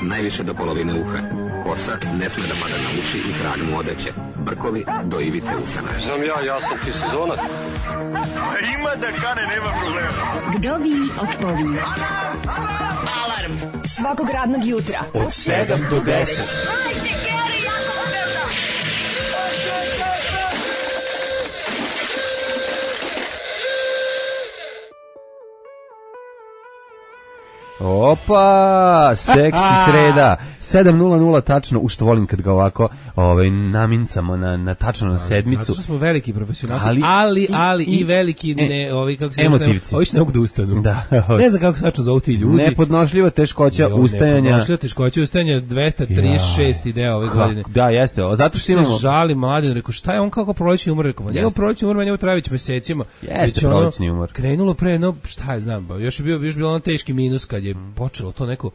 najviše do polovine uha. Kosa ne sme da pada na uši i trag mu odeće. Brkovi do ivice usana. Znam ja sam ti sezonac. Ima da kane, nema problema. Vdovi odpovi. Alarm svakog radnog jutra Od 7 do 10. Opa, seksi sreda. 7:00 tačno, u što volim kad ga ovako namincamo na tačno na sedmicu. Zato što smo veliki profesionalci, ali i veliki kako se emotivci. Ovi ne mogu da ustanu. Da. Ne znam kako tačno zovu ti ljudi. Nepodnošljiva teškoća ustajanja. Nepodnošljiva teškoća ustajanja 236 ideja ove godine. Da, jeste. Zato što imamo... Žali mladen, rekao šta je on kako prolećni umor, rekao. Njegov prolećni umor meni travić mesecima. Jeste prolećni umor. Krenulo pre, šta je znam, još je bilo on teški minus kad je počelo to neko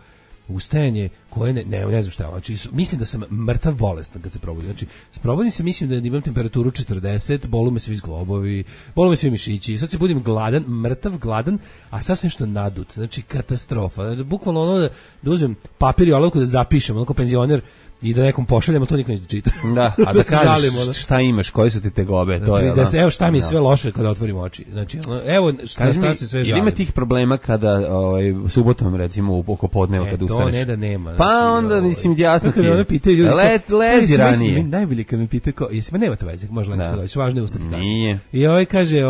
ustajanje koje ne znam šta je. Znači, mislim da sam mrtav bolestan kad se probudim. Znači, probudim se, mislim da imam temperaturu 40, bolu me svi zglobovi, bolu me svi mišići. Sad se budim gladan, mrtav gladan, a sasvim što nadut. Znači, katastrofa. Znači, bukvalno ono da uzmem papir i olovku da zapišem, onako penzioner, i da nekom pošaljemo, to niko neće da čita. Da, a da kažeš šta imaš, koji su ti tegobe, to je. Evo šta mi je sve loše kada otvorim oči. Znači, evo šta se sve žali. Ima tih problema kada subotom recimo oko podneva kada ustaneš. To ne da nema. Pa onda mislim jasno ti. Kada me pitaju ljudi, lezi ranije. Najbolje kad me pitaju kao, jesi nema to veze, može leći doći, važno je ustati kasnije. Nije. I kaže,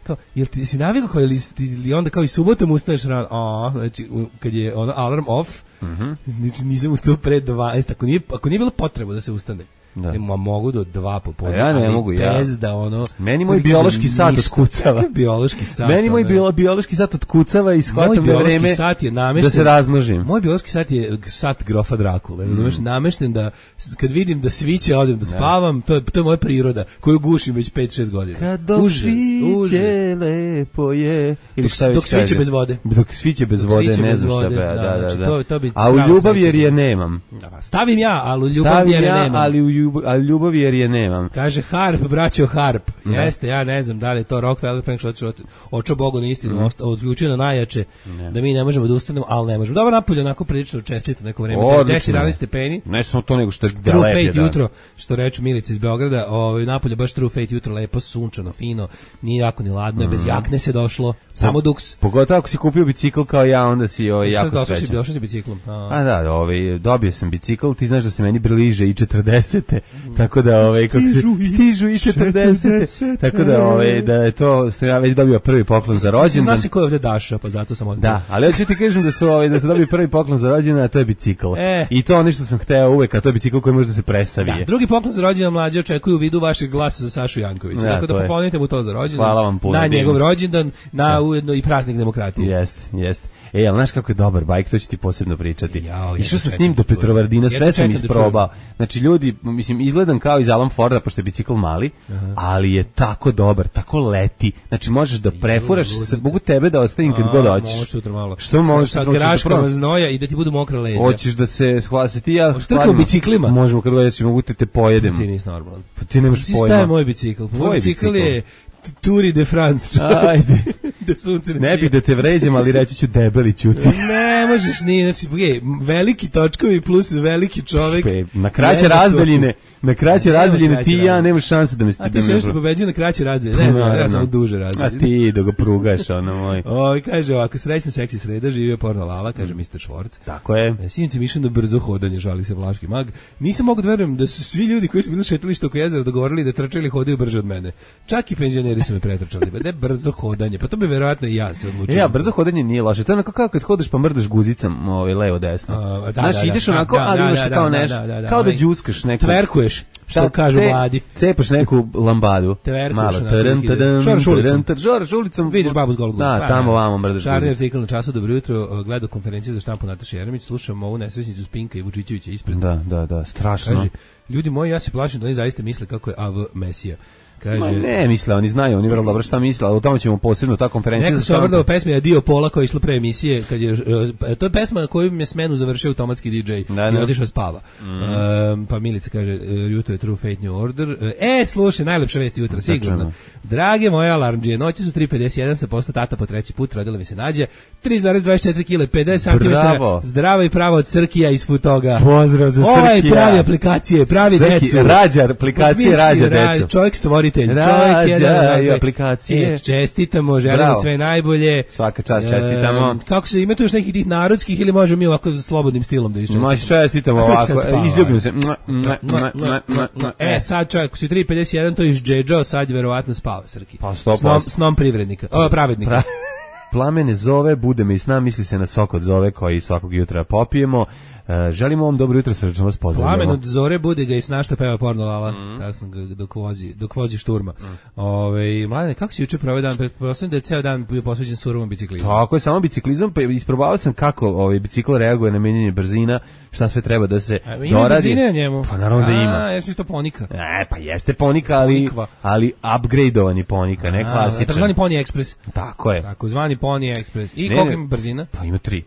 kao, jel ti si navikao kao ili onda kao i subotom ustaješ rano, znači kad je ono alarm off, znači nisam ustao pre 12, ako nije bilo potreba da se ustane. Da. Mogu do 2 popodne. Ja ne mogu, bez da ono... Meni moj biološki sat otkucava. Biološki sat. Meni moj biološki sat otkucava i shvatam da vreme da se razmnožim. Moj biološki sat je sat grofa Drakule. Razumeš, namešten da kad vidim da sviće odem da spavam, to je moja priroda koju gušim već 5-6 godina. Kad dok sviće lepo je. Ili šta dok sviće bez vode. Dok sviće bez vode, ne znam šta. Da. A u ljubav jer je nemam. Stavim ja, ali u ljubav jer je nemam. Ali ljubavi jer je nemam. Kaže Harp, braćo Harp. Jeste, ja ne znam da li je to Rockefeller Frank očeo Bogu na istinu, odključio na najjače, da mi ne možemo da ustanemo, ali ne možemo. Dobro, napolje onako prilično čestito neko vreme, 10-11 stepeni. Ne samo to, nego što je True Fate jutro, što reče Milica iz Beograda, napolje baš True Fate jutro, lepo, sunčano, fino, nije jako ni ladno, bez jakne se došlo, samo duks. Pogotovo ako si kupio bicikl kao ja, onda si jako srećan. Došao si biciklom. Dobio sam bicikl, ti znaš da se meni bliže i 40. Tako da stižu i 40. Tako da je to sam ja već dobio prvi poklon za rođendan. Znaš li ko je ovde Daša, pa zato sam ovde. Da, ali hoću ti kažem da se dobio prvi poklon za rođendan, a to je bicikl. I to ono što sam hteo uvek, a to je bicikl koji može da se presavije. Da, drugi poklon za rođendan mlađe očekuju u vidu vašeg glasa za Sašu Jankovića. Tako da poklonite mu to za rođendan. Hvala vam puno. Na njegov rođendan, na ujedno i praznik demokratije. Jeste. Ali znaš kako je dobar bajk, to ću ti posebno pričati. Išao sam s njim do Petrovaradina, sve sam isprobao. Znači ljudi, mislim, izgledam kao iz Alan Forda, pošto je bicikl mali, ali je tako dobar, tako leti. Znači možeš da prefuraš, mogu tebe da ostavim kad god hoćeš. Možeš sutra malo. Što možeš? Sa graškama znoja i da ti budu mokra leđa. Hoćeš da se hvasi ti ja. Štrkamo biciklima. Možemo kad god hoćeš, mogu te pojedem. Ti nisi normalan. Pa ti nemaš pojma. Šta je moj bicikl? Moj bicikl je Tour de France. Ajde. Ne bih da te vređam, ali reći ću debeli ćuti. Ne možeš ni, znači, veliki točkovi plus veliki čovek. Na kraće razdaljine ti i ja nemaš šanse da me stigneš. A ti se nešto pobeđuje na kraće razdaljine, ne znam, ja sam duže razdaljine. A ti da ga prugaš, ono moj. Kaže ovako, srećna seksi sreda, živio porno Lala, kaže Mr. Švorc. Tako je. Sinoć mišljam da brzo hodanje, žali se Vlaški mag. Nisam mogu da verujem da su svi ljudi koji su bili na šetalištu oko jezera dogovorili da trčali hodaju brže od mene. Čak i penzioneri su me pretrčali. Da je brzo hodanje, pa to bi verovatno i ja se odlučio. Ja, brzo hodanje nije loše. To je onako kao kad hodeš pa mrdaš guzicom levo desno. Znaš, ideš onako, ali imaš kao nešto, kao da đuskaš neko. Tverkuješ, što kažu mladi. Cepaš neku lambadu. Malo. Žoraš ulicom. Vidiš babu s golog. Da, tamo vamo mrdaš guzicu. Šarni artikl na Času, dobro jutro, gledao konferenciju za štampu Nataše Jeremić, slušam ovu nesrećnicu Spinka i Vučićevića ispred. Da, strašno. Kaže, ljudi moji, ja se plašim da oni zaista misle kako je AV Mesija. Kaže, ne misle, oni znaju, oni vrlo dobro šta misle, ali o tome ćemo posebno ta konferencija. Neko se obradao pesmi Adio Pola koja je išla pre emisije, kad je, to je pesma na koju mi je smenu završio automatski DJ i otišao spava. Pa Milica kaže, jutro je True Fate New Order. Slušaj, najlepša vest jutra, sigurno. Drage moje alarmđije, noći su 3.51, sa posta tata po treći put, rodila mi se Nađa, 3,24 kg, 50 cm, zdrava i prava od Srkija iz Futoga. Pozdrav za Srkija. Ovo je pravi aplikacije, pravi decu. Rađar, aplikacije rađa decu. Čovjek stvoritelj, čovjek jedan i aplikacije. Čestitamo, želimo sve najbolje. Svaka čast, čestitamo. Kako se ima tu još nekih tih narodskih ili možemo mi ovako slobodnim stilom da iščestitamo? Može čestitamo ovako, izljubim se. Sad čovjek, ako si 3.51, to je izđeđao, sad je verovatno spava Srki. Pa 100%. Snom privrednika, pravednika. Plamene zove, bude me i sna, misli se na sok od zove koji svakog jutra popijemo. Želimo vam dobro jutro, srdečno vas pozdravljamo. Plamen od zore bude ga i sna što peva porno Lala. Tako sam ga dok vozi šturma. Mladene, kako si juče proveo dan? Pretpostavljam da je ceo dan bio posvećen surovom biciklizmu. Tako je, samo biciklizam, pa isprobavao sam kako bicikl reaguje na menjanje brzina, šta sve treba da se doradi. Ima brzine na njemu? Pa naravno da ima. Jesi to ponika? Pa jeste ponika, ali upgradeovani ponika, ne klasičan. Takozvani Pony Express. Tako je. Takozvani Pony Express. I koliko ima brzina? Pa ima 3.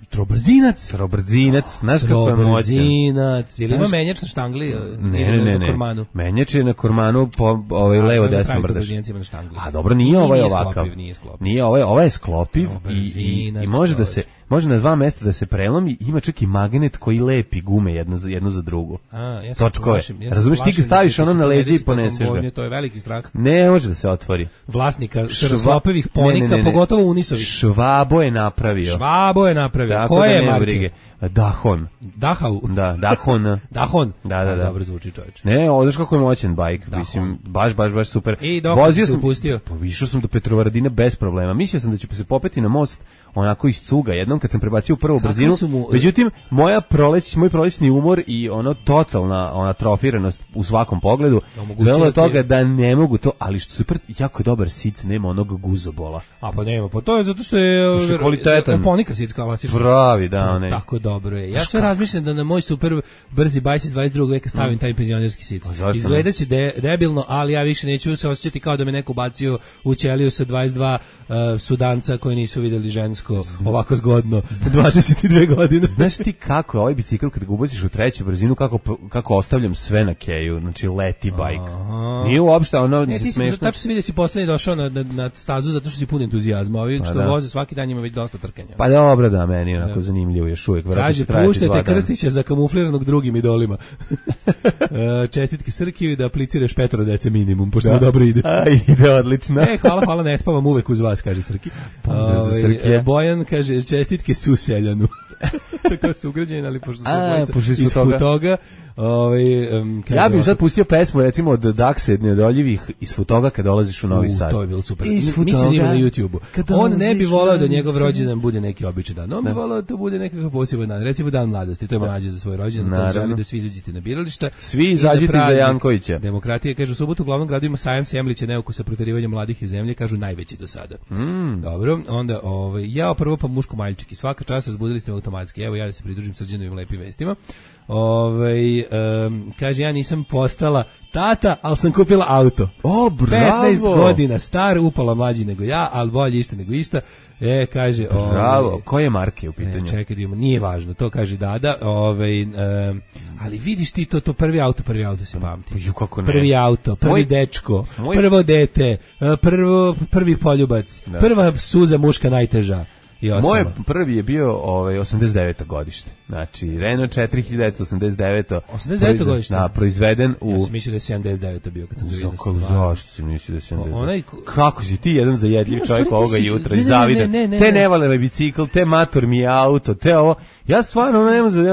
Trobrzinac. Znaš kako je moćan? Trobrzinac. Ili ima menjač na štangli? Ne. Menjač je na kormanu po levo desno brdaš. A dobro, nije ovaj ovakav. Nije ovaj je sklopiv i može na 2 mesta da se prelomi, ima čak i magnet koji lepi gume jednu za drugu. Točkove. Razumeš, ti ga staviš ono na leđe i poneseš ga. To je veliki strah. Ne može da se otvori. Vlasnika sklopivih ponika, pogotovo unisovih. Švabo je napravio. Koje je marke? Dahon. Dahau? Da, Dahon. Dahon? Da. Dobro zvuči, čovječ. Ne, znaš kako je moćan bajk, mislim, baš super. I dok si se upustio? Išao sam do Petrovaradina bez problema. Mislio sam da ću se popeti na most onako iz cuga jednom kad sam prebacio u prvu brzinu. Međutim, moj prolećni umor i totalna atrofiranost u svakom pogledu dovelo do toga da ne mogu to, ali što super, jako je dobar sic, nema onog guzobola. A pa nema, pa to je zato što je kvalitetan. Ponika sic klasična. Pravi, da, onaj. Tako dobro je. Ja sve razmišljam da na moj super brzi bajs iz 22. veka stavim taj penzionerski sic. Izgledaće debilno, ali ja više neću se osjećati kao da me neko bacio u ćeliju sa 22 Sudanca koji nisu vidjeli žensko ovako zgodno 22 godine. Znaš ti kako je ovaj bicikl kad ga ubaciš u treću brzinu, kako ostavljam sve na keju, znači leti bajk. Nije uopšte ono se smešno. Tačno se vidi da si poslednji došao na stazu zato što si pun entuzijazma. Ovi što voze svaki dan ima već dosta trkanja. Pa dobro, da, meni je onako zanimljivo još uvijek. Kaže, puštajte Krstića zakamufliranog drugim idolima. Čestitke Srkiju da apliciraš 5 dece minimum, pošto mu dobro ide. Ide odlično. Hvala, ne spavam uvek uz vas, kaže Srki. Bojan kaže, čestitke Suseljanu. Tako su ugrađeni, ali pošto su iz Futoga. Ja bih sad pustio pesmu recimo od Dakse Nedoljivih iz Futoga kad dolaziš u Novi Sad. To je bilo super. Mislim da ima na YouTubeu. On ne bi voleo da njegov rođendan bude neki običan dan. On bi voleo da to bude nekakav poseban dan. Recimo dan mladosti. To je mlađe za svoj rođendan. Želi da svi izađete na birališta. Svi izađite za Jankovića. Demokratija, kaže, u subotu u glavnom gradu ima sajam Semlića neukusa proterivanja mladih iz zemlje, kažu najveći do sada. Dobro, onda ja prvo pa muško maljčik i svaka čast razbudili ste me automatski. Evo ja da se pridružim Srđanovim lepim vestima. Kaže, ja nisam postala tata, ali sam kupila auto. Bravo! 15 godina star, upala mlađi nego ja, ali bolje išta nego išta. Kaže, bravo, koje marke u pitanju? Čekaj, nije važno, to kaže Dada. Ali vidiš ti to prvi auto se pamti. Prvi auto, prvi dečko, prvo dete, prvi poljubac, prva suza muška najteža. Moj prvi je bio 89. godište. Znači, Renault 4989. 89. godište? Da, proizveden u... Ja sam mislio da je 79. bio kad sam to vidio. Zašto si mislio da je 79? Kako si ti jedan zajedljiv čovjek ovoga jutra i zavidan? Te ne vale me bicikl, te mator mi je auto, te ovo... Ja stvarno ne znam...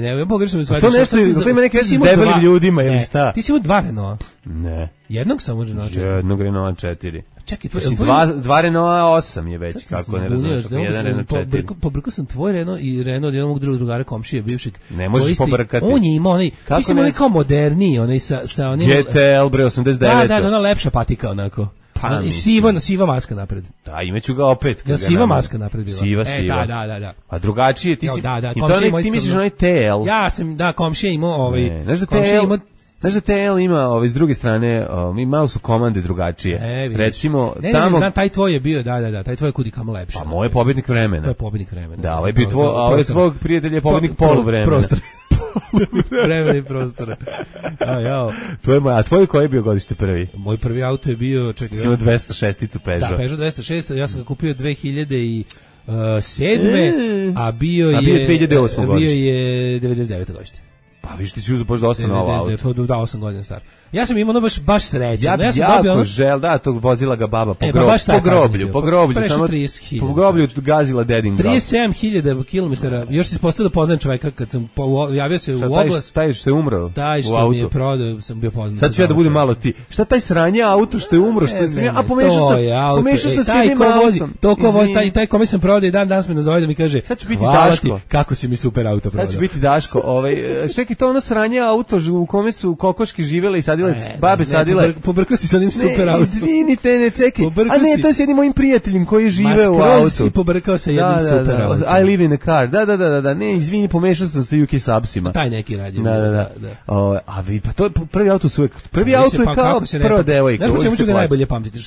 Ne, pogrešno mi shvatiš. To nešto, to ima neke veze s debelim ljudima ili šta? Ti si imao 2 Renaulta? Ne. Jednog samo Renault 4? Jednog Renault 4. Čekaj, dva Renault 8 je već, kako ne razumiješ, jedan Renault 4. Pobrkao sam tvoj Renault i Renault jednog drugara komšije bivšeg. Ne možeš pobrkati. On je imao onaj, mislim onaj kao moderniji, onaj sa onim... GTL bre 89. Da, ona lepša patika onako. I siva maska napred. Da, imaću ga opet. Ja siva maska napred bila. Siva. Da. A drugačije, ti si... Da, ti misliš onaj TL? Ja sam, komšija imao znaš da TL... Znaš da TL ima s druge strane, malo su komande drugačije. Recimo, tamo... znam, taj tvoj je bio, da, taj tvoj je kudi kamo lepše. Pa moj je pobednik vremena. To je pobednik vremena. Da, ovaj je bio ovaj tvoj prijatelj je pobednik poluvremena. Prostor. Vremena i prostora. A tvoj koji je bio godište prvi? Moj prvi auto je bio... Si imao 206-icu Peugeot. Da, Peugeot 206, ja sam ga kupio 2007. A bio je 2008. godište. Bio je 99. godište. Pa viš ti si uzeo baš dosta novo auto. Da, 8 godina star. Ja sam imao baš srećan. Ja sam jako žel, tog vozila ga baba po groblju. Po groblju gazila dedin grob. 37.000 km. Još si postao da poznajem čoveka kad sam javio se u oglas. Taj što je umro. Taj što mi je prodao, sam bio poznat. Sad ću ja da budem malo ti. Šta taj sranje auto što je umro, što je a pomešao sam s jednim autom. Taj kome sam prodao i danas me nazove da mi kaže: "Sad ću biti Daško. Kako si mi super auto prodao." Sad ću biti Daško. Čekaj, to ono sranje auto u kome su kokoške živele i sadile, babe sadile. Pobrkao si sa onim super autom. Izvinite, ne čekaj. A ne, to je s jednim mojim prijateljem koji žive u autu. Si pobrkao sa jednim super autom. I live in a car. Da. Ne, izvini, pomešao sam sa UK Subsima. Taj neki radi. Da. A vidi, pa to je prvi auto su uvek. Prvi auto je kao prva devojka. Ne znam čemu ću ga najbolje pamtiti.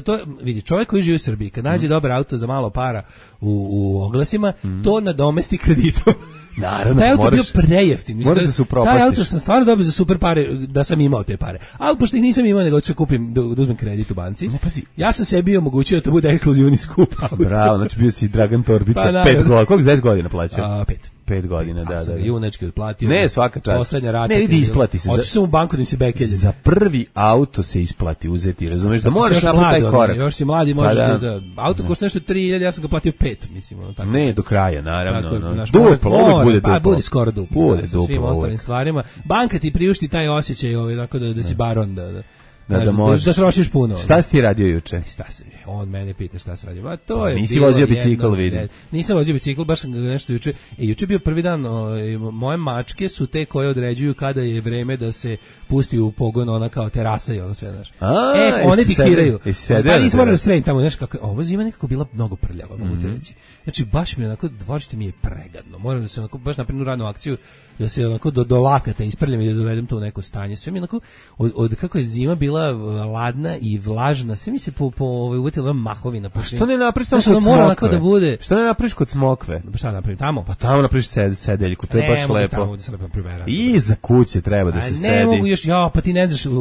To vidi, čovjek koji živi u Srbiji, kad nađe dobar auto za malo para u oglasima, to nadomesti kreditom. Naravno, taj auto bio prejeftin. Moraš da se upropastiš. Taj auto sam stvarno dobio za super pare da sam imao te pare. Ali pošto ih nisam imao, nego ću kupim da uzmem kredit u banci. Ne, pazi. Ja sam sebi omogućio da to bude ekskluzivni skup auto. Bravo, znači bio si Dragan Torbica, 5 godina. Koliko 10 godina plaćao? 5 godina, da. Junački otplatio. Ne, svaka čast. Poslednja rata. Ne, vidi, isplati se. Hoću sam u banku da mi se bekelje. Za prvi auto se isplati uzeti, razumeš, da moraš napraviti taj korak. Još si mladi, možeš da... Auto košta nešto 3.000, ja sam ga platio 5, mislim. Ne, do kraja, naravno. Duplo, uvek bude duplo. Bude skoro duplo. Bude sa svim ostalim stvarima. Banka ti priušti taj osjećaj, tako da si baron, da trošiš puno. Šta si ti radio juče? On mene pita šta se radio. Ma to je. Nisi vozio bicikl, vidim. Nisam vozio bicikl, baš sam nešto juče. Juče je bio prvi dan, moje mačke su te koje određuju kada je vreme da se pusti u pogon, ona kao terasa i ono sve, znaš. One diktiraju. Pa nisam morao da sredim tamo, znaš kako, ovo zima nekako bila mnogo prljava, mogu ti reći. Znači, baš mi je onako, dvorište mi je pregadno. Moram da se onako, baš napravim radnu akciju, da se onako do lakata isprljam i da dovedem to u neko stanje. Sve mi onako, od kako je zima bila ladna i vlažna, sve mi se uvetila mahovina. Pa što ne napraviš tamo kod smokve? Da bude... Što ne napraviš kod smokve? Pa šta napravim tamo? Pa tamo napraviš sedeljku, to je baš lepo. Tamo da se lepo priveram. I za kuće treba da se sedi. Ne mogu još, pa ti ne znaš,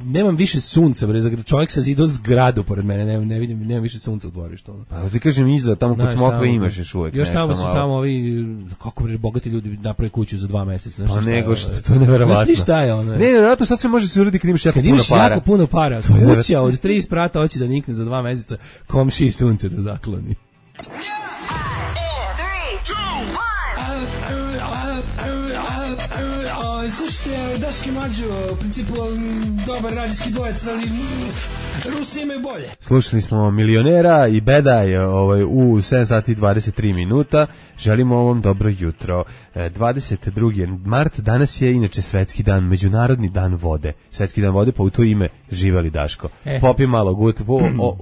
nemam više sunca, čovjek sa zidao zgradu pored mene, ne vidim, nemam više sunca u dvorištu. Pa ti kažem iza, tamo kod smokve imaš još uvijek nešto malo. Još tamo su tamo ovi, kako bogati ljudi naprave kuću za 2 meseca. Pa nego što, to je neverovatno. Znaš šta je ono? Ne, nevjerovatno, sad sve može se uraditi kad imaš jako puno para. Kad imaš jako puno para, kuća od 3 sprata hoće da nikne za 2 meseca, komšiji sunce da zakloni. Slušajte, Daški Mađo, u principu dobar radijski dvojec, ali Rusi imaju bolje. Slušali smo Milionera i Bedaj u 7 sati 23 minuta. Želimo vam dobro jutro. 22. mart, danas je inače svetski dan, međunarodni dan vode. Svetski dan vode, pa u to ime živeli Daško. Popi malo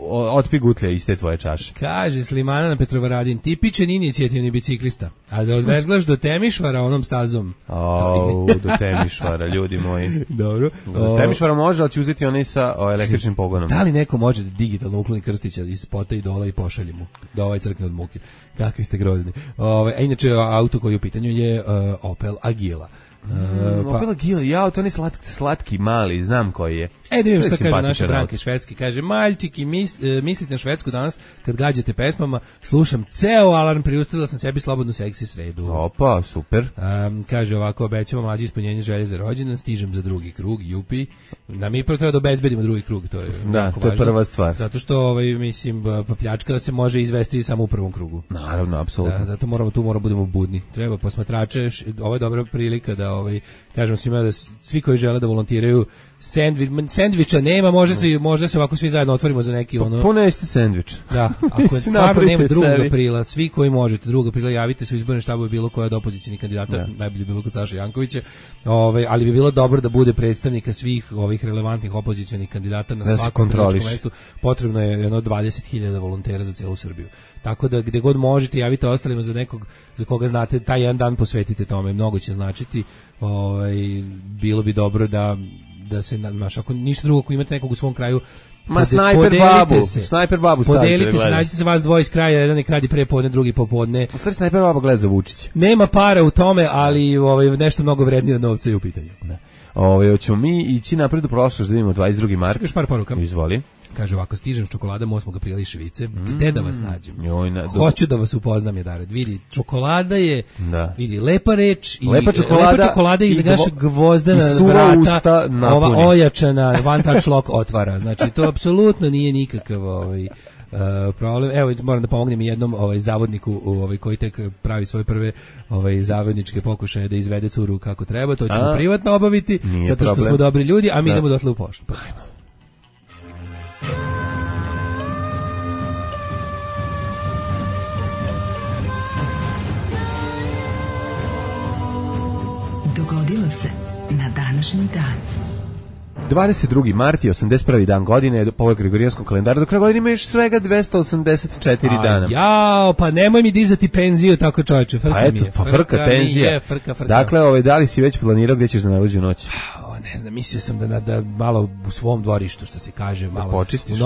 otpi gutlja iz te tvoje čaše. Kaže Slimana na Petrovaradin, tipičan inicijativni biciklista, a da odvezglaš do Temišvara onom stazom. Do Temišvara, ljudi moji. Dobro. Do Temišvara može, ali će uzeti onaj sa električnim pogonom. Da li neko može digitalno ukloni Krstića iz spota i dola i pošalje mu da ovaj crkne od muke? Kakvi ste grozni. A inače, auto koji je u pitanju je Opel Agila. Opel Agila, to ne slatki, mali, znam koji je. Da vidim šta kaže naša Branka Švedski. Kaže, maljčiki, mislite na Švedsku danas kad gađate pesmama, slušam ceo alarm, priustavila sam sebi slobodnu seksi sredu. Opa, super. Kaže ovako, obećamo mlađe ispunjenje želje za rođendan, stižem za drugi krug, jupi. Da mi prvo treba da obezbedimo drugi krug, to je to je prva stvar. Zato što, mislim, pljačka se može izvesti samo u prvom krugu. Naravno, apsolutno. Zato moramo budemo budni. Treba posmatrače, ovo je dobra prilika da kažemo svima da svi koji žele da volontiraju sendviča nema, može se ovako svi zajedno otvorimo za neki ono. Poneste sendvič. Da, ako je stvarno nema 2. aprila, svi koji možete 2. aprila javite se u izborne štabove bilo koja od opozicionih kandidata, najbolje bilo kod Saše Jankovića. Ali bi bilo dobro da bude predstavnika svih ovih relevantnih opozicionih kandidata na svakom političkom mestu. Potrebno je jedno 20.000 volontera za celu Srbiju. Tako da gde god možete javite ostalima za nekog za koga znate, taj jedan dan posvetite tome, mnogo će značiti. Bilo bi dobro da se ako ništa drugo, ako imate nekog u svom kraju, Snajper babu podelite se, nađite se vas dvoje iz kraja, jedan je kradi pre podne, drugi popodne. U stvari Snajper baba gleda za Vučića. Nema para u tome, ali nešto mnogo vrednije od novca je u pitanju. Da. Hoćemo mi ići napred u prošlost da vidimo 22. mart. Čekaš par poruka? Izvoli. Kaže ovako, stižem s čokoladom 8. aprila iz Švice. Gde da vas nađem? Hoću da vas upoznam, Jedared. Vidi, čokolada je, vidi, lepa reč i lepa čokolada i naša gvozdena vrata, ova ojačana one touch lock otvara. Znači, to apsolutno nije nikakav problem. Evo, moram da pomognem jednom zavodniku koji tek pravi svoje prve zavodničke pokušaje da izvede curu kako treba. To ćemo privatno obaviti, zato što smo dobri ljudi, a mi idemo dotle u poštu. Dogodilo se na današnji dan. 22. mart je 81. dan godine po ovoj gregorijanskom kalendaru. Do kraja godine ima još svega 284 dana. Jao, pa nemoj mi dizati penziju tako, čoveče. Frka penzija. Dakle, da li si već planirao gdje ćeš za najluđu noć? Ne znam, mislio sam da malo u svom dvorištu, što se kaže, malo počistiš.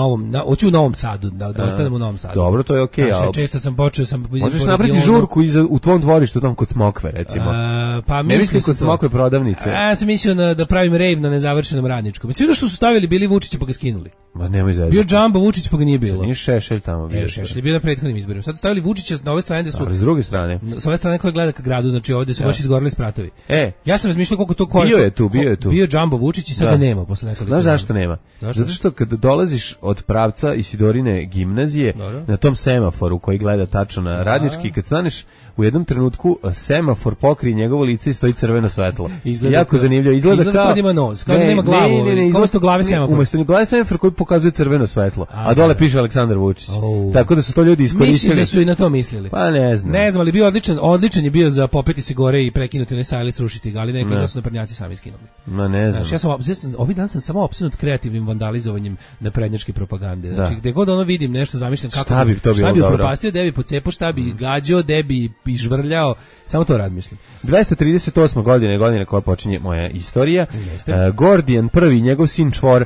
Hoću u Novom Sadu, da ostanem u Novom Sadu. Dobro, to je okej. Često sam počeo možeš napraviti žurku u tvom dvorištu, tamo kod Smokve, recimo. Pa ne mislim kod Smokve prodavnice. Ja sam mislio da pravim rave na nezavršenom Radničkom. Mislim što su stavili bili Vučića pa ga skinuli. Ma nemoj zezati. Bio Džambo Vučić pa ga nije bilo. Nije Šešelj tamo bio. Šešelj je bio na prethodnim izborima. Sad stavili Vučića na ove strane da su. Ali s druge strane. S ove strane koja gleda ka gradu, znači ovde su baš izgoreli spratovi. Ja sam razmišljao koliko to koliko. Bio je tu. Bio Džambo Vučić i sad ga nema posle nekoliko. Znaš zašto nema? Zato što kada dolaziš od pravca Isidorine gimnazije na tom semaforu koji gleda tačno na Radnički, kad staneš u jednom trenutku semafor pokrije njegovo lice i stoji crveno svetlo. Jako zanimljivo. Izgleda kao da ima nos, kao da nema glavu. Kao sto glave semafor. Umesto glave semafor koji pokazuje crveno svetlo, a dole piše Aleksandar Vučić. Tako da su to ljudi iskoristili. Misliš da su i na to mislili? Pa ne znam. Ne znam, ali bio odličan je bio za popeti se gore i prekinuti onaj sajlis, rušiti ga, ali neki su naprednjaci sami skinuli. Ma ne znam. Ovih dan sam samo opsednut kreativnim vandalizovanjem naprednjačke propagande. Znači, gde god ono vidim nešto, zamišljam kako šta bi upropastio, gde bi pocepao, šta bi gađao, gde bi žvrljao, samo to razmišljam. 238. godine koja počinje moja istorija. Gordijan I, njegov sin Čvor,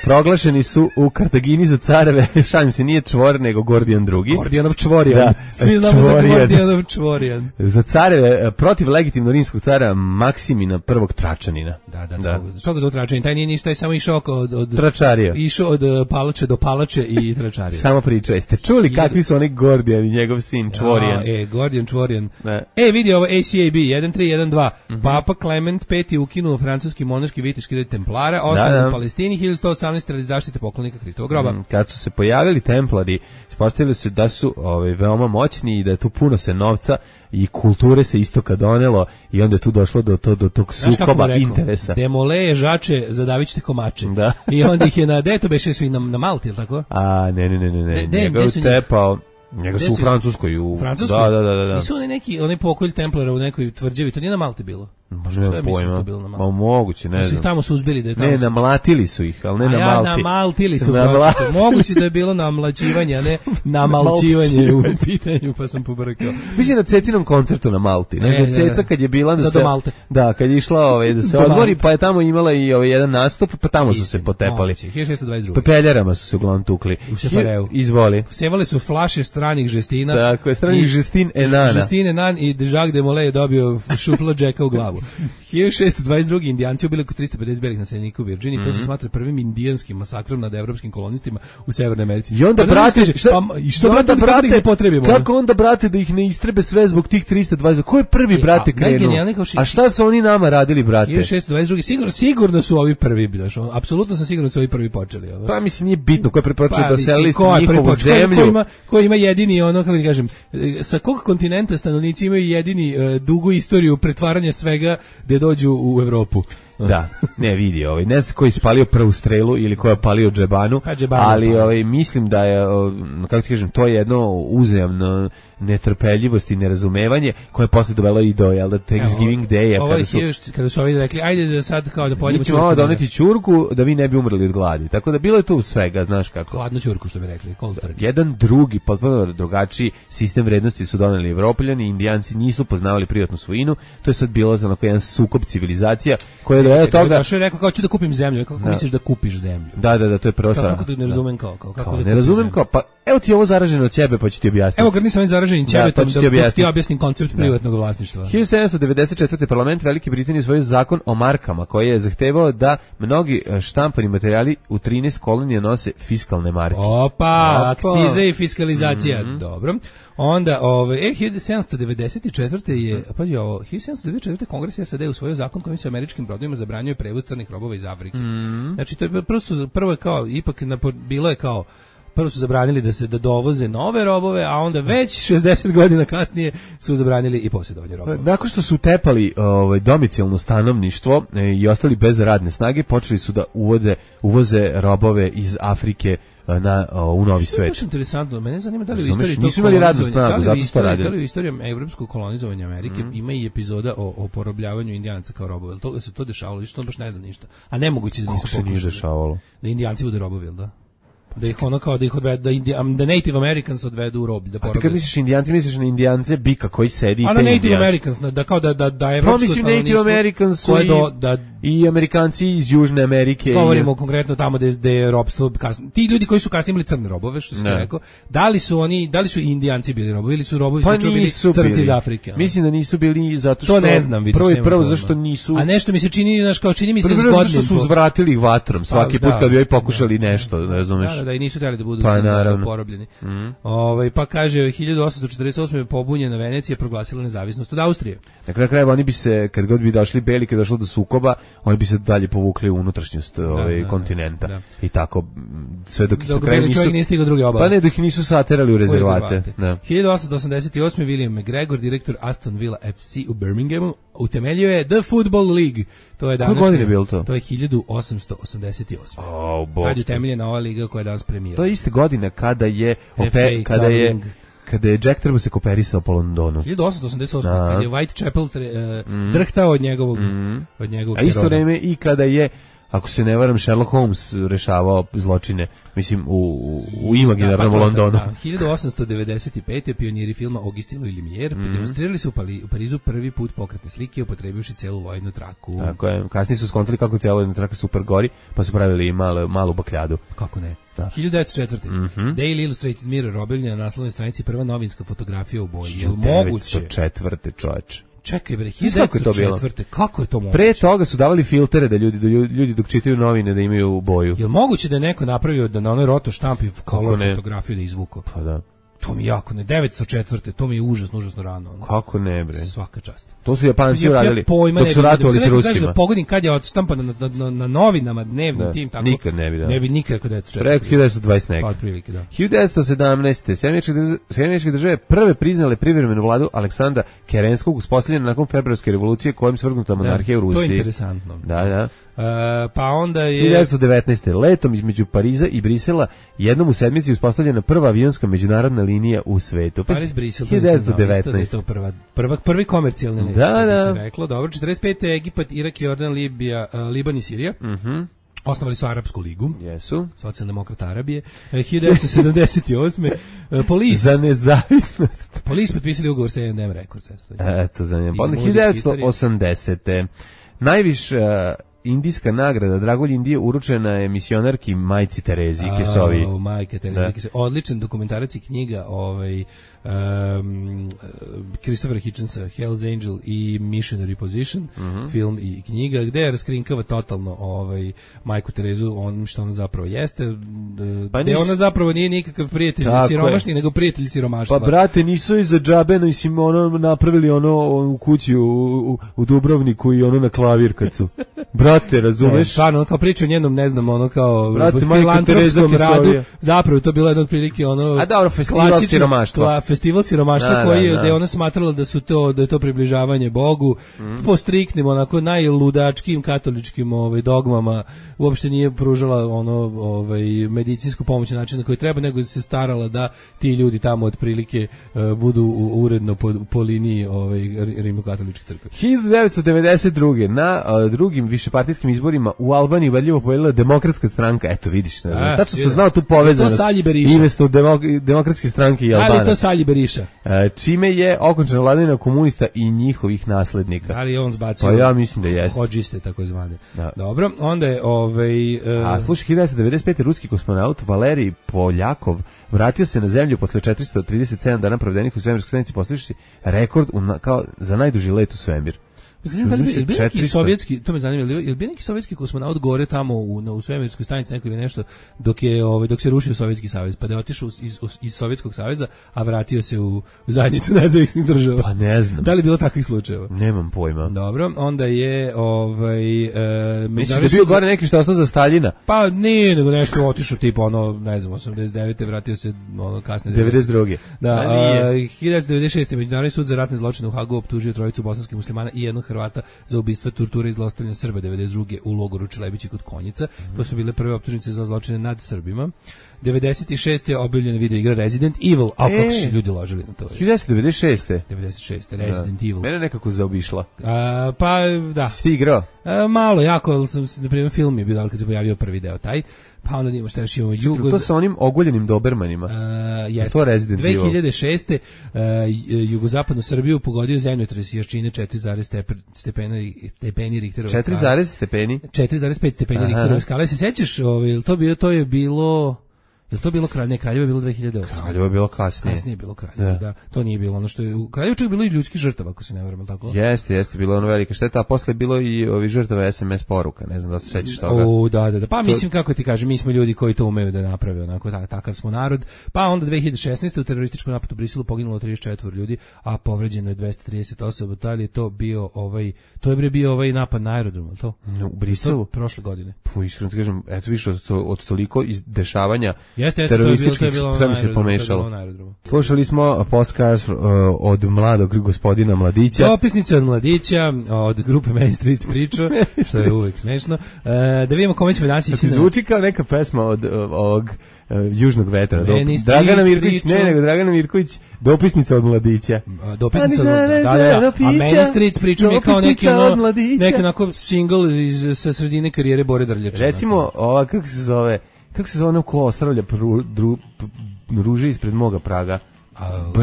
proglašeni su u Kartagini za careve, šalim se, nije Čvor, nego Gordijan II. Gordijanov Čvorjan. Svi znamo za Gordijanov Čvorjan. Za careve, protiv legitimno rimskog cara Maksimina I Tračanina. Da. Što ga zove Tračanin? Taj nije ništa, je samo išao od Tračarija. Išao od palače do palače i Tračarija. Samo priča. Jeste čuli kakvi su oni Gordijan i njegov sin Čvorjan? Gordijan Čvorjan. Vidi ovo ACAB 1312. Papa Clement V ukinuo francuski monaški viteški red Templara, osnovan u Palestini 1118 radi zaštite poklonika Hristovog groba. Kad su se pojavili Templari, ispostavili se da su veoma moćni i da je tu puno se novca i kulture se istoka donelo i onda je tu došlo do tog sukoba interesa. Demole žače, zadavit ćete komače. Da. I onda ih je na deto beše su i na Malti, ili tako? Ne. Njega je tepao. Njega su u Francuskoj. Francuskoj? Da. Nisu onaj pokolj Templara u nekoj tvrđavi, to nije na Malti bilo. Možda nema pojma. Ma moguće, ne znam. Tamo su uzbili da je tamo. Ne, namlatili su ih, ali ne na Malti. Namaltili su, moguće da je bilo namlaćivanje, a ne namalčivanje u pitanju, pa sam pobrkao. Mislim na Cecinom koncertu na Malti. Znači, Ceca kad je bila kad je išla da se odmori, pa je tamo imala i jedan nastup, pa tamo su se potepali. 1622. Pepeljarama su se uglavnom tukli. U Šefareu. Izvoli. Sevale su flaše stranih žestina. Tako je, stranih žestin Enana. Žestin Enan i Jacques de Molay je dobio šufla Jacka u glavu. 1622. Indijanci ubili oko 350 belih naseljenika u Virginiji, to se smatra prvim indijanskim masakrom nad evropskim kolonistima u Severnoj Americi. I onda potrebimo? Kako onda, brate, da ih ne istrebe sve zbog tih 320? Ko je prvi, brate, krenuo? A šta su oni nama radili, brate? 1622. Sigurno su ovi prvi, apsolutno sam siguran da su ovi prvi počeli. Pa mislim, nije bitno ko je prepočeo da selili njihovu zemlju. Ko ima jedini, kako da kažem, sa kog kontinenta stanovnici imaju jedini dugu istoriju pretvaranja svega gde dođu u Evropu. Da, ne vidi, ne znam ko je spalio prvu strelu ili ko je palio džebanu, ali mislim da je, kako ti kažem, to je jedno uzajamno netrpeljivost i nerazumevanje koje je posle dovelo i do Thanksgiving Day-a kada su ovi rekli ajde da sad kao da pojedemo ćurku. Mi ćemo doneti ćurku da vi ne bi umrli od gladi. Tako da bilo je tu svega, znaš kako. Hladnu ćurku što bi rekli, cold turkey. Jedan drugi, potpuno drugačiji sistem vrednosti su doneli Evropljani, Indijanci nisu poznavali privatnu svojinu. To je sad bilo onako jedan sukob civilizacija koji je doveo toga. Došao je rekao kao ću da kupim zemlju, kako misliš da kupiš zemlju? Da, to je prva stvar. Kako ne razumem kako ne razumem kao, pa evo ti ovo zaraženo od ćebe, pa ću ti objasniti. Evo kad nisam zaražen ćebetom, da ti objasnim koncept privatnog vlasništva. 1794. parlament Velike Britanije usvojio zakon o markama koji je zahtevao da mnogi štampani materijali u 13 kolonija nose fiskalne marke. Opa, akcize i fiskalizacija. Dobro. Onda 1794. je, pazi ovo, 1794. Kongres SAD usvojio zakon kojim se američkim brodovima zabranjuje prevoz crnih robova iz Afrike. Znači to je prvo kao ipak bilo je kao prvo su zabranili da dovoze nove robove, a onda već 60 godina kasnije su zabranili i posjedovanje robova. Nakon što su tepali domicilno stanovništvo i ostali bez radne snage, počeli su da uvoze robove iz Afrike u novi svet. Što je interesantno, mene zanima da li u istoriji nisu imali radnu snagu, zato su to radili. Da li u istoriji evropskog kolonizovanja Amerike ima i epizoda o porobljavanju Indijanaca kao robova? To se to dešavalo, što baš ne znam ništa. A nemoguće da nisu pokušali. Kako se nije dešavalo? Da Indijanci budu robovi, jel da? Da ih ono kao da ih odvedu, da Native Americans odvedu u roblje, da porobe. A ti kad misliš Indijanci, misliš na Indijance bika koji sedi i te Indijanci. A na Native Americans, da kao da evropsko stanovništvo. Native Americans su i Amerikanci iz Južne Amerike. Govorimo konkretno tamo gde je robstvo kasnije. Ti ljudi koji su kasnije imali crne robove, što sam rekao, da li su Indijanci bili robovi ili su robovi bili crnci iz Afrike? Mislim da nisu bili zato što... To ne znam, vidiš. Prvo zašto nisu... A nešto mi se čini, znaš, kao čini mi se zgodnim. Prvo zašto su uzvratili ih vatrom svaki put kad bi joj pokušali nešto, ne razumeš. Da, i nisu htjeli da budu porobljeni. Pa kaže, 1848. pobunjena Venecija proglasila nezavisnost od Austrije. Na kraju krajeva oni bi se, kad god bi došli beli, kad došlo do sukoba, oni bi se dalje povukli u unutrašnjost kontinenta. Da. I tako, sve dok ih na kraju nisu... stigao druge obale. Pa ne, dok ih nisu saterali u rezervate. Da. 1888. William McGregor, direktor Aston Villa FC u Birminghamu, utemeljio je The Football League. To je današnje. Koje godine je bilo to? To je 1888. Kad je utemeljena ova liga koja je danas premijera. To je iste godine kada je kada je Jack Trebus se koperisao po Londonu. 1888. Kada je Whitechapel drhtao od njegovog a isto vreme i kada je, ako se ne varam, Sherlock Holmes rešavao zločine, mislim, u imaginarnom Londonu. 1895. pioniri filma Augustin Louis Lumière demonstrirali su u Parizu prvi put pokretne slike upotrebivši celulojnu traku. Tako je, kasnije su skontali kako celulojna traka super gori, pa su pravili i malu bakljadu. Kako ne? 1904. Daily Illustrated Mirror objavljena na naslovnoj stranici prva novinska fotografija u boji. 1904. čoveče. Čekaj bre, 1904. Kako je to moguće? Pre toga su davali filtere da ljudi dok čitaju novine da imaju boju. Jel moguće da je neko napravio da na onoj roto štampi fotografiju da izvuko? Pa da. To mi jako ne, 904. To mi je užasno rano. Ono. Kako ne bre? Svaka čast. To su Japanci uradili dok su ratovali s Rusima. Da pogodim kad je odštampano na novinama dnevnim tim tako. Nikad ne bi da. Ne bi nikad kod 1904. Preko 1920 neka. Pa otprilike da. 1917. Sjemeničke države prve priznale privremenu vladu Aleksandra Kerenskog uspostavljena nakon februarske revolucije kojom svrgnuta monarhija u Rusiji. To je interesantno. Da. Pa onda je 1919. letom između Pariza i Brisela jednom u sedmici uspostavljena prva avionska međunarodna linija u svetu. Paris-Brisel 1919. Prvi komercijalni let. Da. Reklo, dobro, 45. Egipat, Irak, Jordan, Libija, Liban i Sirija. Osnovali su Arapsku ligu. Jesu. Socijaldemokrata Arabije. 1978. Police. Za nezavisnost. Police potpisali ugovor sa A&M Records. Eto, za njim. 1980. Najviša indijska nagrada Dragolj Indije uručena je misionarki Majci Terezi Kesovi. Majke Terezi Kesovi. Odličan dokumentarac i knjiga Christopher Hitchensa, Hell's Angel i Missionary Position, film i knjiga, gde je raskrinkava totalno Majku Terezu, on što ona zapravo jeste, gde ona zapravo nije nikakav prijatelj siromašni, nego prijatelj siromaštva. Pa brate, nisu i za džabe, mislim, napravili u kući u Dubrovniku i na klavir kad su. Brate, razumeš? Stvarno, kao priča o njenom, ne znam, filantropskom radu, zapravo to bilo jedno od prilike a dobro, festival siromaštva. festival siromaštva koji je, da je ona smatrala da je to približavanje Bogu, po striktnim, onako najludačkim katoličkim dogmama, uopšte nije pružala medicinsku pomoć na način na koji treba, nego se starala da ti ljudi tamo otprilike budu uredno po liniji rimokatoličke crkve. 1992. na drugim višepartijskim izborima u Albaniji ubedljivo pobedila Demokratska stranka. Eto vidiš, tačno sam znao tu povezanost. Imesto Demokratske stranke i Albanaca. Ali to Salji Beriša. Čime je okončana vladavina komunista i njihovih naslednika. Ali on zbacio. Pa ja mislim da jeste. Hodžiste tako zvane. Da. Dobro, onda je A slušaj, 1995. ruski kosmonaut Valerij Poljakov vratio se na zemlju posle 437 dana provedenih u svemirskoj stanici, postavivši rekord kao za najduži let u svemir. Da li bi neki sovjetski, to me zanima, je li bi neki sovjetski kosmonaut gore tamo u svemirskoj stanici neko ili nešto dok se rušio Sovjetski savez, pa da je otišao iz Sovjetskog saveza, a vratio se u zajednicu nezavisnih država? Pa ne znam. Da li je bilo takvih slučajeva? Nemam pojma. Dobro, onda je misliš da je bio gore neki što ostao za Staljina? Pa nije, nego nešto otišao tipa ne znam, 89. vratio se kasne 92. Da, 1996. Međunarodni sud za ratne zločine u Hagu optužio trojicu bosanskih muslimana i jednog Hrvata za ubistva, torture i zlostavljanje Srba 92. u logoru Čelebići kod Konjica. To su bile prve optužnice za zločine nad Srbima. 96. je objavljena video igra Resident Evil, a kako su ljudi ložili na to? 1996. 96. Resident Evil. Mene nekako zaobišla. Pa da. Si igrao? Malo, jako, na primjer film je bio kad se pojavio prvi deo taj. Pa onda imamo šta još imamo To sa onim oguljenim dobermanima. To Resident Evil. 2006. Jugozapadnu Srbiju pogodio zemljotres jačine 4,5 stepeni Richterove skale. 4,5 stepeni? 4,5 stepeni Richterove skale. Se sećaš, to je bilo... Je li to bilo Kraljevo? Ne, Kraljevo je bilo 2008. Kraljevo je bilo kasnije. Kasnije je bilo Kraljevo, da. To nije bilo ono što je... U Kraljevu čak bilo i ljudskih žrtava, ako se ne varam, tako? Jeste, bilo ono velika šteta, a posle je bilo i žrtava SMS poruka, ne znam da se sećaš toga. Da. Pa mislim, kako ti kažem, mi smo ljudi koji to umeju da naprave, onako, takav smo narod. Pa onda 2016. u terorističkom napadu u Briselu poginulo 34 ljudi, a povređeno je 230 osoba. Da li je to bio bio napad na aerodrom, to? U Briselu? Prošle godine. Pa iskreno ti kažem, eto više od toliko izdešavanja terorističkih, sve mi se pomešalo. Slušali smo podcast od mladog gospodina Mladića. Dopisnice od Mladića, od grupe Main Street priča, što je uvijek smešno. Da vidimo kome ćemo danas ići. Zvuči kao neka pesma od ovog Južnog vetra. Dragana Mirković, Dragana Mirković, dopisnica od Mladića. Dopisnica od Mladića, da. A Main Street priča mi je kao neki onako single sa sredine karijere Bore Drljača. Recimo, ova, kako se zove ono ko ostavlja ruže ispred moga praga?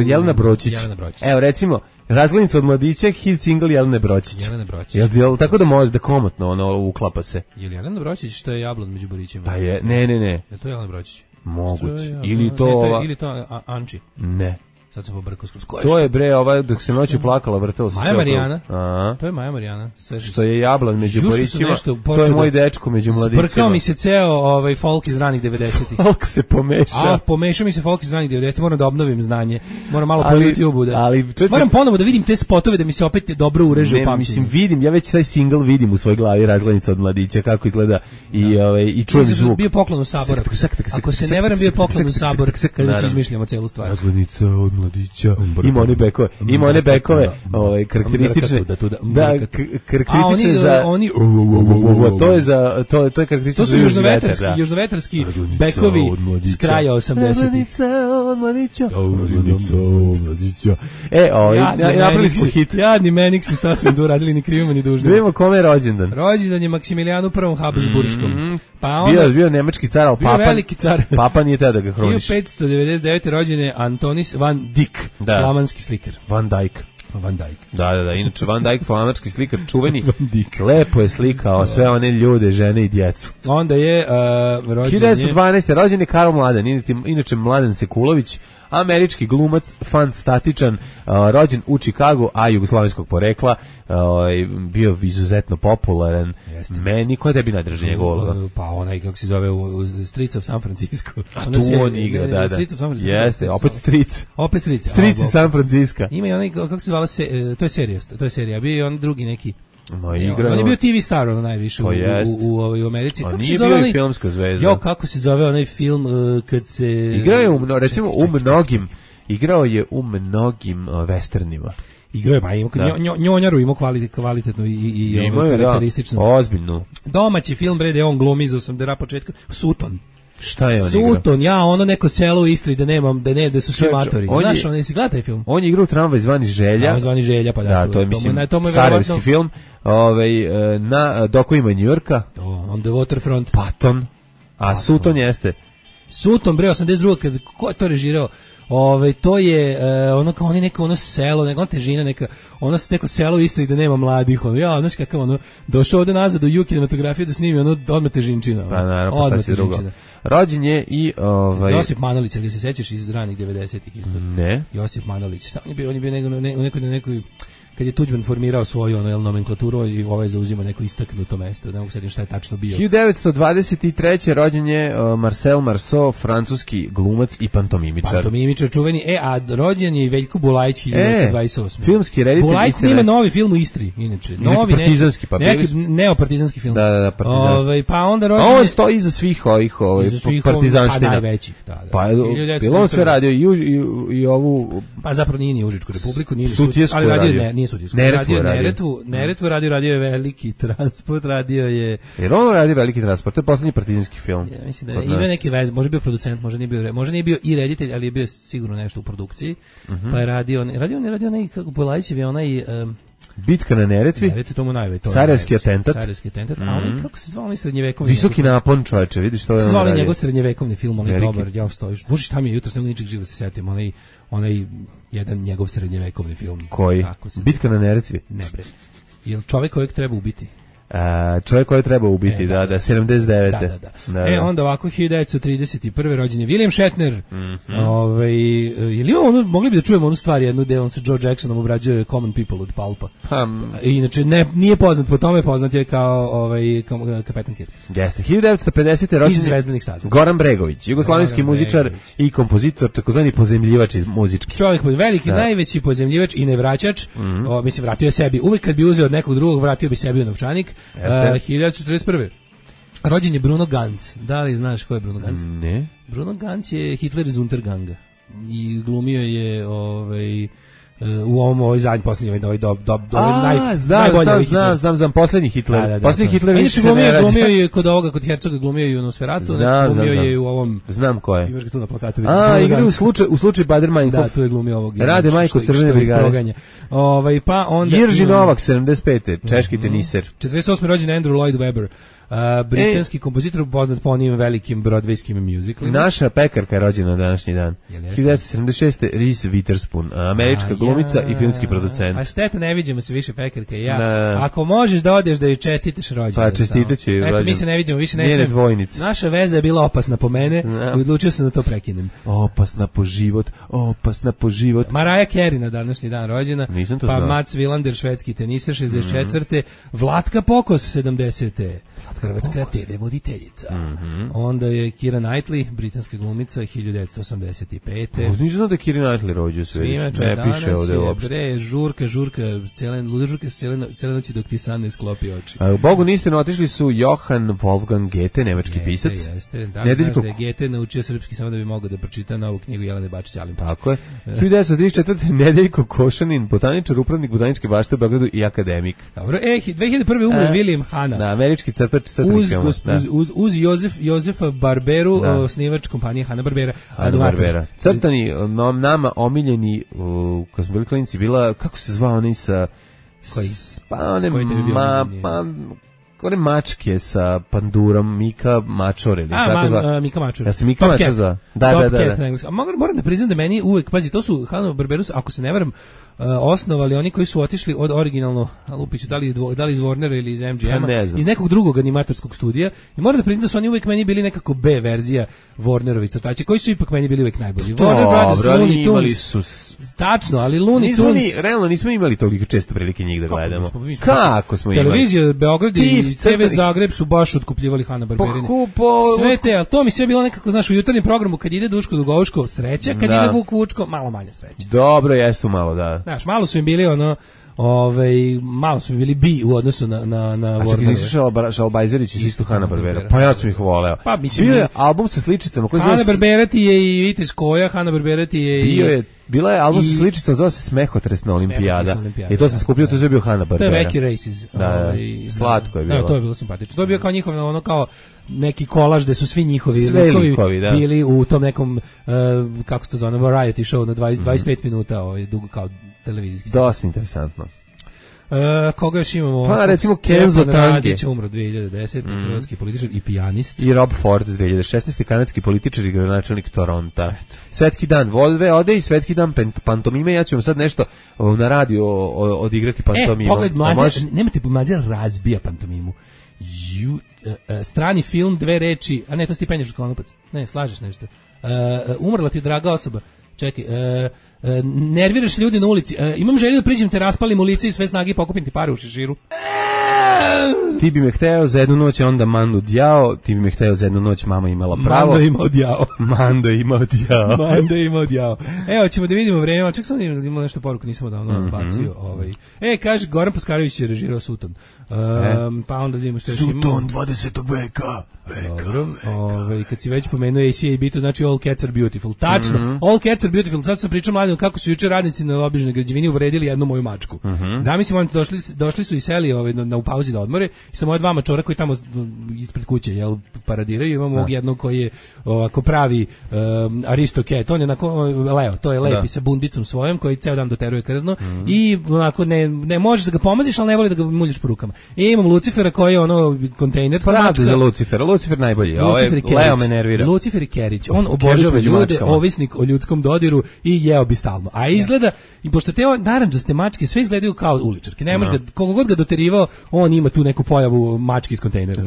Jelena Bročić. Evo, recimo, Razglednica od Mladića, hit single Jelene Bročić. Jel tako da može da komotno ono uklapa se? Je li Jelena Bročić što je jablon među borićima? Pa je, ne. Je to Jelena Bročić? Moguće. Ili to Anči? Ne. Sad sam pobrkao skroz. To je dok se noću plakala, vrtelo se. Maja Marijana. To je Maja Marijana. Što je jablan među borićima. To je moj dečko među mladićima. Sprkao mi se ceo folk iz ranih 90-ih. Folk se pomešao. Pomešao mi se folk iz ranih 90-ih. Moram da obnovim znanje. Moram malo po YouTube-u da. Moram ponovo da vidim te spotove da mi se opet dobro ureže u pamćenju. Vidim, ja već taj single vidim u svojoj glavi, Razglednica od Mladića, kako izgleda i čujem zvuk. Bio poklon u Sabor. Ako se ne varam, bio poklon u Sabor kada već izmišljamo celu stvar. Razglednica od Mladića. Ima one bekove, karakteristične. Da, karakteristične za to je karakteristično za južnovetarski bekovi s kraja 80-ih. Napravili smo hit. Jadni Meniksi, šta smo tu radili, ni krivimo ni dužni. Vidimo kome je rođendan. Rođendan je Maksimilijanu I Habsburškom. Bio nemački car, ali papa nije teo da ga hroniš. 1599. rođen je Antonis van Dyck, flamanski slikar. Van Dyck. Da, inače Van Dyck, flamanski slikar, čuveni. Lepo je slikao sve one ljude, žene i djecu. Onda je rođen 1912. rođen je Karl Mladen, inače Mladen Sekulović, američki glumac, fan statičan, rođen u Čikagu, a jugoslovenskog porekla, bio izuzetno popularan. Meni, ko je tebi najdraži njegov uloga? Pa onaj, kako se zove, Streets of San Francisco. A tu on igra, da. Streets of San Francisco. Jeste, opet Streets. Streets iz San Francisco. Ima i onaj, kako se zvala, to je serija, bio je on drugi neki. On je bio TV star ono najviše u Americi. On nije bio i filmska zvezda. Kako se zove onaj film kad se... Igrao je recimo u mnogim Igrao je u mnogim westernima. Igrao je, pa ima njonjaru, ima kvalitetno i karakteristično. Ozbiljnu. Domaći film, bre, da je on glumi iz 80 početka. Sutton. Šta je on Sutton, ono neko selo u Istri da su svi matori. Znaš, on si gleda taj film? On je igrao u Tramvaj zvani Želja. Tramvaj zvani Želja, pa da. To je, mislim, sarajevski film. Na dokovima Njujorka. On the Waterfront. Patton. A Sutton jeste. Sutton, bre, 82. Ko je to režirao? To je ono kao neko ono selo, neka težina, neko selo u Istri gde nema mladih, znaš kakav došao ovde nazad u kinematografiju da snimi odmah težinčina. Pa naravno, pa šta si drugo. Rođen je i Josip Manolić, ali se sećaš iz ranih 90-ih isto? Ne. Josip Manolić, on je bio u nekoj kad je Tuđman formirao svoju nomenklaturu i zauzima neko istaknuto mesto, ne mogu sedim šta je tačno bio. 1923. rođen je Marcel Marceau, francuski glumac i pantomimičar. Pantomimičar čuveni, a rođen je i Veljko Bulajić 1928. Filmski reditelj. Bulajić snima novi film u Istri, inače. Novi partizanski, pa neki neopartizanski film. Da, partizanski. Pa onda rođen on stoji iza svih ovih partizanština. Pa najvećih, da. Pa bilo on sve radio i ovu... Pa zapravo nije ni Užičku republiku, nije Sutjesku radio. Neretvu radio je Veliki transport, radio je... Jer on radi Veliki transport, to je poslednji partizanski film. Ja mislim da ima neki vez, može bio producent, može nije bio i reditelj, ali je bio sigurno nešto u produkciji, pa je radio onaj, kako Bulajićev je onaj... Bitka na Neretvi, Sarajevski atentat, a onaj, kako se zvao onaj srednjevekovni... Visoki napon, čoveče, vidiš što je on radio. Njegov srednjevekovni film, onaj dobar, ja stojiš. Bože, šta mi je jutro, s nego ničeg živo se setim, onaj jedan njegov srednjevekovni film. Koji? Bitka na Neretvi? Ne bre. Jel čovjek kojeg treba ubiti? Čovjek koji treba ubiti, da, 79. Da. Onda ovako 1931. rođen je William Shatner. Mogli bi da čujemo onu stvar jednu gde on sa George Jacksonom obrađuje Common People od Pulpa. Inače, nije poznat po tome, poznat je kao Kapetan Kirk. Jeste, 1950. rođen je Goran Bregović, jugoslovenski muzičar i kompozitor, takozvani pozemljivač muzički. Čovjek veliki, najveći pozemljivač i nevraćač, mislim, vratio je sebi. Uvek kad bi uzeo od nekog drugog, vratio bi sebi u novčanik. 1941. Rođen je Bruno Ganz. Da li znaš ko je Bruno Ganz? Ne. Bruno Ganz je Hitler iz Unterganga i glumio je u ovom zadnji posljednji znam poslednji Hitler. Poslednji Hitler više se ne rađa. Glumio je kod Hercoga, glumio je u Nosferatu, glumio je u ovom... Znam ko je. Imaš ga tu na plakatu. Igra u slučaju Bader Meinhof. Da, tu je glumio ovog. Rade Majko Crvene brigade. Pa onda... Jirži Novak, 75. Češki teniser. 48. rođen Andrew Lloyd Webber. Britanski kompozitor poznat po onim velikim broadwayskim musicalima. Naša pekarka je rođena na današnji dan. 1976. Reese Witherspoon, američka glumica i filmski producent. A šteta, ne vidimo se više pekarke. Ako možeš da odeš da joj čestitaš rođendan. Pa čestitaću joj rođendan. Eto, mi se ne vidimo više. Njene dvojnice. Naša veza je bila opasna po mene i odlučio sam da to prekinem. Opasna po život. Mariah Carey na današnji dan rođena. Nisam to znao. Pa Mats Wilander, švedski teniser, 64. Vlatka Pokos, 70. Hrvatska TV voditeljica. Onda je Keira Knightley, britanska glumica, 1985. Nisam znao da je Keira Knightley rođu sve. Ne piše ovde uopšte. Bre, žurka, cijele noći dok ti san ne sklopi oči. Bogu nistinu otišli su Johann Wolfgang Goethe, nemački pisac. Jeste. Da je Goethe naučio srpski samo da bi mogao da pročita novu knjigu Jelene Bačić-Alimpović. Tako je. 1934. Nedeljko Košanin, botaničar, upravnik botaničke bašte u Beogradu i akademik. Dobro, 2001. umro William Hanna. Da, američki crtač. Uz Jozefa Barberu, osnivač kompanije Hanna-Barbera. Crtani, nama omiljeni, kad smo bili klinici, bila, kako se zvao onaj sa... Koji? Pa one mačke sa pandurom, Mika Mačor ili Mika Mačor. Ja sam Mika Mačor za... Da. Moram da priznam da meni uvek, pazi, to su Hanna-Barberu, ako se ne varam, osnovali oni koji su otišli od originalno, lupiću, da li iz Warnera ili iz MGM-a, iz nekog drugog animatorskog studija, i moram da priznam da su oni uvek meni bili nekako B verzija Warnerovi crtači, koji su ipak meni bili uvek najbolji. Warner Brothers, Looney Tunes. Tačno, ali Looney Tunes... Realno nismo imali toliko često prilike njih da gledamo. Kako smo imali? Televizija Beograd i TV Zagreb su baš otkupljivali Hanna-Barberine. Sve te, ali to mi sve bilo nekako, znaš, u jutarnjem programu kad ide Duško Dugovučko, sreća, kad ide Vuk Vučko, malo manje sreće. Dobro, jesu malo, da. Znaš, malo su im bili malo su mi bili bi u odnosu na Warner. A čekaj, nisu Šalbajzerić iz isto Hanna-Barbera. Pa ja sam ih voleo. Pa mislim... Bio je album sa sličicama. Hanna-Barbera ti je i Vitis Koja, Hanna-Barbera ti je i... Bila je album sa sličicom, zove se Smehotresna olimpijada. I to se skupljio, to je bio Hanna-Barbera. To je Veki Races. Slatko je bilo. To je bilo simpatično. To je bio kao njihov, ono kao neki kolaž gde su svi njihovi likovi bili u tom nekom, kako se to zove, variety show na 25 minuta, dugo kao televizijski. Dosta interesantno. Koga još imamo? Pa recimo Kenzo Tange, umro 2010, hrvatski političar i pijanist. I Rob Ford 2016, kanadski političar i gradonačelnik Toronta. Svetski dan Volve ode i svetski dan pantomime. Ja ću vam sad nešto na radiju odigrati pantomimu. Pogled mlađe, nemate mlađe razbija pantomimu. Strani film, 2 reči, a ne, to si ti penješ u konopac. Ne, slažeš nešto. Umrla ti draga osoba. Čekaj, nerviraš ljudi na ulici. Imam želju da priđem te raspalim u lice i sve snage i pokupim ti pare u šeširu. Ti bi me hteo za jednu noć, onda Mandu djao. Ti bi me hteo za jednu noć, mama imala pravo. Mando imao djao. Mando imao djao. Mando imao djao. Evo, ćemo da vidimo vreme. Ček sam imao nešto poruku, nisam davno bacio. Kaže, Goran Paskarević je režirao Suton. Pa onda vidimo što je Suton 20. veka. Dobro, kad si već pomenuo ACAB, to znači All Cats are Beautiful. Tačno, All Cats are Beautiful. Sad sam pričao mladim kako su juče radnici na obližnoj građevini uvredili jednu moju mačku. Zamislim, oni došli su i seli u pauzi da odmore i sa moje 2 mačora koji tamo ispred kuće paradiraju. Imamo ovog jednog koji je ovako pravi Aristocat. On je Leo, to je lepi sa bundicom svojom koji ceo dan doteruje krzno i onako ne možeš da ga pomaziš, ali ne voli da ga muljiš po rukama. I imam Lucifera koji je kontejnerska mačka. Za Lucifer najbolji. Leo me nervira. Lucifer i Kerić. On obožava ljude, ovisnik o ljudskom dodiru i jeo bi stalno. A izgleda, i pošto te narandžaste mačke sve izgledaju kao uličarke. Ne može koliko god ga doterivao, on ima tu neku pojavu mačke iz kontejnera.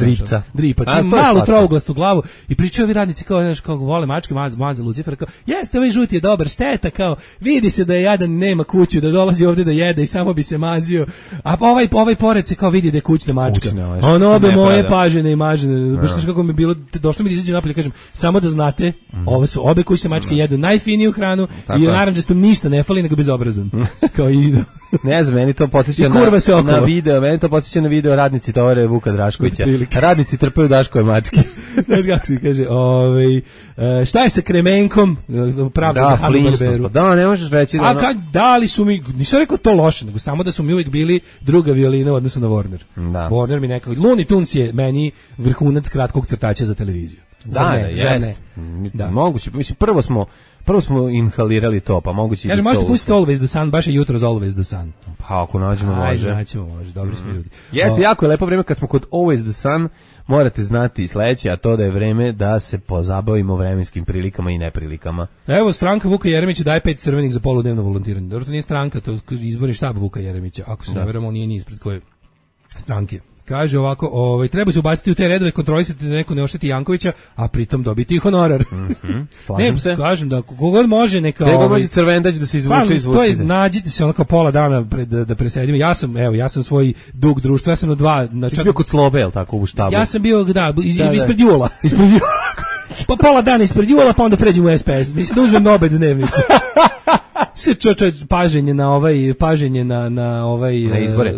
Dripa. Čim malu trouglastu glavu i pričaju ovi radnici kao vole mačke, maze Lucifer, kao jeste, ovaj žuti je dobar, šteta, kao vidi se da je jadan, nema kuću, da dolazi ovdje da jede i samo bi se mazio. A ovaj pored se kao vidi da je kućna mačka. Ono obe moje pažene i mažene. Baš kako mi bilo, došlo mi da izađem napolje, kažem, samo da znate, ovo su obe kućne mačke, jedu najfiniju hranu i narandžastom ništa ne fali nego bezobrazan. Kao i ne znam, meni to podsjeća na video, na video radnici tovare Vuka Draškovića. Radnici trpaju Daškove mačke. Znaš kako se kaže, šta je sa Kremenkom? Pravda za Hanna-Barberu. Da, ne možeš reći da da li su mi, nisam rekao to loše, nego samo da su mi uvijek bili druga violina u odnosu na Warner. Warner mi nekako, Looney Tunes je meni vrhunac kratkog crtača za televiziju. Jeste. Moguće, mislim, prvo smo inhalirali to, pa moguće i to. Možete pustiti Always the Sun, baš je jutro za Always the Sun. Pa ako nađemo može. Može, dobri smo ljudi. Jeste, jako je lepo vreme kad smo kod Always the Sun, morate znati sledeće, a to da je vreme da se pozabavimo vremenskim prilikama i neprilikama. Evo, stranka Vuka Jeremića daje 5 crvenih za poludnevno volontiranje. Dobro, to nije stranka, to je izborni štab Vuka Jeremića. Ako se ne veramo, on nije ni ispred koje stranke. Kaže ovako, treba se ubaciti u te redove, kontrolisati da neko ne ošteti Jankovića, a pritom dobiti i honorar. Slažem se. Kažem da kogod može neka... Nego može crvendać da se izvuče iz vucine. Nađite se onako pola dana da presedimo. Ja sam svoj dug društva, ja sam na 2... Ti si bio kod Slobe, jel tako, u štabu? Ja sam bio, ispred Jula. Pa pola dana ispred Jula, pa onda pređemo u SPS. Mislim da uzmem obe dnevnice. Se paženje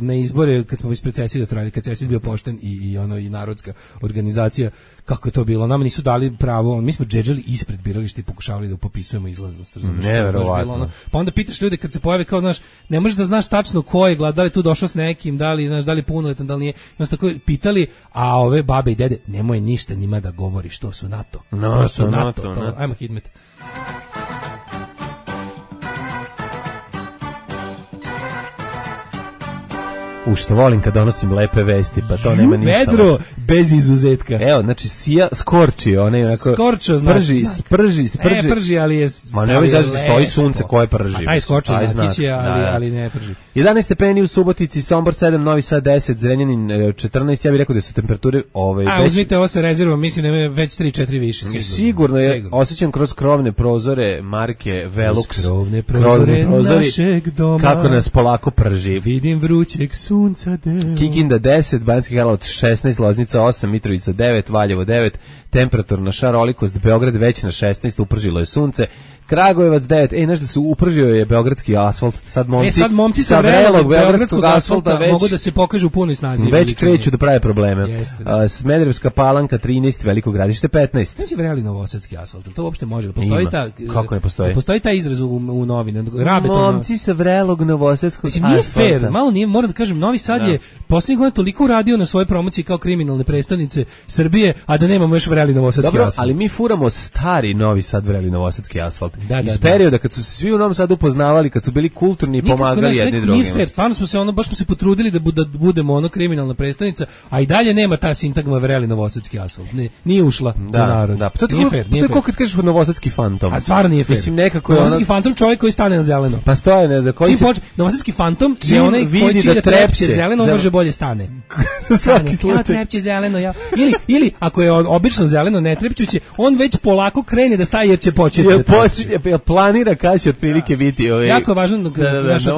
na izbore kad smo ispred Cesida trajali, kad Cesid bio pošten i narodska organizacija, kako je to bilo, nama nisu dali pravo, mi smo džedžali ispred birališta i pokušavali da popisujemo izlaznost. Neverovatno. Pa onda pitaš ljude kad se pojave kao, znaš, ne možeš da znaš tačno ko je glad, da li tu došao s nekim, da li punoletan, da li nije, i tako pitali, a ove babe i dede, nemoj ništa njima da govoriš, to su NATO. Ajmo Hidmet. Što volim kad donosim lepe vesti, pa to nema ništa. Vedro, bez izuzetka. Evo, znači, skorči, onaj onako... Skorčo, znači. Sprži. Prži, ali je... Ma ne ovaj stoji sunce koje prži. A taj skorčo znakić je, ali ne prži. 11 stepeni u Subotici, Sombor 7, Novi Sad 10, Zrenjanin 14, ja bih rekao da su temperature... uzmite ovo sa rezervom, mislim da je već 3-4 više. Sigurno je, osjećam kroz krovne prozore marke Velux. Kroz krovne prozore našeg doma. Kako nas polako prži. Vidim vrućeg sunca deo. Kikinda 10, Banjski Karlovac 16, Loznica 8, Mitrovica 9, Valjevo 9, temperaturna šarolikost, Beograd već na 16, upržilo je sunce, Kragujevac 9, znaš da su upržio je beogradski asfalt, sad momci sa vrelog beogradskog asfalta mogu da se pokažu u punoj snazi. Već kreću da prave probleme. Smederevska Palanka 13, Veliko Gradište 15. Znači vreli novosadski asfalt, to uopšte može. Postoji kako ne postoji? Postoji taj izraz u novine. Momci sa vrelog novosadskog asfalta. Nije fair, malo nije, moram da kažem, Novi Sad je poslednjih godina toliko uradio na svojoj promociji kao kriminalne prestonice Srbije, a da nemamo još vreli novosadski asfalt. Ali mi furamo stari Novi Sad vreli novosadski asfalt. Iz perioda kad su se svi u Novom Sadu upoznavali, kad su bili kulturni i pomagali jedni drugima. Nije fair, stvarno smo se baš smo se potrudili da budemo kriminalna prestonica, a i dalje nema ta sintagma vreli novosadski asfalt. Nije ušla u narod. Da, to je kao kad kažeš novosadski fantom. A stvarno nije fair. Mislim, nekako novosadski fantom čovjek koji stane na zeleno. Pa stoje, ne znam, koji novosadski fantom je onaj koji će da trepće zeleno, on može bolje stane. Svaki slučaj. Trepće zeleno, ja. Ili ako je obično zeleno, ne trepćuće, on već polako krene da staje jer će početi da trepće. Planira kada će otprilike biti jako je važno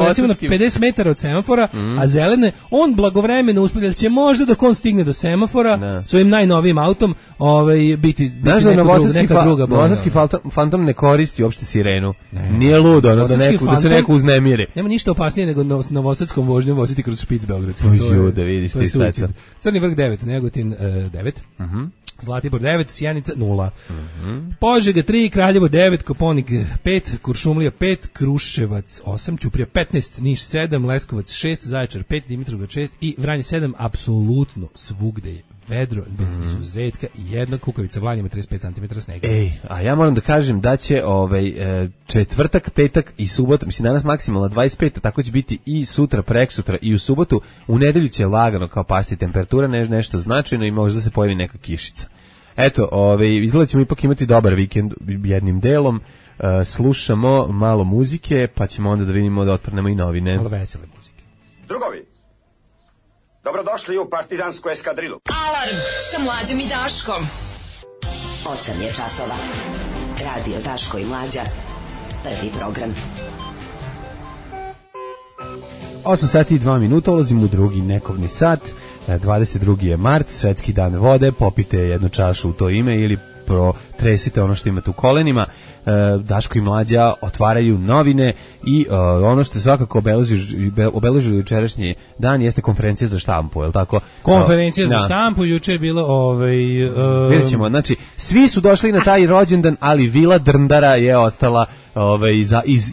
recimo na 50 metara od semafora, a zelene, on blagovremeno uspije, će možda dok on stigne do semafora svojim najnovijim autom biti neka druga boja. Novosadski fantom ne koristi uopšte sirenu. Nije ludo, da se neko uznemiri. Nema ništa opasnije nego novosadskom vožnjom voziti kroz špic beogradski. Da vidiš ti sveca. Crni vrh 9, Negotin 9. Zlatibor 9, Sjenica 0. Požega 3, Kraljevo 9, Koponik 5, Kuršumlija 5, Kruševac 8, Ćuprija 15, Niš 7, Leskovac 6, Zaječar 5, Dimitrovgrad 6 i Vranje 7, apsolutno svugde je vedro, bez izuzetka i jedna Kukavica Vlanjima 35 cm snega. A ja moram da kažem da će četvrtak, petak i subota, mislim danas maksimalno 25, tako će biti i sutra, preksutra i u subotu. U nedelju će lagano kao pasti temperatura, nešto značajno i možda se pojavi neka kišica. Eto, izgleda ćemo ipak imati dobar vikend jednim delom. Slušamo malo muzike, pa ćemo onda da vidimo da otprnemo i novine. Malo vesele muzike. Drugovi, dobrodošli u partizansku eskadrilu. Alarm sa Mlađom i Daškom. 8 je časova. Radio Daško i Mlađa. Prvi program. 8 sati i 2 minuta, ulazimo u drugi nekobni sat. 22. je mart, svetski dan vode, popite jednu čašu u to ime ili protresite ono što imate u kolenima. Daško i Mlađa otvaraju novine i ono što svakako obeležilo jučerašnji dan jeste konferencija za štampu, je li tako? Konferencija za štampu, juče je bilo vidjet ćemo, znači svi su došli na taj rođendan, ali Vila Drndara je ostala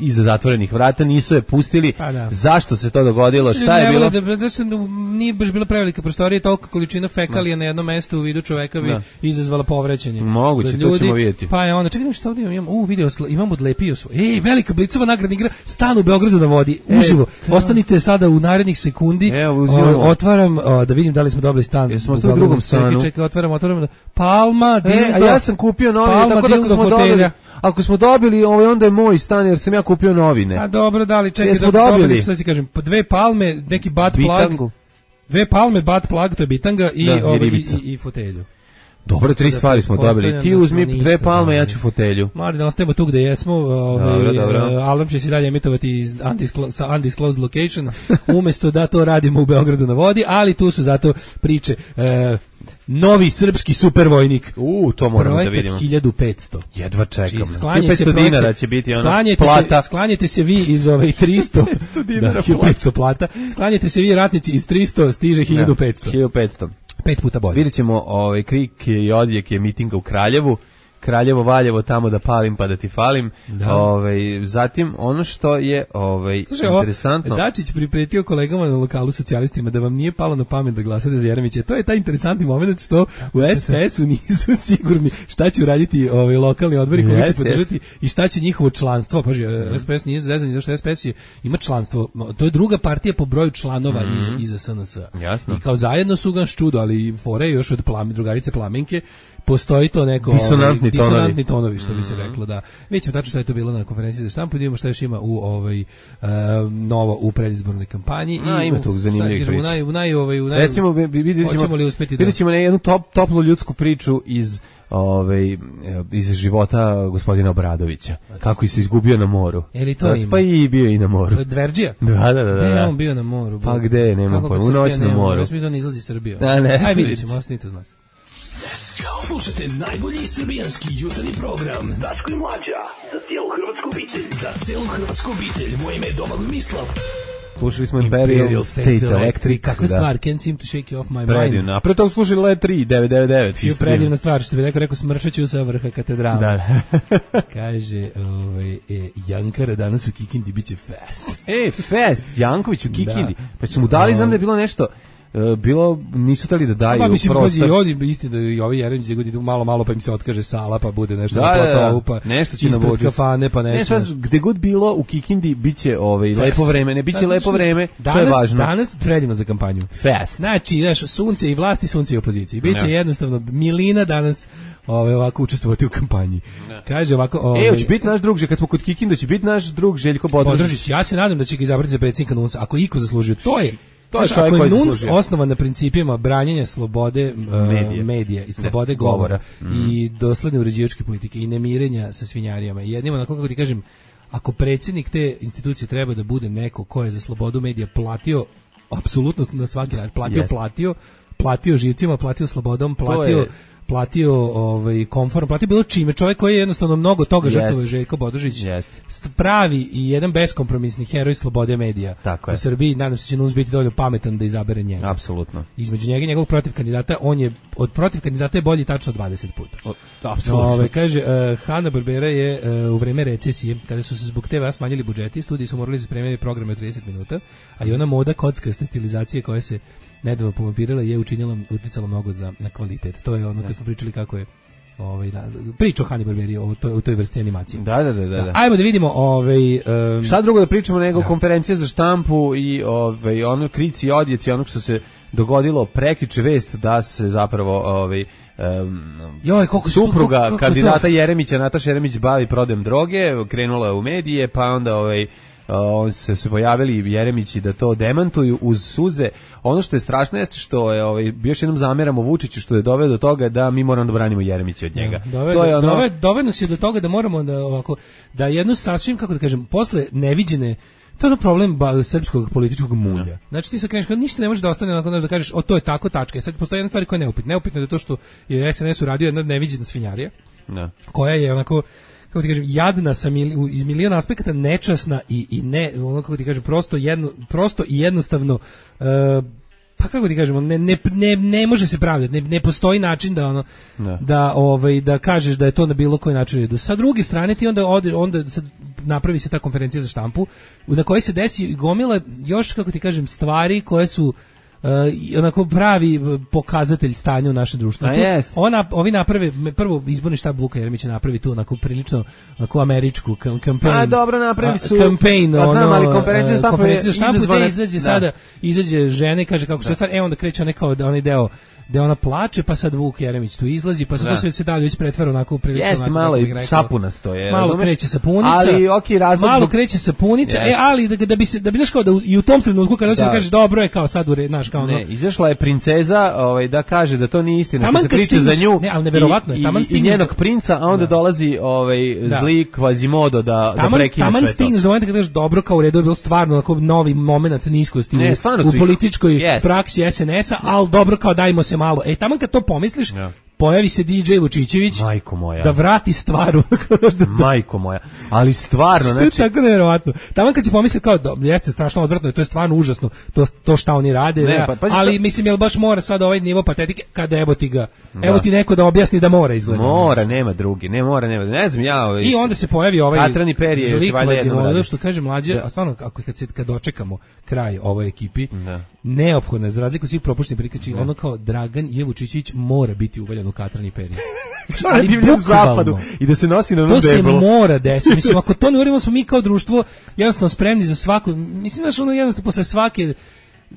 iza zatvorenih vrata, nisu je pustili. Zašto se to dogodilo? Šta je bilo? Nije baš bila prevelika prostorija, tolika količina fekalija na jednom mestu u vidu čoveka bi izazvala povraćanje. Moguće, to ćemo vidjeti. Pa je onda, čekaj što ovdje imam odlepio svoj. Velika Blicova nagradna igra, stan u Beogradu na vodi, uživo. Ostanite sada u narednih sekundi. Otvaram, da vidim da li smo dobili stan. Smo u drugom stanu. Čekaj, otvaram. Palma, dildo. A ja sam kupio novine, tako da ako smo dobili, onda je moj stan jer sam ja kupio novine. A dobro, da li čekaj, dobili, sad ti kažem, 2 palme, neki butt plug. 2 palme, butt plug, to je bitanga i fotelju. Dobro, 3 stvari smo dobili. Ti uzmi 2 palme, ja ću fotelju. Mali, da ostajemo tu gde jesmo. Alarm će se dalje emitovati iz undisclosed location, umesto da to radimo u Beogradu na vodi, ali tu su zato priče. Novi srpski supervojnik. To moramo da vidimo. Projekat 1500. Jedva čekam. 500 dinara će biti ona plata. Sklanjajte se vi iz 300. 1500 plata. Sklanjajte se vi ratnici iz 300, stiže 1500. 1500. 5 puta bolje. Vidjet ćemo krik i odjek je mitinga u Kraljevu. Kraljevo, Valjevo, tamo da palim pa da ti falim. Zatim ono što je interesantno. Dačić pripretio kolegama na lokalu socijalistima da vam nije palo na pamet da glasate za Jeremića. To je taj interesantni moment što u SPS-u nisu sigurni šta će uraditi lokalni odbori koji će podržati i šta će njihovo članstvo. Paži, SPS nije zezan zašto SPS ima članstvo. To je druga partija po broju članova iza SNS. Jasno. I kao zajedno su ga ščudo, ali fore još od drugarice Plamenke postoji to neko disonantni tonovi, što bi se reklo, da. Vidjet ćemo tačno šta je to bilo na konferenciji za štampu, vidimo šta još ima u novo u predizbornoj kampanji. Ima tog zanimljivih priča. Recimo, vidjet ćemo jednu toplu ljudsku priču iz života gospodina Obradovića. Kako se izgubio na moru. Pa i bio i na moru. Dverđija? Da. On bio na moru. Pa gde, nema pojma, u noć na moru. Smisla ne izlazi iz Srbije. Aj vidjet ćemo, ostanite uz nas. Slušajte najbolji srbijanski jutarnji program Daško i Mlađa, za cijelu hrvatsku obitelj. Za cijelu hrvatsku obitelj, moje ime je Domagoj Mislav. Slušali smo Imperial State Electric. Kakva stvar, can't seem to shake you off my mind. Predivno, a pre toga slušali Let 3, 999. Čiju predivna stvar, što bi rekao smršaću sa vrha katedrala. Da. Kaže, Jankara danas u Kikindi biće fest. Fest, Janković u Kikindi. Pa su mu dali, znam da je bilo nešto... nisu tali da daju prostor. Pa mislim, istina da i ovi Jeremić idu malo, pa im se otkaže sala, pa bude nešto na platovu, pa nešto će ispred kafane, pa nešto. Gde god bilo u Kikindi biće lepo vreme, ne biće lepo vreme, to je važno. Danas predivno za kampanju. Fest. Znači, znaš, sunce i vlasti, sunce i opoziciji. Biće jednostavno milina danas ovako učestvovati u kampanji. Kaže ovako... hoće biti naš drug, kad smo kod Kikinda, će biti naš drug Željko Bodrožić. Ja se nadam da će ga izabrati za predsjednika NUNS, ako iko zaslužio. To je ako je NUNS osnovan na principima branjenja slobode medija i slobode govora i dosledne uređivačke politike i nemirenja sa svinjarijama. I jednima, kako ti kažem, ako predsjednik te institucije treba da bude neko ko je za slobodu medija platio apsolutno na svaki način, platio živcima, platio slobodom, platio komforom, platio bilo čime, čovjek koji je jednostavno mnogo toga žrtvovao, Željko Bodrožić, pravi i jedan beskompromisni heroj slobode medija u Srbiji. Nadam se će NUNS biti dovoljno pametan da izabere njega. Apsolutno. Između njega i njegovog protiv kandidata, on je od protiv kandidata je bolji tačno 20 puta. Apsolutno. Kaže, Hanna-Barbera je u vreme recesije, kada su se zbog TV smanjili budžeti, studiji su morali spremiti programe od 30 minuta, a i ona moda kockasta stilizacije koja se nedavno povampirala je uticala mnogo na kvalitet. To je ono kad smo pričali kako je priča o Hanna-Barberi u toj vrsti animacije. Da. Ajmo da vidimo šta drugo da pričamo nego konferencija za štampu i ono krici i odjeci onog što se dogodilo prekjuče, vest da se zapravo supruga kandidata Jeremića, Nataša Jeremić, bavi prodajem droge, krenula je u medije, pa onda se pojavili Jeremići da to demantuju uz suze. Ono što je strašno jeste što je još jednom zameramo Vučiću što je doveo do toga da mi moramo da branimo Jeremića od njega. Doveo nas je do toga da moramo da jednu sasvim, kako da kažem, posle neviđene, to je problem srpskog političkog mulja. Znači ti se kreneš, ništa ne može da ostane onako da kažeš, to je tako, tačka. Sad postoji jedna stvar koja je neupitna. Neupitno je to što je SNS uradio jedna neviđena svinjarija, koja je onako, kako ti kažem, jadna iz miliona aspekata, nečasna i ne, ono, kako ti kažem, prosto i jednostavno, pa kako ti kažemo, ne može se pravdati, ne postoji način da kažeš da je to na bilo koji način. Sa druge strane ti onda sad napravi se ta konferencija za štampu na kojoj se desi gomila još, kako ti kažem, stvari koje su onako pravi pokazatelj stanja u našem društvu. Ovi naprave, prvo izborni štab Vuka Jeremića napravi tu onako prilično onako američku kampanje. Dobro, napravi su kampanje, ali konferencija za štampu gde izađe sada, izađe žene i kaže kako što je stvar, onda kreće onaj deo da ona plače, pa sad Vuk Jeremić tu izlazi, pa sad to se dalje već pretvara onako prilično. Jeste, malo i sapunasto je. Malo kreće sapunica, ali malo kreće sapunica, ali da bi znaš kao da i u tom trenutku kada hoćeš da kažeš dobro je kao sad znaš kao ono. Ne, izašla je princeza, da kaže da to nije istina, da se priča za nju. Ne, ali neverovatno je, taman stigneš i njenog princa, a onda dolazi zli Quasimodo da prekine sve to. Taman stigneš do momenta kada kažeš dobro, kao u redu je bilo stvarno onako novi momenat niskosti u političkoj praksi SNS-a, al dobro kao dajmo se malo. Taman kad to pomisliš, pojavi se DJ Vučićević da vrati stvar. Majko moja, ali stvarno, znači... To je tako nevjerovatno. Taman kad si pomisli kao, jeste strašno odvratno, to je stvarno užasno, to šta oni rade, ali mislim, jel baš mora sad ovaj nivo patetike, kada evo ti neko da objasni da mora izgleda. Mora, nema drugi, ne znam ja... I onda se pojavi ovaj Katrani Perije, zlik Vazimodo, što kaže mlađe, a stvarno, kad dočekamo kraj ovoj ekipi, neophodno, za razliku svih propuštenih prikači, ono kao Dragan Jevučićević mora biti uvaljan u Katrani Perije. Ali zapadu i da se nosi na to se mora desiti. Mislim, ako to ne uradimo, smo mi kao društvo jednostavno spremni za svaku, mislim, znaš, ono jednostavno posle svake,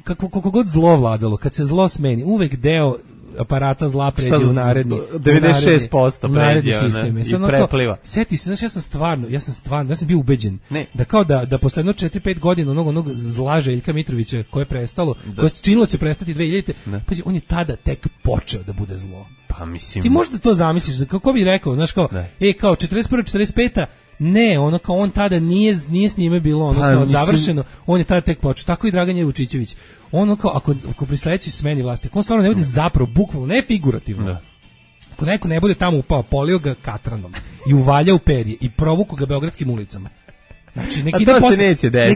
koliko god zlo vladalo, kad se zlo smeni, uvek deo aparata zla pređe u naredni 96% pređe i prepliva. Seti se, znaš, ja sam bio ubeđen da kao da posle 4-5 godina onog zla Željka Mitrovića koje je prestalo, koje činilo će prestati 2000, pa on je tada tek počeo da bude zlo. Pa mislim, ti možda to zamisliš, kako bi rekao, znaš, kao kao 41. 45. Ne, ono kao on tada nije s njime bilo ono kao završeno, on je tada tek počeo. Tako i Dragan Jevučićević. Ono kao ako pri sledećoj smeni vlasti, on stvarno ne bude zapravo bukvalno, ne figurativno. Ako neko ne bude tamo upao, polio ga katranom i uvaljao perje i provuku ga beogradskim ulicama. Znači, nek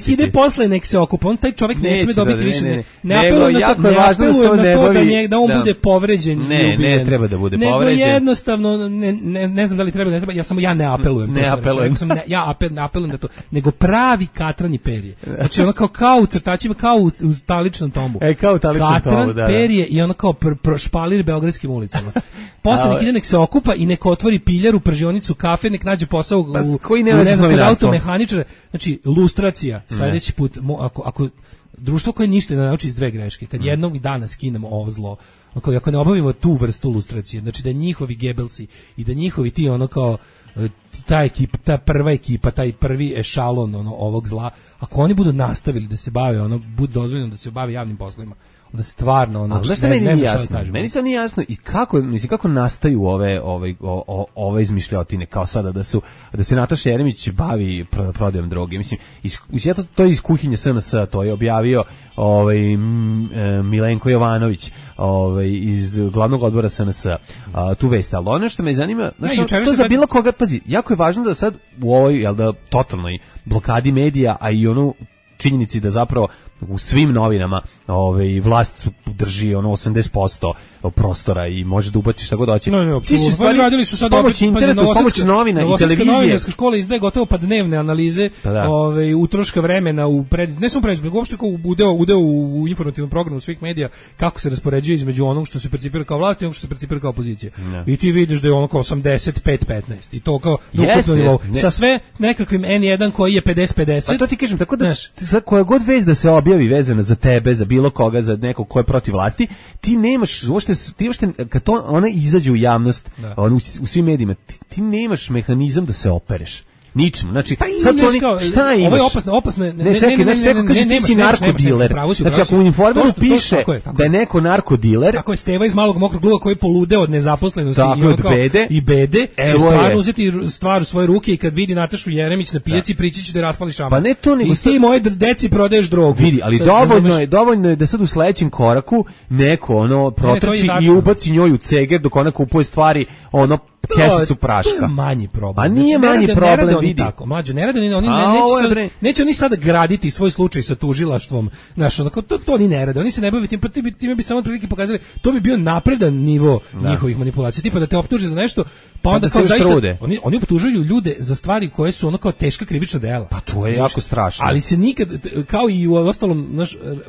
ide posle, nek se okupa. On taj čovjek ne sme dobiti više. Ne apelujem na to da on bude povređen. Ne treba da bude povređen. Nego jednostavno, ne znam da li treba, ne treba, ja ne apelujem. Ja apelujem da to, nego pravi katrani perje. Znači, ono kao u crtačima, kao u taličnom tombu. Kao u taličnom tombu, da. Katran perje i ono kao špalir beogradskim ulicama. Posle nek ide, nek se okupa i nek otvori piljaru, pržionicu, kafe, nek nađe posao kod automehaničara. Znači, lustracija, sledeći put, ako društvo koje ništa ne nauči iz dve greške, kad jednog dana skinemo ovo zlo, ako ne obavimo tu vrstu lustracije, znači da njihovi Gebelsi i da njihovi ti ono kao ta ekipa, ta prva ekipa, taj prvi ešalon ovog zla, ako oni budu nastavili da se bave, bude dozvoljeno da se bave javnim poslovima, onda stvarno meni sad nije jasno i kako nastaju ove izmišljotine, kao sada da se Nataša Jeremić bavi prodajom droge. Mislim to je iz kuhinje SNS, to je objavio Milenko Jovanović iz glavnog odbora SNS tu vest, ali ono što me zanima, to za bilo koga, pazi, jako je važno da sad u ovoj totalnoj blokadi medija, a i činjenici da zapravo u svim novinama vlast drži 80% prostora i može da ubaci šta god hoće. Radili su sad pomoć interneta, pomoć novina i televizije. Novinarska škola izdaje gotovo pa dnevne analize utroška vremena ne samo predizbornog, uopšte kao udeo u informativnom programu svih medija, kako se raspoređuje između onog što se percipira kao vlast i onog što se percipira kao opozicija. I ti vidiš da je ono kao 85-15 i to kao ukupno nivou. Sa sve nekakvim N1 koji je 50-50. Pa to ti kažem, tako da koja god vez da se objavi vezana za tebe, za bilo koga, za nekog ko je protiv vlasti, ti nemaš uopšte kad to ona izađe u javnost, u svim medijima, ti nemaš mehanizam da se opereš. Ničemu. Znači, sad su oni, šta imaš? Ovo je opasno. Ne, čekaj, neko kaže ti si narkodiler. Znači, ako u Informeru piše da je neko narkodiler... Tako je Steva iz Malog mokrog luga koji polude od nezaposlenosti i bede, će stvarno uzeti stvar u svoje ruke i kad vidi Natašu Jeremić na pijaci, prići će da raspali šamar. Pa ne to, nego... I ti moje deci prodaješ drogu. Vidi, ali dovoljno je da sad u sledećem koraku neko protrči i ubaci njoj u ceger dok ona kupuje stvari, kesicu praška. To je manji problem. A nije manji problem, vidi. Tako, mlađe, ne rade oni, neće oni sada graditi svoj slučaj sa tužilaštvom. Znaš, to oni ne rade. Oni se ne bave tim, time bi samo otprilike pokazali, to bi bio napredan nivo njihovih manipulacija. Tipa da te optuže za nešto, pa onda kao zaista, oni optužuju ljude za stvari koje su ono kao teška krivična dela. Pa to je jako strašno. Ali se nikad, kao i u ostalom,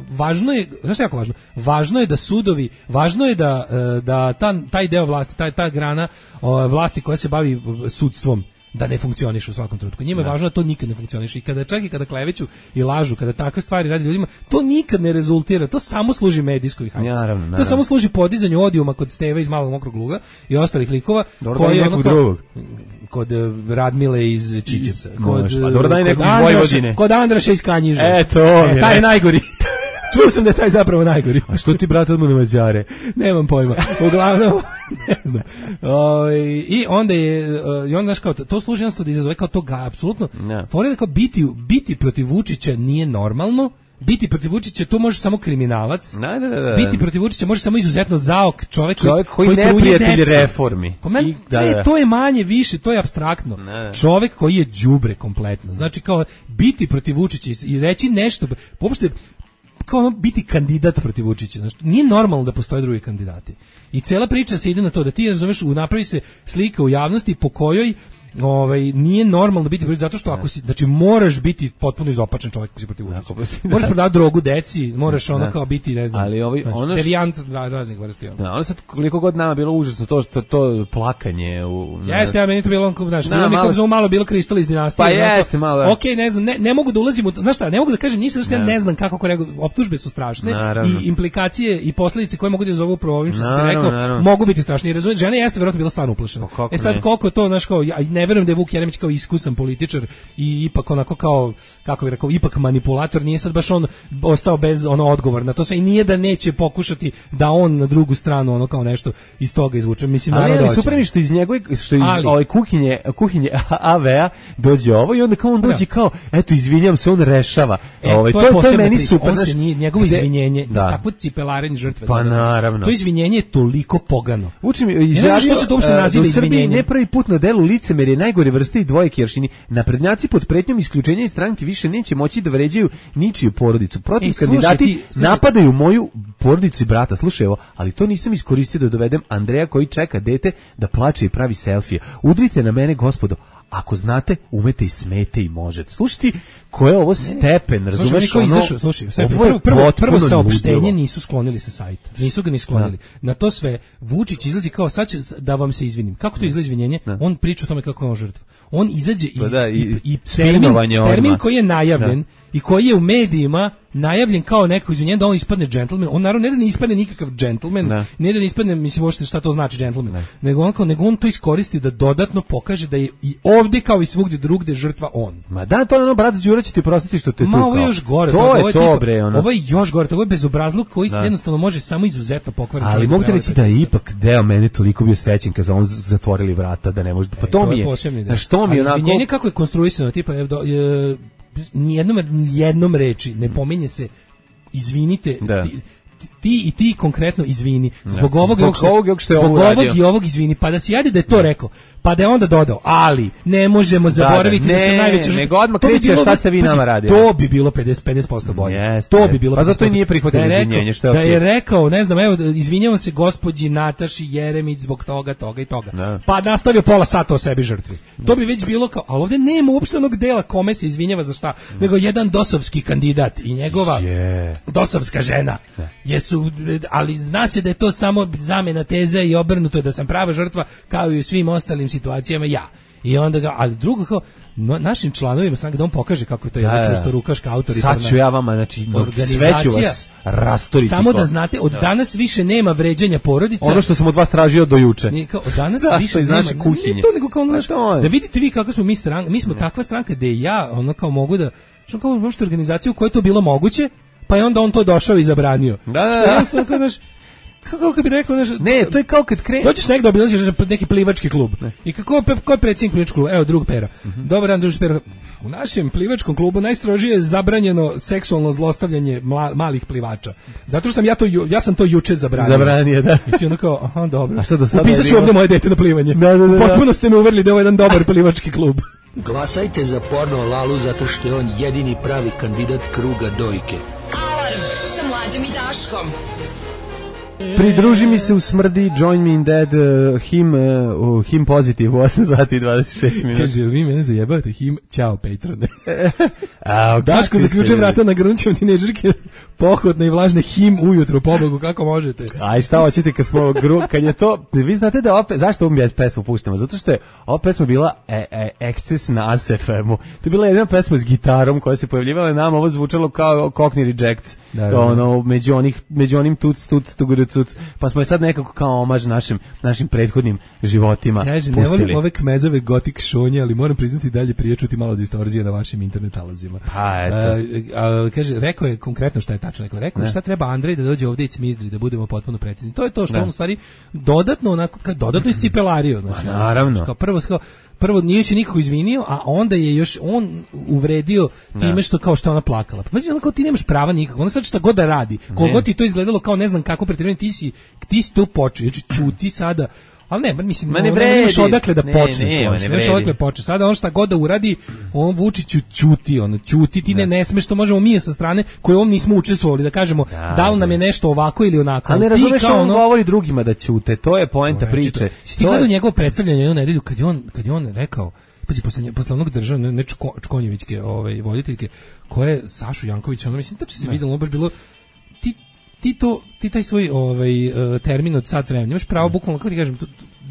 važno je, znaš što je jako važno? Važno je da sudovi, važno je da taj deo vlasti, ta grana vlasti koja se bavi sudstvom da ne funkcioniše u svakom trenutku. Njima je važno da to nikad ne funkcioniše i kada kleveću i lažu, kada takve stvari radi ljudima, to nikad ne rezultira, to samo služi medijskoj hajci. To samo služi podizanju odijuma kod Steve iz Malog mokrog luga i ostalih likova koji kod Radmile iz Čičevca, kod Andraša iz Kanjiže. Taj je najgori. Čuo sam da je taj zapravo najgori. A što ti, brate, odmah na Mađare? Nemam pojma. Uglavnom, ne znam. I onda znaš, kao, to služi jednostavno da izazove kao toga, apsolutno. Fora da kao biti protiv Vučića nije normalno, biti protiv Vučića to može samo kriminalac. Biti protiv Vučića može samo izuzetno zaok čovjek koji neprijatelj reformi. To je manje više, to je apstraktno. Čovjek koji je đubre kompletno. Znači kao biti protiv Vučića i reći nešto, uopšte kao biti kandidat protiv Vučića. Znači, nije normalno da postoje drugi kandidati. I cela priča se ide na to da ti, razumeš, napravi se slika u javnosti po kojoj nije normalno biti protiv, zato što ako si, znači moraš biti potpuno izopačen čovjek ako si protiv Vučića. Možeš prodati drogu deci, moraš kao biti, ne znam, derijant raznih vrsti. Ono sad koliko god nama bilo užasno to plakanje. Jeste, ja meni to bilo, znaš, malo bilo Kristal iz dinastije. Pa jeste, malo. Okej, ne znam, ne mogu da ulazim u, znaš šta, ne mogu da kažem, nisam što ja ne znam kako optužbe su strašne i implikacije i posljedice koje mogu da izazovu upravo ovim što si ti rekao, mogu biti strašne. Žena jeste vjerojatno bila stvarno uplašena. Sad koliko to, znaš, kao ne verujem da je Vuk Jeremić kao iskusan političar i ipak onako kao, kako bih rekao, ipak manipulator, nije sad baš on ostao bez odgovor na to sve i nije da neće pokušati da on na drugu stranu ono kao nešto iz toga izvuče. Mislim, ali super mi što iz njegove, što iz ove kuhinje AV-a dođe ovo i onda kao on dođe kao, eto, izvinjam se, on rešava. To je meni super. Njegovo izvinjenje, takvo cipelarenje žrtve. Pa naravno. To izvinjenje je toliko pogano. Učim, izjavio da u Srbiji ne prvi put na delu licemerje najgore vrste i dvojke jeršini. Naprednjaci pod pretnjom isključenja iz stranke više neće moći da vređaju ničiju porodicu. Protiv kandidati napadaju moju porodicu i brata. Slušaj ovo, ali to nisam iskoristio da dovedem Andreja koji čeka dete da plače i pravi selfije. Udrite na mene, gospodo. Ako znate, umete i smete i možete. Slušaj, ko je ovo stepen, razumeš? Slušaj, prvo saopštenje nisu sklonili sa sajta. Nisu ga ni sklonili. Na to sve Vučić izlazi kao sad će da vam se izvinim. Kako to izlazi izvinjenje? On priča o tome kako je on žrtva. On izađe i termin koji je najavljen i koji je u medijima najavljen kao neko izvinjenje da on ispadne džentlmen. On naravno ne da ne ispadne nikakav džentlmen, ne da ne ispadne, mislim uopšte šta to znači džentlmen, nego on to iskoristi da dodatno pokaže da je i ovdje kao i svugdje drugdje žrtva on. Ma da, to je ono, brat Đura će ti prostiti što te tu. Ma ovo je još gore. To je to, bre, ono. Ovo je još gore, to je bezobrazluk koji jednostavno može samo izuzetno pokvariti. Ali mogu ti reći da je ipak deo mene toliko bio srećen kad on zatvorili vrata da ne može. Pa to mi je. Što mi je onako. Izvinjenje kako je konstruisano, tipa nijednom reči ne pominje se izvinite, ti konkretno izvini zbog ovog i ovog izvini, pa da si ajde da je to rekao, pa da je onda dodao, ali ne možemo zaboraviti da sam najveća nego odmah kreće šta ste vi nama radili. To bi bilo 50% bolje. To bi bilo. Pa zato i nije prihvatio izvinjenje, što je da je rekao, ne znam, evo izvinjavam se gospođi Nataši Jeremić zbog toga i toga. Pa nastavio pola sata o sebi žrtvi. To bi već bilo kao, al ovde nema uopšte onog dela kome se izvinjava za šta, nego jedan dosovski kandidat i njegova dosovska žena. Jesu, ali zna se da je to samo zamena teza i obrnuto je da sam prava žrtva kao i u svim ostalim situacijama ja. I onda ga, ali drugo kao našim članovima stranke da on pokaže kako je to jedna čvrsto rukaška autoritarna. Sad ću ja vama, znači, sve ću vas rastoriti. Samo da znate, od danas više nema vređanja porodica. Ono što sam od vas tražio do juče. Od danas više nema. Ne to nego kao da vidite vi kako smo mi stranka. Mi smo takva stranka da ja ono kao mogu da, što kao možete organizaciju u kojoj to bilo moguće, pa je onda on to došao i zabranio. Da. Kako bi rekao, ne, to je kao kad krene. Dođeš negdje obilaziš neki plivački klub. I ko je predsjednik plivačkog kluba? Evo, drug Pera. Dobar dan, drug Pera. U našem plivačkom klubu najstrožije je zabranjeno seksualno zlostavljanje malih plivača. Zato što ja sam to juče zabranio. Zabranio, da. I ti ono kao, aha, dobro. A što do sada? Upisat ću ovdje moje dete na plivanje. Potpuno ste me uverili da je ovo jedan dobar plivački klub. Glasajte za Porno Lalu zato što je on jedini pravi kandidat kruga dojke. Alarm sa Mlađom i Daškom. Pridruži mi se u smrdi, join me in dead, him pozitiv, 8 sati i 26 minuta. Kaže, vi mene zajebate, him, ćao Patrone. Daško, zaključujem vrata na grunčevom tineđerke, pohodne i vlažne him ujutru, pobogu, kako možete. Aj, šta hoćete kad je to, vi znate da opet, zašto ovom pesmu puštamo? Zato što je ova pesma bila eksces na ASFM-u. To je bila jedna pesma s gitarom koja se pojavljivala nama, ovo zvučalo kao Cockney Rejects, ono, među onim tuc, pa smo je sad nekako kao omaž našim prethodnim životima pustili. Ne volim ove kmezove gotik šonje, ali moram priznati dalje prije čuti malo distorzije na vašim internet alazima. Pa eto. Kaže, rekao je konkretno šta je tačno. Rekao je šta treba Andrej da dođe ovdje i cmizdri, da budemo potpuno precizni. To je to što on u stvari dodatno iscipelario. Znači, naravno. Prvo nije se nikako izvinio, a onda je još on uvredio time što ona plakala. Pa znači, kao ti nemaš prava nikako. Ona sad šta god da radi, koliko ti to izgledalo kao ne znam kako pretjerivanje, ti si tu počeo, čuti sada. Ali ne, mislim, nemaš odakle da počne. Nemaš odakle počne. Sada on šta god da uradi, on Vučiću ćuti, ti ne smeš, to možemo mi sa strane koje on nismo učestvovali, da kažemo da li nam je nešto ovako ili onako. Ali ne razumeš, on govori drugima da ćute, to je poenta priče. Ti gledao njegovo predstavljanje jednu nedelju, kad je on rekao, posle onog državne, ne Čkonjevićke voditeljke, koje Sašu Jankovića, mislim, tačno se vidjelo, baš bilo, ti taj svoj termin od sat vremena, imaš pravo bukvalno, kako ti kažem,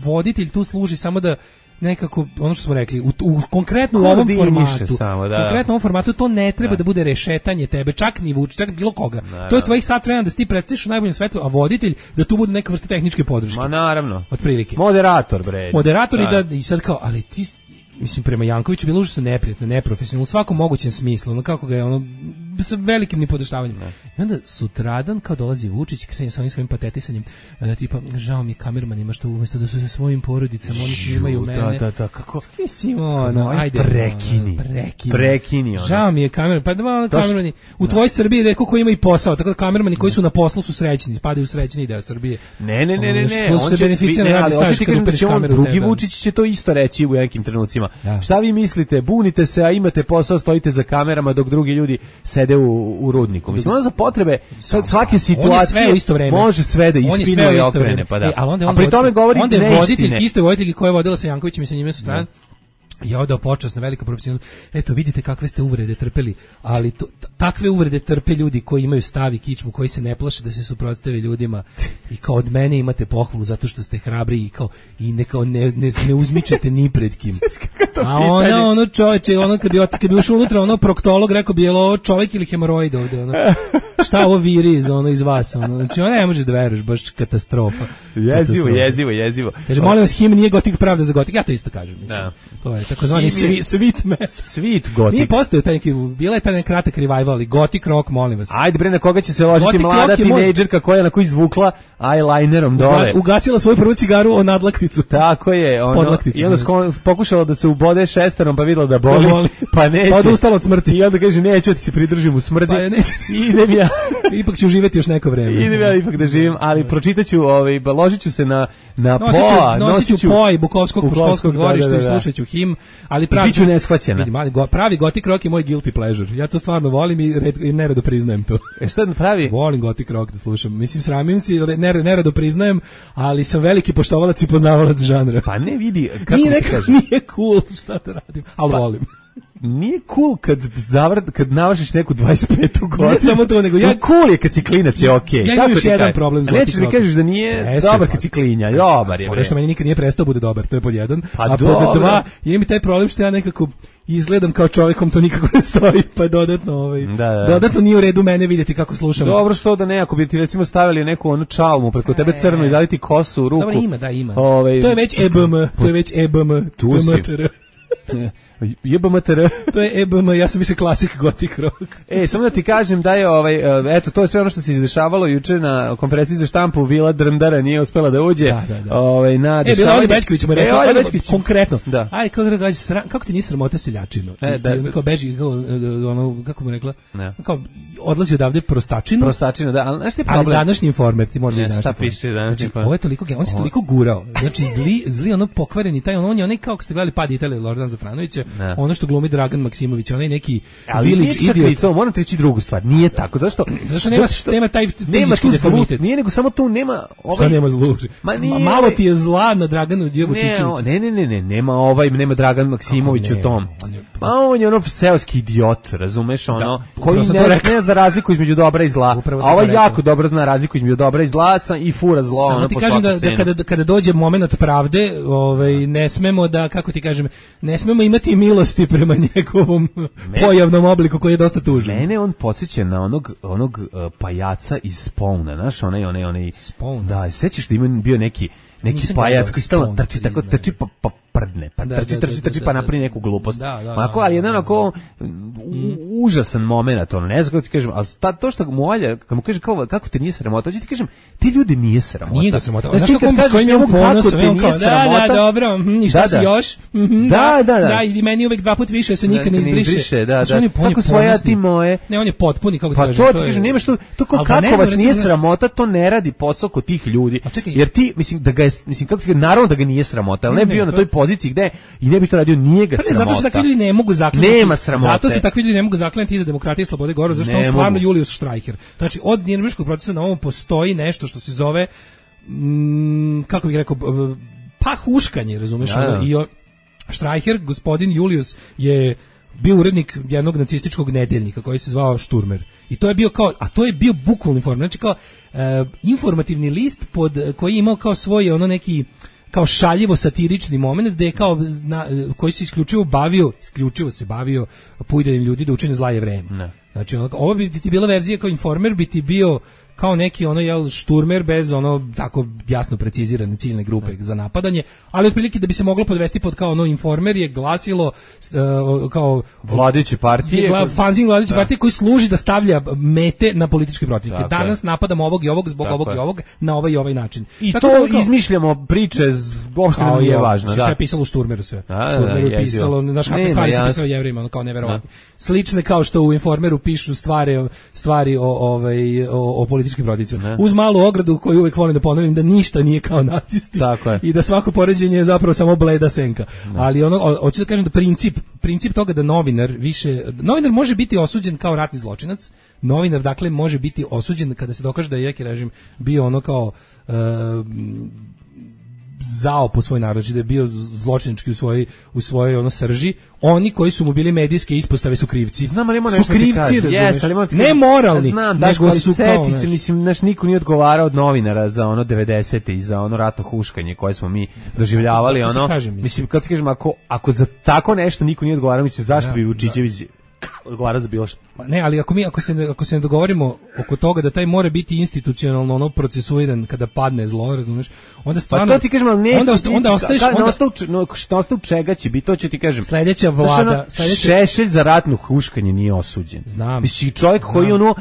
voditelj tu služi samo da nekako, ono što smo rekli, u konkretno u ovom formatu, konkretno u ovom formatu to ne treba da bude rešetanje tebe, čak ni Vučić, čak bilo koga. To je tvojih sat vremena da se ti predstaviš u najboljem svetlu, a voditelj da tu bude neka vrsta tehničke podrške. Ma naravno. Otprilike. Moderator, bre. Moderator i sad kao, ali ti mislim prema Jankoviću bilo užasno neprijatno, neprofesionalno u svakom mogućem smislu, ono kako ga je ono sa velikim nipodaštavanjem. I onda sutradan kao dolazi Vučić kreće sa onim svojim patetisanjem, tipa žao mi je kamermanima što umesto da su sa svojim porodicama oni snimaju mene. Da, kako? Mislim, ajde. Prekini. Žao mi je kamerman, pa da kamermani u tvojoj Srbiji neko ko ima i posao, tako da kamermani koji su na poslu su srećni, spadaju u srećni deo Srbije. Ne. On će drugi Vučić će to isto reći u nekim trenucima. Šta vi mislite? Bunite se, a imate posao, stojite za kamerama dok drugi ljudi sede u rudniku. Mislim, ono za potrebe svake situacije može sve da ispinuje i okrene. Pa da. A pri tome govori neistine. Isto je voditelj koja je vodila sa Jankovićem i sa njime su strane. Ja odao počasna velika profesionalna. Eto vidite kakve ste uvrede trpeli, ali takve uvrede trpe ljudi koji imaju stav i kičmu, koji se ne plaše da se suprotstave ljudima i kao od mene imate pohvalu zato što ste hrabri i kao i ne uzmičete ni pred kim. A ono čoveče, kad bi ušao unutra, ono proktolog rekao bi je li ovo čovjek ili hemoroid ovde, ono. Šta ovo viri iz vas, ono. Znači ono ne možeš da veruješ, baš katastrofa. Jezivo. Kaže, molim vas, him nije gotik pravda za gotik. Ja to isto kažem, mislim. To je takozvani sweet mess. Sweet gotik. Nije postao taj neki, bila je taj neki kratak revival, ali gotik rock, molim vas. Ajde bre, na koga će se ložiti mlada tinejdžerka koja je na koju izvukla eyelinerom dole. Ugasila svoju prvu cigaru o nadlakticu. Tako je, i onda pokušala da se ubode šesterom, pa videla da boli, pa neće. Pa odustala od smrti. I onda kaže, neću ti se pridržim u smrti. Pa neće. Idem ja. Ipak ću živjeti još neko vreme. Idem ja ipak da živim, ali pročitaću, ložit ću se na nosit ću POA i Bukovskog školskog dvorišta i slušat ću him, ali biću neshvaćena. Pravi gotik rock je moj guilty pleasure. Ja to stvarno volim i nerado priznajem to. Šta pravi? Volim gotik rock da slušam. Mislim, sramim se, nerado priznajem, ali sam veliki poštovalac i poznavalac žanra. Pa ne vidi, kako ti kažem. Nije cool, šta da radim, ali volim. Nije cool kad navršiš neku 25. godinu. Ne samo to, nego cool je kad si klinac, je okej. Ja imam još jedan problem s gotik rockom. Nećeš mi kažeš da nije dobar kad si klinja. Dobar je. Ono što meni nikad nije prestao bude dobar, to je pod jedan. A pod dva, imam i taj problem što ja nekako izgledam kao čovjekom, to nikako ne stoji, pa je dodatno dodatno nije u redu mene vidjeti kako slušam. Dobro, što da ne, ako bi ti recimo stavili neku onu čalmu preko tebe crnu i dali ti kosu u ruku. Dobro, ima. To je već EBM, tu si. JBMTR. To je EBM, ja sam više klasik gotik rock. Samo da ti kažem da je eto, to je sve ono što se izdešavalo juče na konferenciji za štampu. Vila Drndara nije uspela da uđe. Na bila Olja Bećković mu rekao, konkretno. Da. Aj, kako ti nije sramota seljačinu? Kao beži, kako mu rekla? Kao odlazi odavde prostačinu, da, ali znaš ti problem? Ali današnji Informer ti može znaš. Šta piše današnji Informer? Ovo je toliko, on se toliko gurao. Znači zli ono pokvareni taj, on je onaj kao ste gledali Pad Italije Lordan Zafranovića, ono što glumi Dragan Maksimović, onaj neki village idiot. To moram ti reći drugu stvar, nije tako. Zašto nema taj fizički deformitet. Nije nego samo tu nema šta nema zlu. Malo ti je zla na Draganu Vučićeviću. Ne, nema Dragan Maksimović u tom. On je ono seoski idiot, razumeš, ono koji ne zna razliku između dobra i zla. A ovaj jako dobro zna razliku između dobra i zla i fura zlo. Samo ti kažem da kada dođe momenat pravde, ne smemo da, kako ti kažem, ne smemo imati milosti prema njegovom pojavnom obliku koji je dosta tužan. Mene on podsjeća na onog pajaca iz Spawna, znaš, onaj Spawn. Da, sećaš da ima bio neki pajac koji stalno trči pa prdne, pa trči pa napravi neku glupost. Ali jedan onako užasan moment, ono, ne znam kako ti kažem, ali to što mu Olja, kad mu kaže kako te nije sramota, hoću ti kažem, ti ljudi nije sramota. Nije ga sramota. Znaš ti kad kažeš njemu kako te nije sramota. Da, dobro, i šta si još? Da, i meni uvek dva put više se nikad ne izbriše. Da. Kako svoja ti moje. Ne, on je potpuni, kako ti kažem. Pa to ti kažem, nemaš to kako vas nije sramota, to ne radi posao kod tih ljudi. Jer ti, mislim, kako ti kažem, naravno da ga nije sramota, ali ne bio na toj poziciji gde i ne bi to radio, nije ga sramota. Zato se takvi ljudi ne mogu zaklanjati. Nema sramote. Zato se takvi ljudi ne mogu zaklanjati iza demokratije i slobode govora, zato što on stvarno Julius Streicher. Znači, od Nirnberškog procesa na ovom postoji nešto što se zove, kako bih rekao, pa huškanje, razumeš? I Streicher, gospodin Julius, je bio urednik jednog nacističkog nedeljnika koji se zvao Šturmer. I to je bio to je bio bukvalni informer. Znači kao informativni list koji je imao kao svoj ono neki kao šaljivo satirični moment gde je kao koji se isključivo se bavio puidanjem ljudi da učine zla je vreme. Znači ovo bi ti bila verzija kao Informer, bi ti bio kao neki ono šturmer bez ono tako jasno precizirane ciljne grupe za napadanje, ali otprilike da bi se moglo podvesti pod kao ono Informer je glasilo kao vladajuće partije, fanzin vladajuće partije koji služi da stavlja mete na političke protivnike. Danas napadamo ovog i ovog zbog ovog i ovog na ovaj i ovaj način. I tako to izmišljamo priče, uopšte nam nije važno. Šta je pisalo u Šturmeru sve? Šturmeru je pisalo, znaš kakve stvari su pisalo Jevrejima, ono kao neverovatno. Slične kao što u Informeru pišu stvari o političkim protivnicima. Uz malu ogradu koju uvek volim da ponovim da ništa nije kao nacisti i da svako poređenje je zapravo samo bleda senka. Ali hoću da kažem da princip toga da novinar može biti osuđen kao ratni zločinac. Novinar dakle može biti osuđen kada se dokaže da je neki režim bio ono kao zao po svoj narod, da je bio zločinački u svojoj ono srži. Oni koji su mu bili medijske ispostave su krivci. Znam, ali su krivci, razumiješ? Ne moralni. Znam, nego su kao... se, mislim, niko nije odgovarao od novinara za ono 90. i za ono ratno huškanje koje smo mi doživljavali. Mislim, kad ti kažem, ako za tako nešto niko nije odgovarao, mislim, zašto bi Vučićević odgovara za bilo što? Ne, ali ako se ne dogovorimo oko toga da taj mora biti institucionalno ono procesuiran kada padne zlo, razumiješ? Onda stvarno... Pa to ti kažem, ali neće onda ostaješ... Šta ostaje čega će biti, to će ti kažem. Sledeća vlada... Šešelj za ratno huškanje nije osuđen. Znam. Mislim, čovjek koji ono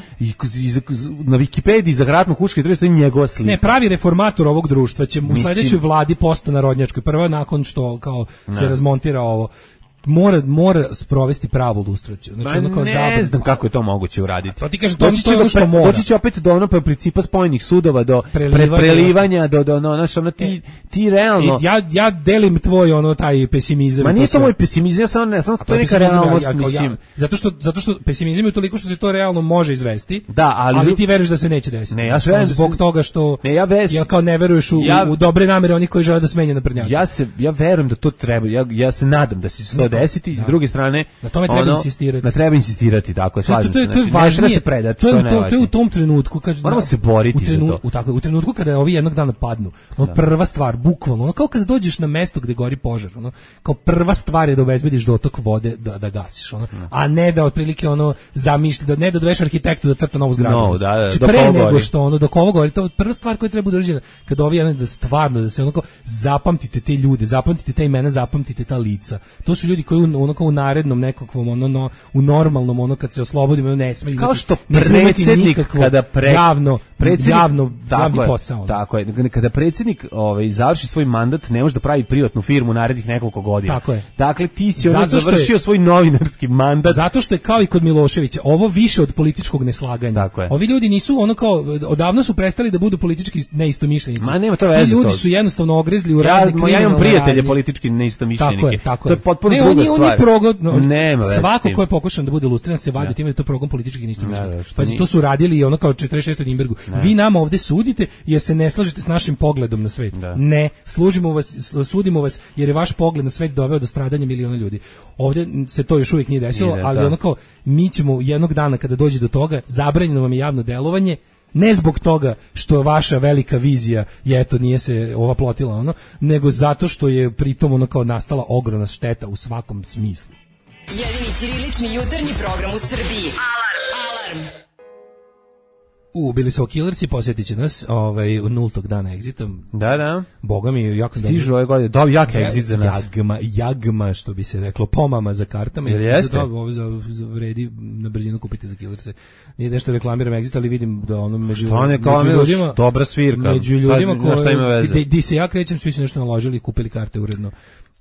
na Wikipediji za ratno huškanje treba stoji njegova slika. Ne, pravi reformator ovog društva će u sledećoj vladi post-narodnjačkoj, prva nakon što kao se razmontira ovo, mora sprovesti pravu lustraciju. Znači ono kao ne znam kako je to moguće uraditi. To ti kažem, doći će opet do ono principa spojenih sudova, do prelivanja, do ti realno... Ja delim tvoj ono taj pesimizam. Ma nije to moj pesimizam, ja sam to je neka realnost, mislim. Zato što pesimizam je toliko što se to realno može izvesti, da, ali ti veruješ da se neće desiti. Ne, ja verujem zbog toga što ja kao ne veruješ u dobre namere onih koji žele da smene naprednjake. Ja verujem da to treba, ja se nadam da se to desiti, s druge strane na tome treba insistirati. Na treba insistirati, tako je, slažem se. To je važnije. To je u tom trenutku kad moramo se boriti za to. U trenutku kada ovi jednog dana padnu. Prva stvar, bukvalno, ono kao kada dođeš na mesto gde gori požar, ono kao prva stvar je da obezbediš dotok vode da gasiš, ono, a ne da otprilike ono zamišlja, ne da doveš arhitektu da crta novu zgradu. Pre nego što ono dok ovo gori, to je prva stvar koju treba uraditi kada ovi da stvarno da se ono kao zapamtite te ljude, zapamtite te imena, zapamtite ta lica. To su ljudi koji ono kao u narednom nekakvom ono u normalnom ono kad se oslobodimo ne smeju kao što predsjednik kada javni posao. Tako je, kada predsjednik završi svoj mandat ne može da pravi privatnu firmu narednih nekoliko godina. Tako je. Dakle ti si završio svoj novinarski mandat. Zato što je kao i kod Miloševića, ovo više od političkog neslaganja. Ovi ljudi nisu ono kao odavno su prestali da budu politički neistomišljenici. Ma nema to veze. Ljudi su jednostavno ogrezli u razne kriminalne radnje. Ja imam prijatelje politički neistomišljenike. Tako je. To je potpuno druga stvar. Svako ko je pokušao da bude lustriran se vadi time da to progon političkih neistomišljenika. Pazi, to su radili ono kao 46. u Nürnbergu. Vi nam ovde sudite jer se ne slažete s našim pogledom na svet. Ne, sudimo vas jer je vaš pogled na svet doveo do stradanja miliona ljudi. Ovde se to još uvijek nije desilo, ali ono kao mi ćemo jednog dana kada dođe do toga, zabranjeno vam je javno delovanje, ne zbog toga što vaša velika vizija je eto nije se ova plotila ono, nego zato što je pritom ono kao nastala ogromna šteta u svakom smislu. Jedini ćirilični jutarnji program u Srbiji. Alarm. Bili su Killersi, posjetit će nas u nultog dana egzitom. Da. Boga mi jako stižu ove godine. Dobi jak egzit za nas. Jagma, što bi se reklo, pomama za kartama. Jel jeste? Ovo vredi na brzinu kupiti za Killerse. Nije nešto reklamiram egzit, ali vidim da ono među ljudima... Dobra svirka. Među ljudima di se ja krećem, svi su nešto naložili i kupili karte uredno.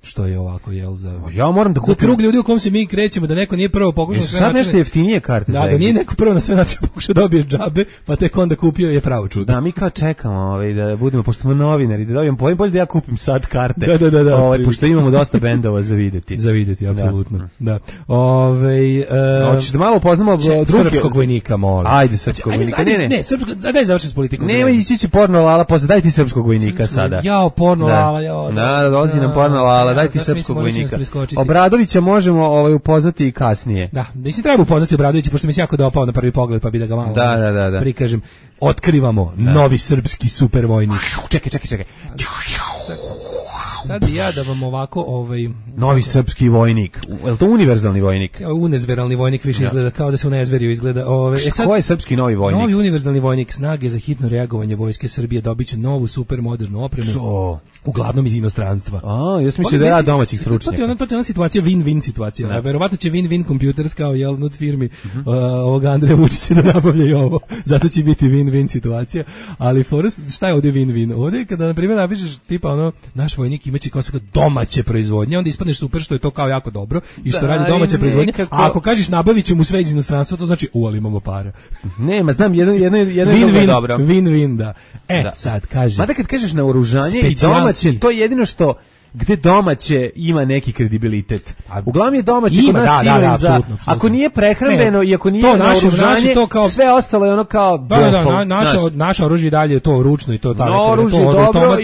Što je ovako, jel, ja moram da kupim... Za krug ljudi u kom se mi krećemo, da neko nije prvo pokušao sve načine... Sad nešto jeftinije karte za egzit. Da nije neko prvo na sve načine pokušao dobije džabe, pa tek onda kupio je pravo čudo. Da, mi kao čekamo da budemo, pošto smo novinari, da dobijem bolje da ja kupim sad karte. Da. Pošto imamo dosta bendova za videti. Za videti, apsolutno. Da. Hoćeš da malo poznamo srpskog vojnika, molim. Ajde, srpskog vojnika. Ne, daj završiti s politikom. Nema, ići će porno lala, posle daj ti srpskog vojnika sada. Jao, porno lala, jao. Da, dolazi nam porno lala, daj ti srpskog vojnika. Obradovića možemo upoznati i kasnije. Da, mislim treba upoznati Obradovića, pošto mi se jako dopao na prvi pogled, pa bi da ga malo prikažem. Otkrivamo novi srpski supervojnik. Čekaj. sad ja da vam ovako novi srpski vojnik. Je li to univerzalni vojnik? Unezveralni vojnik više izgleda kao da se unezverio izgleda. Ko je srpski novi vojnik? Novi univerzalni vojnik, snage za hitno reagovanje Vojske Srbije dobiće novu super modernu opremu. Uglavnom iz inostranstva. Ja sam mislio da je domaćih stručnjaka. To je ona situacija, win-win situacija. Verovatno će win-win computers kao od firmi ovog Andreja Vučića da nabavljaju ovo. Zato će biti win-win situacija. Ali šta je ovdje win-win? Ovdje kada, na primjer, napišeš tipa naš vojnik imaće kao sve domaće proizvodnje, onda ispadneš super što je to kao jako dobro i što radi domaće proizvodnje. A ako kažeš nabavit ćemo sve iz inostranstva, to znači ali imamo para. Nema, znam, jedno je dobro. Win-win, da. Sad kaže. Mada kad kažeš naoružanje i domaće, to je jedino što gde domaće ima neki kredibilitet. Uglavnom je domaće kod nas siguran za... Ako nije prehrambeno i ako nije naoružanje, sve ostalo je ono kao... Naše oružje dalje je to ručno i to tako. Oružje dobro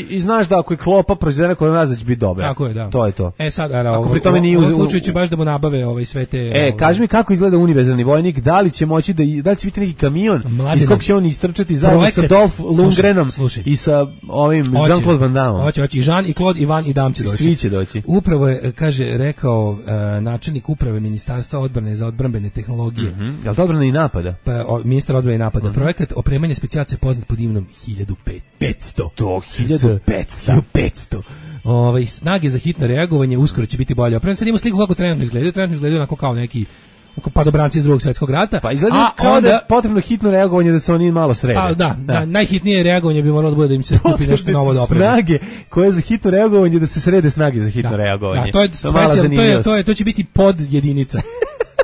i znaš da ako je klopa proizvedena kod nas da će biti dobra. Tako je, da. To je to. Sad, ako pri tome nije... U slučaju će baš da mu nabave sve te... Kaži mi kako izgleda univerzalni vojnik, da li će moći da li će biti neki kamion iz kog će on istrčati zajedno sa Dolph Lundgrenom i sa ovim Jean-Claude Van Damme. Hoće, Jean i Claude, Ivan i Dam će doći. Svi će doći. Upravo je, rekao načelnik uprave Ministarstva odbrane za odbrambene tehnologije. Je li to odbrana i napada? Pa, ministar odbrane i napada. Projekat opremanja specijalaca poznat pod imenom 1500. To, 1500. Snage za hitno reagovanje uskoro će biti bolje. Opremljeno sad ima sliku kako trenutno izgledaju. Trenutno izgledaju onako kao neki padobranci iz Drugog svjetskog rata. Pa izgleda kao da je potrebno hitno reagovanje da se oni malo srede. Najhitnije reagovanje bi moralo da bude da im se kupi nešto novo da opremi. Snage koje za hitno reagovanje da se srede snage za hitno reagovanje. To će biti pod jedinica.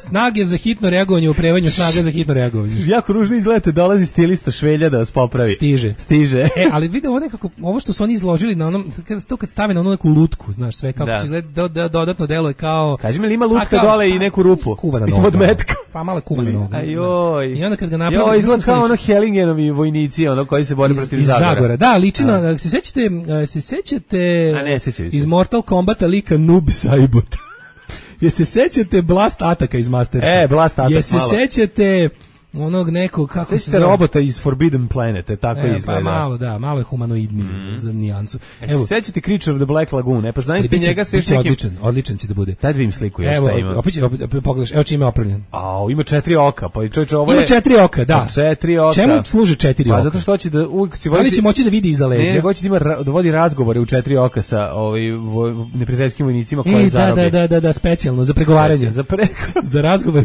Snage za hitno reagovanje, opremanje snage za hitno reagovanje. Jako ružno izgledate, dolazi stilista Švelja da vas popravi. Stiže. Ali vidi ovo nekako, ovo što su oni izložili na onom, kad stave na onu neku lutku, znaš, sve kako će izgleda, dodatno deluje kao... Kaži mi li ima lutka dole i neku rupu? Kuvana noga. Mislim od metka. Pa mala kuvana noga. Ajoj. I onda kad ga napravi... Izgleda kao ono Hellingenovi vojnici, koji se bore protiv Zagora. Iz Zagora, da, ličina, se sećate iz Mortal Kombata lika Noob Saibot. Je se sećate Blast Ataka iz Mastersa? Blast Attack, je se sećate onog nekog, kako se sećate robota iz Forbidden Planet, tako izgleda. Pa malo je humanoidniji za nijansu. Evo, sećate Creature of the Black Lagoon, pa znate njega se još nekim... Odličan će da bude. Daj da vidim sliku još šta ima. Opet pogledaš, evo čime je opremljen. Ima 4 oka, pa čovječe ovo je... Ima 4 oka, da. 4 oka. Čemu služe 4 oka? Pa zato što hoće da uvijek si vodi... Da li će moći da vidi iza leđa? Ne, hoće da vodi razgovore u 4 oka sa neprijateljskim vojnicima koje zarobi. Da, specijalno, za pregovaranje. Za razgovor,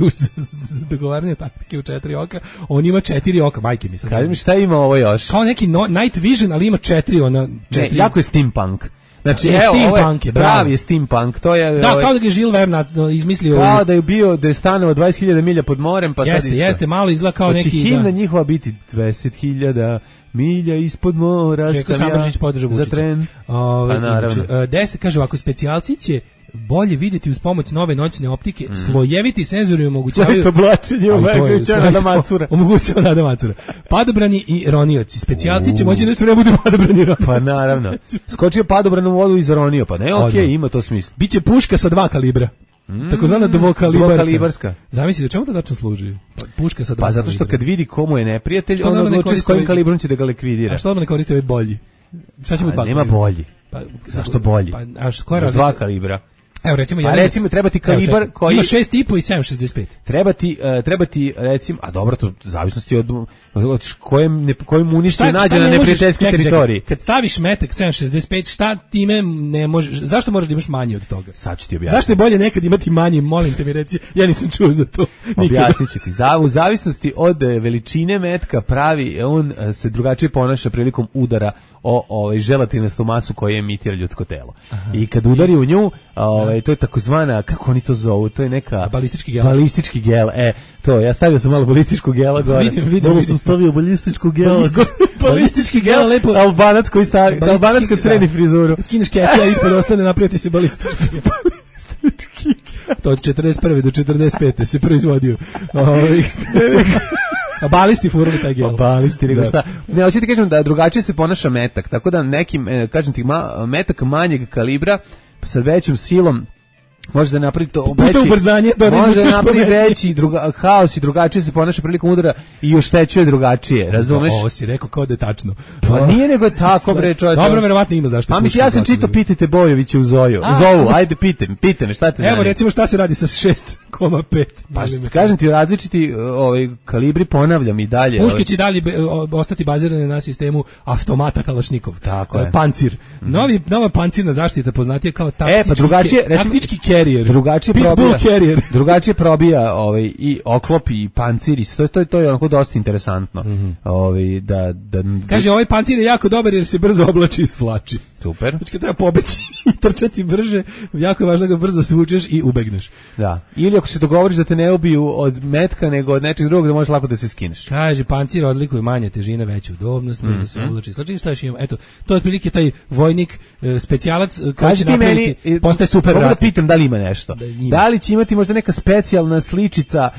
za dogovaranje taktike u 4 oka. On ima 4 oka, majke mi. Kaži mi šta ima ovo još? Kao neki night vision, ali ima 4 Ne, jako je steampunk. Znači, steampunk je, pravi je steampunk, to je... Da, kao da ga je Jules Verne izmislio... Kao da je bio, da je stanovao 20.000 milja pod morem, pa sad isto. Jeste, malo izgleda kao neki... Znači, himna njihova biti 20.000 milja ispod mora sam ja za tren. Pa naravno. 10, kaže ovako, specijalci će bolje vidjeti uz pomoć nove noćne optike, slojeviti senzori omogućavaju... To blačenje omogućava Nada Macura. Padobrani i ronioci. Specijalci će moći nešto ne budu padobrani i ronioci. Pa naravno. Skočio padobran u vodu i zaronio, pa ne, okej, ima to smisla. Biće puška sa 2 kalibra. Takozvana dvokalibarska. Zamisli, čemu to tačno služi? Puška sa 2 kalibra. Pa zato što kad vidi komu je neprijatelj, on odluči s kojim kalibrom će da ga likvidira. A što ne koristi ovaj bolji? Šta će biti 2 kalibra? Nema bolji. Zašto bolji? Pa, koja je 2 kalibra. Evo recimo treba ti kalibar koji ima 6,5 i 7,65. Treba ti recimo, a dobro, to zavisnosti od kojem unište nađe na neprijateljskoj teritoriji. Kad staviš metak 7,65, šta time ne možeš? Zašto moraš da imaš manje od toga? Sad ću ti objasniti. Zašto je bolje nekad imati manje, molim te mi reci. Ja nisam čuo za to. Objasniću ti. U zavisnosti od veličine metka pravi, on se drugačije ponaša prilikom udara o želatinastu masu koju emitira ljudsko telo. I kad udari u nju, to je takozvana, kako oni to zovu, to je neka... Balistički gel. To, ja stavio sam malo balističkog gela gore. Vidim. Sam stavio balističku gela. Balistički gel, lepo. Albanac koji stavi, albanac kad sredi frizuru. Kad skineš keća, ispod ostane, napraviti se balistički gel. To od 41. do 45. se proizvodio. A balisti furali taj gel. Balisti, nego šta. Ne, hoćete kažem da drugačije se ponaša metak, tako da nekim, kažem ti, metak manjeg kalibra sa većom silom Može da napravi to puta ubrzanje, može napravi veći haos i drugačije se ponaša prilikom udara i oštećuje drugačije, razumeš? Ovo si rekao kao da je tačno. Pa nije nego je tako, bre, čovječe. Dobro, verovatno ima zašto. Pa mislim, ja sam čitao, pitajte Bojovića u Zovu, ajde, pitaj me, šta te zanima? Evo, recimo, šta se radi sa 6,5? Pa kažem ti, različiti kalibri, ponavljam i dalje. Puške će dalje ostati bazirane na sistemu automata Kalašnikov. Tako je. Pancir. Nova pancirna zaštita poznatija kao taktički carrier. Drugačije probija i oklop i pancir i to je onako dosta interesantno. Kaže, ovaj pancir je jako dobar jer se brzo oblači i svlači. Super. Znači kad treba pobeći i trčati brže, jako je važno da ga brzo svučeš i ubegneš. Da. Ili ako se dogovoriš da te ne ubiju od metka nego od nečeg drugog, da možeš lako da se skineš. Kaže, pancir odlikuje manje težine, veću udobnost, brzo se oblači. Znači šta još imamo? Eto, to je otprilike taj vojnik specijalac koji će napraviti, postaje super rat. Da pitam da li ima nešto. Da li će imati možda neka specijalna sličica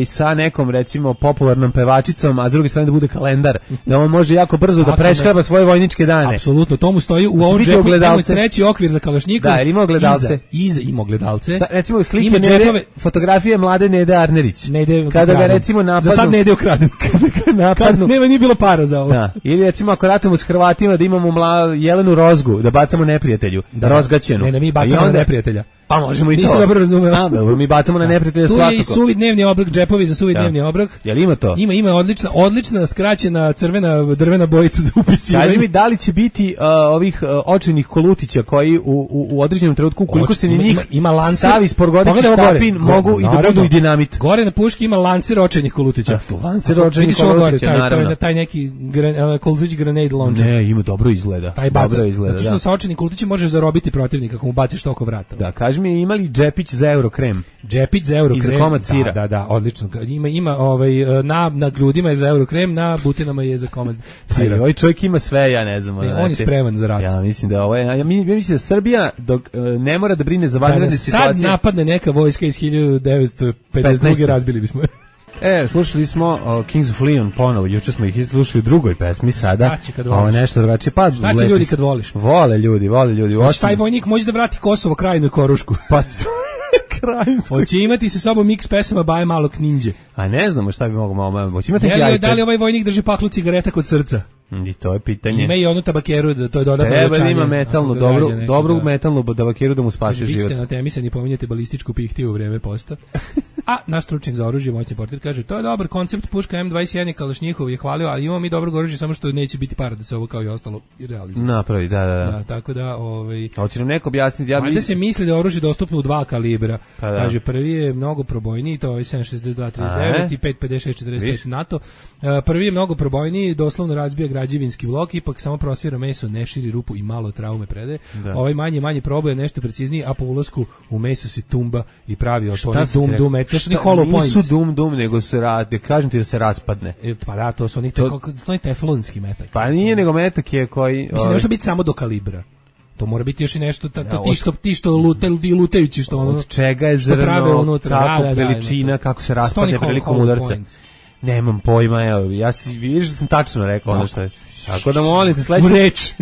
sa nekom recimo popularnom pevačicom, a s druge strane da bude kalendar, da on može jako brzo da preškraba svoje vojničke dane. Apsolutno, to mu stoji u ovom džepu, imamo treći okvir za Kalašnikov. Da, ima ogledalce. Iza ima ogledalce. Recimo slike Nede, fotografije mlade Nede Arnerić. Kada ga recimo napadnu. Za sad Nede ukraden. Kada nije bilo para za ovo. Da. Ili recimo ako ratujemo s Hrvatima da imamo Jelenu Rozgu, da bacamo neprijatelju, rozgaćenu. Ne, mi bacamo na neprijatelja. Pa možemo i to. Nisi dobro razumeo. Dobro, mi bacamo na neprijatelja svakako. Tu je i suvi dnevni obrok, džepovi za suvi dnevni obrok. Jel ima to? Ima odlična skraćena crvena drvena bojica za upisivanje. Kaži mi, da li će biti ovih očajnih kolutića koji u određenom trenutku, ukoliko se ni njih stavi sporgodići štapin, mogu i da budu i dinamit. Gore na puški ima lancer očajnih kolutića. Lancer očajnih kolutića, naravno. Taj neki kolutić grenade launcher. Ne, ima dobro izgleda. Dobro izgleda, zato što sa očajnim kolutićem možeš zarobiti protivnika ako mu baciš oko vrata. Da, kaži mi, imali džepić za Eurokrem? Džepić za Eurokrem. I za komad sira. Da, odlično. Ima na grudima je za Eurokrem, na butinama je za komad sira. Ovaj čovjek ima sve, ja ne znam. On je spreman za rat. Ja mislim da mislim da Srbija dok ne mora da brine za vanredne situacije. Sad napadne neka vojska iz 1952. razbili bismo. Slušali smo Kings of Leon ponovo, juče smo ih slušali u drugoj pesmi, sada ovo nešto drugačije. Pa znači ljudi kad voliš. Vole ljudi. Znači taj vojnik može da vrati Kosovo, Krajinu i Korušku. Pa Krajinsko. Hoće imati sa sobom miks pesama Baje malog ninđe. A ne znamo šta bi moglo, hoće imati da li ovaj vojnik drži paklu cigareta kod srca? I to je pitanje. Ima i onu tabakeru, to je dodatno uvećanje. Treba da ima metalnu, dobru metalnu tabakeru da mu spasi život. Vi ste na temi se ni pominjate balističku pihtiju u vreme posta. A naš stručnjak za oružje, moćni portir, kaže, to je dobar koncept, puška M21 Kalašnjihov je hvalio, ali imamo mi dobrog oružja, samo što neće biti para da se ovo kao i ostalo realizuje. Napravi, da. Tako da, hoće nam neko objasniti. Valjda se misli da je oružje dostupno u 2 kalibra. Kaže, prvi je mnogo probojniji, to je 7.62.39 i 5.56.45 NATO. Prvi je mnogo probojniji, doslovno razbija građevinski blok, ipak samo prosvira meso, ne širi rupu i malo traume prede. Ovaj manje proboje nešto precizniji, a po ulasku u meso se tumba i pravi otponi dum, nisu dum, nego se rade, kažem ti da se raspadne. Pa da, to su to je teflonski metak. Pa nije, nego metak je koji... Mislim, nešto biti samo do kalibra. To mora biti još i nešto, ti što lutajući, što ono... Od čega je zrno, kako veličina, kako se raspadne prilikom udarca. Nemam pojma, evo, vidiš da sam tačno rekao ono što je. Tako da molite, sledeće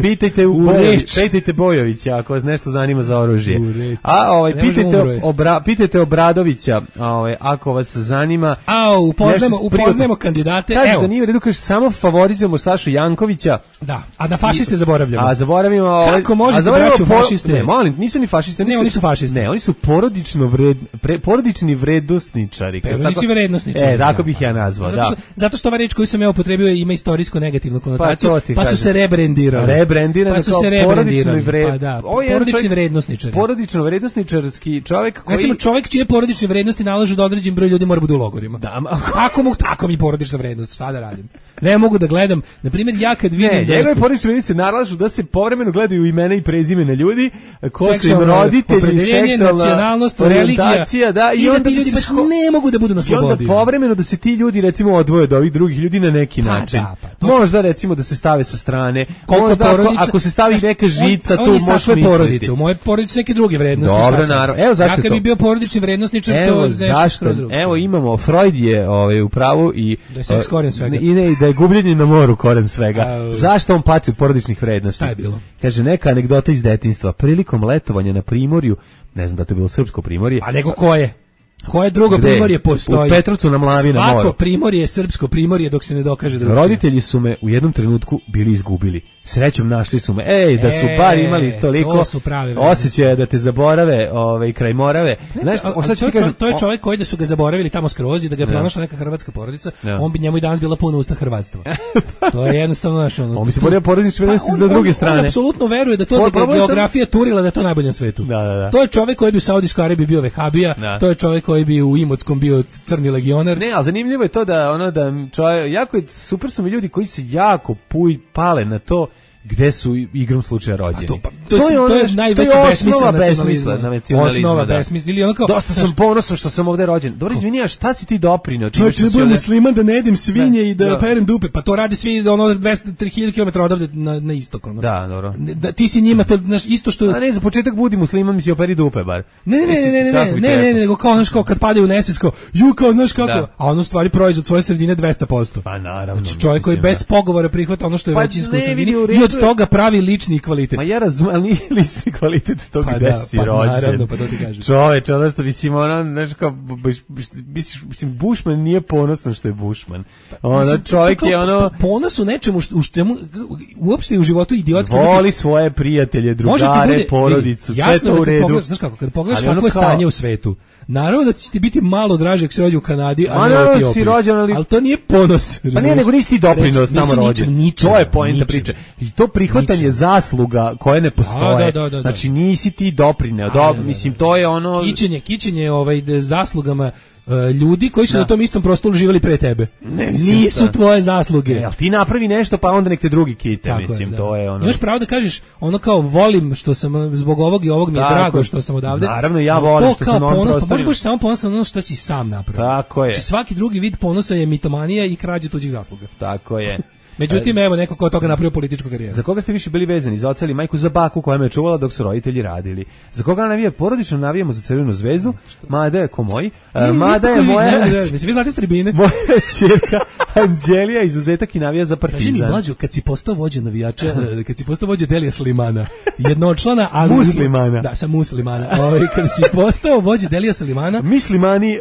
pitajte Bojovića ako vas nešto zanima za oružje. A pitajte Obradovića, ako vas zanima. Upoznajemo kandidate. Evo. Da nije u redu, kažeš, samo favorizujemo Sašu Jankovića. Da, a da fašiste zaboravljamo. A zaboravimo... Kako možete braću fašiste? Ne, molim, nisu ni fašiste. Ne, oni su fašisti. Ne, oni su porodični vrednosničari. Porodični vrednosničari. Tako bih ja nazvao, da. Zato što ova reč koju sam ja upotrebio ima istorijsko negativnu konotaciju. Pa su se rebrendirali. Pa su se rebrendirali. Porodični vrednosničari. Porodično vrednosničarski čovjek koji... Recimo čovjek čije porodične vrednosti nalažu da određen broj ljudi mora bude u logorima. Tako mi porodična vrednost, šta da radim? Ne mogu da gledam. Na primjer, ja kad vidim da... Njegove porodične vrednosti nalažu da se povremeno gledaju imena i prezimena ljudi, koji su im roditelji, seksualna nacionalnost, religija, i onda ti ljudi baš ne mogu da budu na slobodi. I onda povremeno da se ti ljudi recimo odvoje od ovih drugih ljudi na neki način. Možda recimo da se stave sa strane. Ako se stavi neka žica, tu možeš misliti. U moje porodice neke druge vrednosti. Dobro, naravno. Evo zašto to. Ja kad bi bio porodični vrednosničar, to zašto. Evo imamo, Freud je u pravu i da je seks korijen svega. I da je gubljenje na moru koren svega. Zašto on pati od porodičnih vrednosti? Šta je bilo? Kaže, neka anegdota iz detinjstva. Prilikom letovanja na primorju, ne znam da to je bilo srpsko primorje. A nego koje? Koje drugo primorje postoji? U Petrovcu na Mlavi na moru. Svako primorje je srpsko primorje dok se ne dokaže drugčije. Roditelji su me u jednom trenutku bili izgubili. Srećom našli su me. Da su bar imali toliko osjećaja da te zaborave, kraj Morave. Znaš, to je čovjek koji da su ga zaboravili tamo skroz i da ga je pronašla neka hrvatska porodica, on bi njemu i danas bila puna usta hrvatstva. To je jednostavno naš ono. On bi se borio porodične vrednosti s druge strane. On apsolutno veruje da to geografija turila da je to najbolje na svetu. Da. To je čovjek koji bi u Saudijskoj Arabiji bio vehabija, to je čovjek koji bi u Imotskom bio crni legionar. Ne, ali zanimljivo je to da čovjek, jako je, super su mi ljudi koji se jako pale na to gde su igrom slučaja rođeni. To je najveći besmisao nacionalizma. Osnova besmisla. Ili onako, dosta sam ponosan što sam ovde rođen. Dobro, izvini, a šta si ti doprineo? Čovječ, ne budem musliman da ne jedem svinje i da perem dupe. Pa to radi svi 200-3000 km odavde na istok. Da, dobro. Ti si njima to isto što... A ne, za početak budi musliman, mi si operi dupe bar. Ne, nego kao, znaš, kao kad padaju u nesvijest, kao, kao, znaš kako, a ono stvari proizvod svoje sredine 200%. Pa naravno. Znači, čovjek koji bez pogovora prihvata ono što je većinsko u sredini i od toga pravi lični kvalitet. Ma ja razumem, ali nije lični kvalitet tog gde si rođen. Naravno, pa to ti kažem. Čoveč, ono što mislim, znaš kao, mislim, Bushman nije ponosan što je Bushman. Čovjek je ponos u nečemu u čemu uopšte u životu idiotski. Voli svoje prijatelje, drugare, porodicu, sve to u redu. Znaš kako, kad pogledaš kako je stanje u svetu, naravno da će ti biti malo draže ako se rođe u Kanadi, a ne u Etiopiji. Ali to nije ponos. Pa nije, nego nisi ti doprinos tamo rođen. To je poenta priče. I to prihvatanje zasluga koje ne postoje. Znači nisi ti doprineo. Mislim, to je ono... Kićenje zaslugama ljudi koji su na tom istom prostoru živjeli pre tebe. Nisu tvoje zasluge. Ali ti napravi nešto pa onda nek te drugi kite, mislim, to je ono. Imaš pravo da kažeš ono kao volim što sam zbog ovog i ovog mi je drago što sam odavde. Naravno ja volim što sam on prostor. Pa možeš samo ponosan ono što si sam napravio. Tako je. Znači svaki drugi vid ponosa je mitomanija i krađa tuđih zasluga. Tako je. Međutim, evo neko ko od toga napravio političku karijeru. Za koga ste više bili vezani? Za oca ili majku? Za baku koja me čuvala dok su roditelji radili. Za koga navija porodično? Navijamo za Crvenu zvezdu. Mada je ko moj. Mada je moja... Mislim, vi znate s tribine. Moja ćerka Anđelija izuzetak i navija za Partizan. Kaži mi, mlađo, kad si postao vođa navijača, kad si postao vođa Delija Slimana, jednočlana, ali... Muslimana. Da, sam muslimana. Kad si postao vođa Delija Slimana... Muslimani...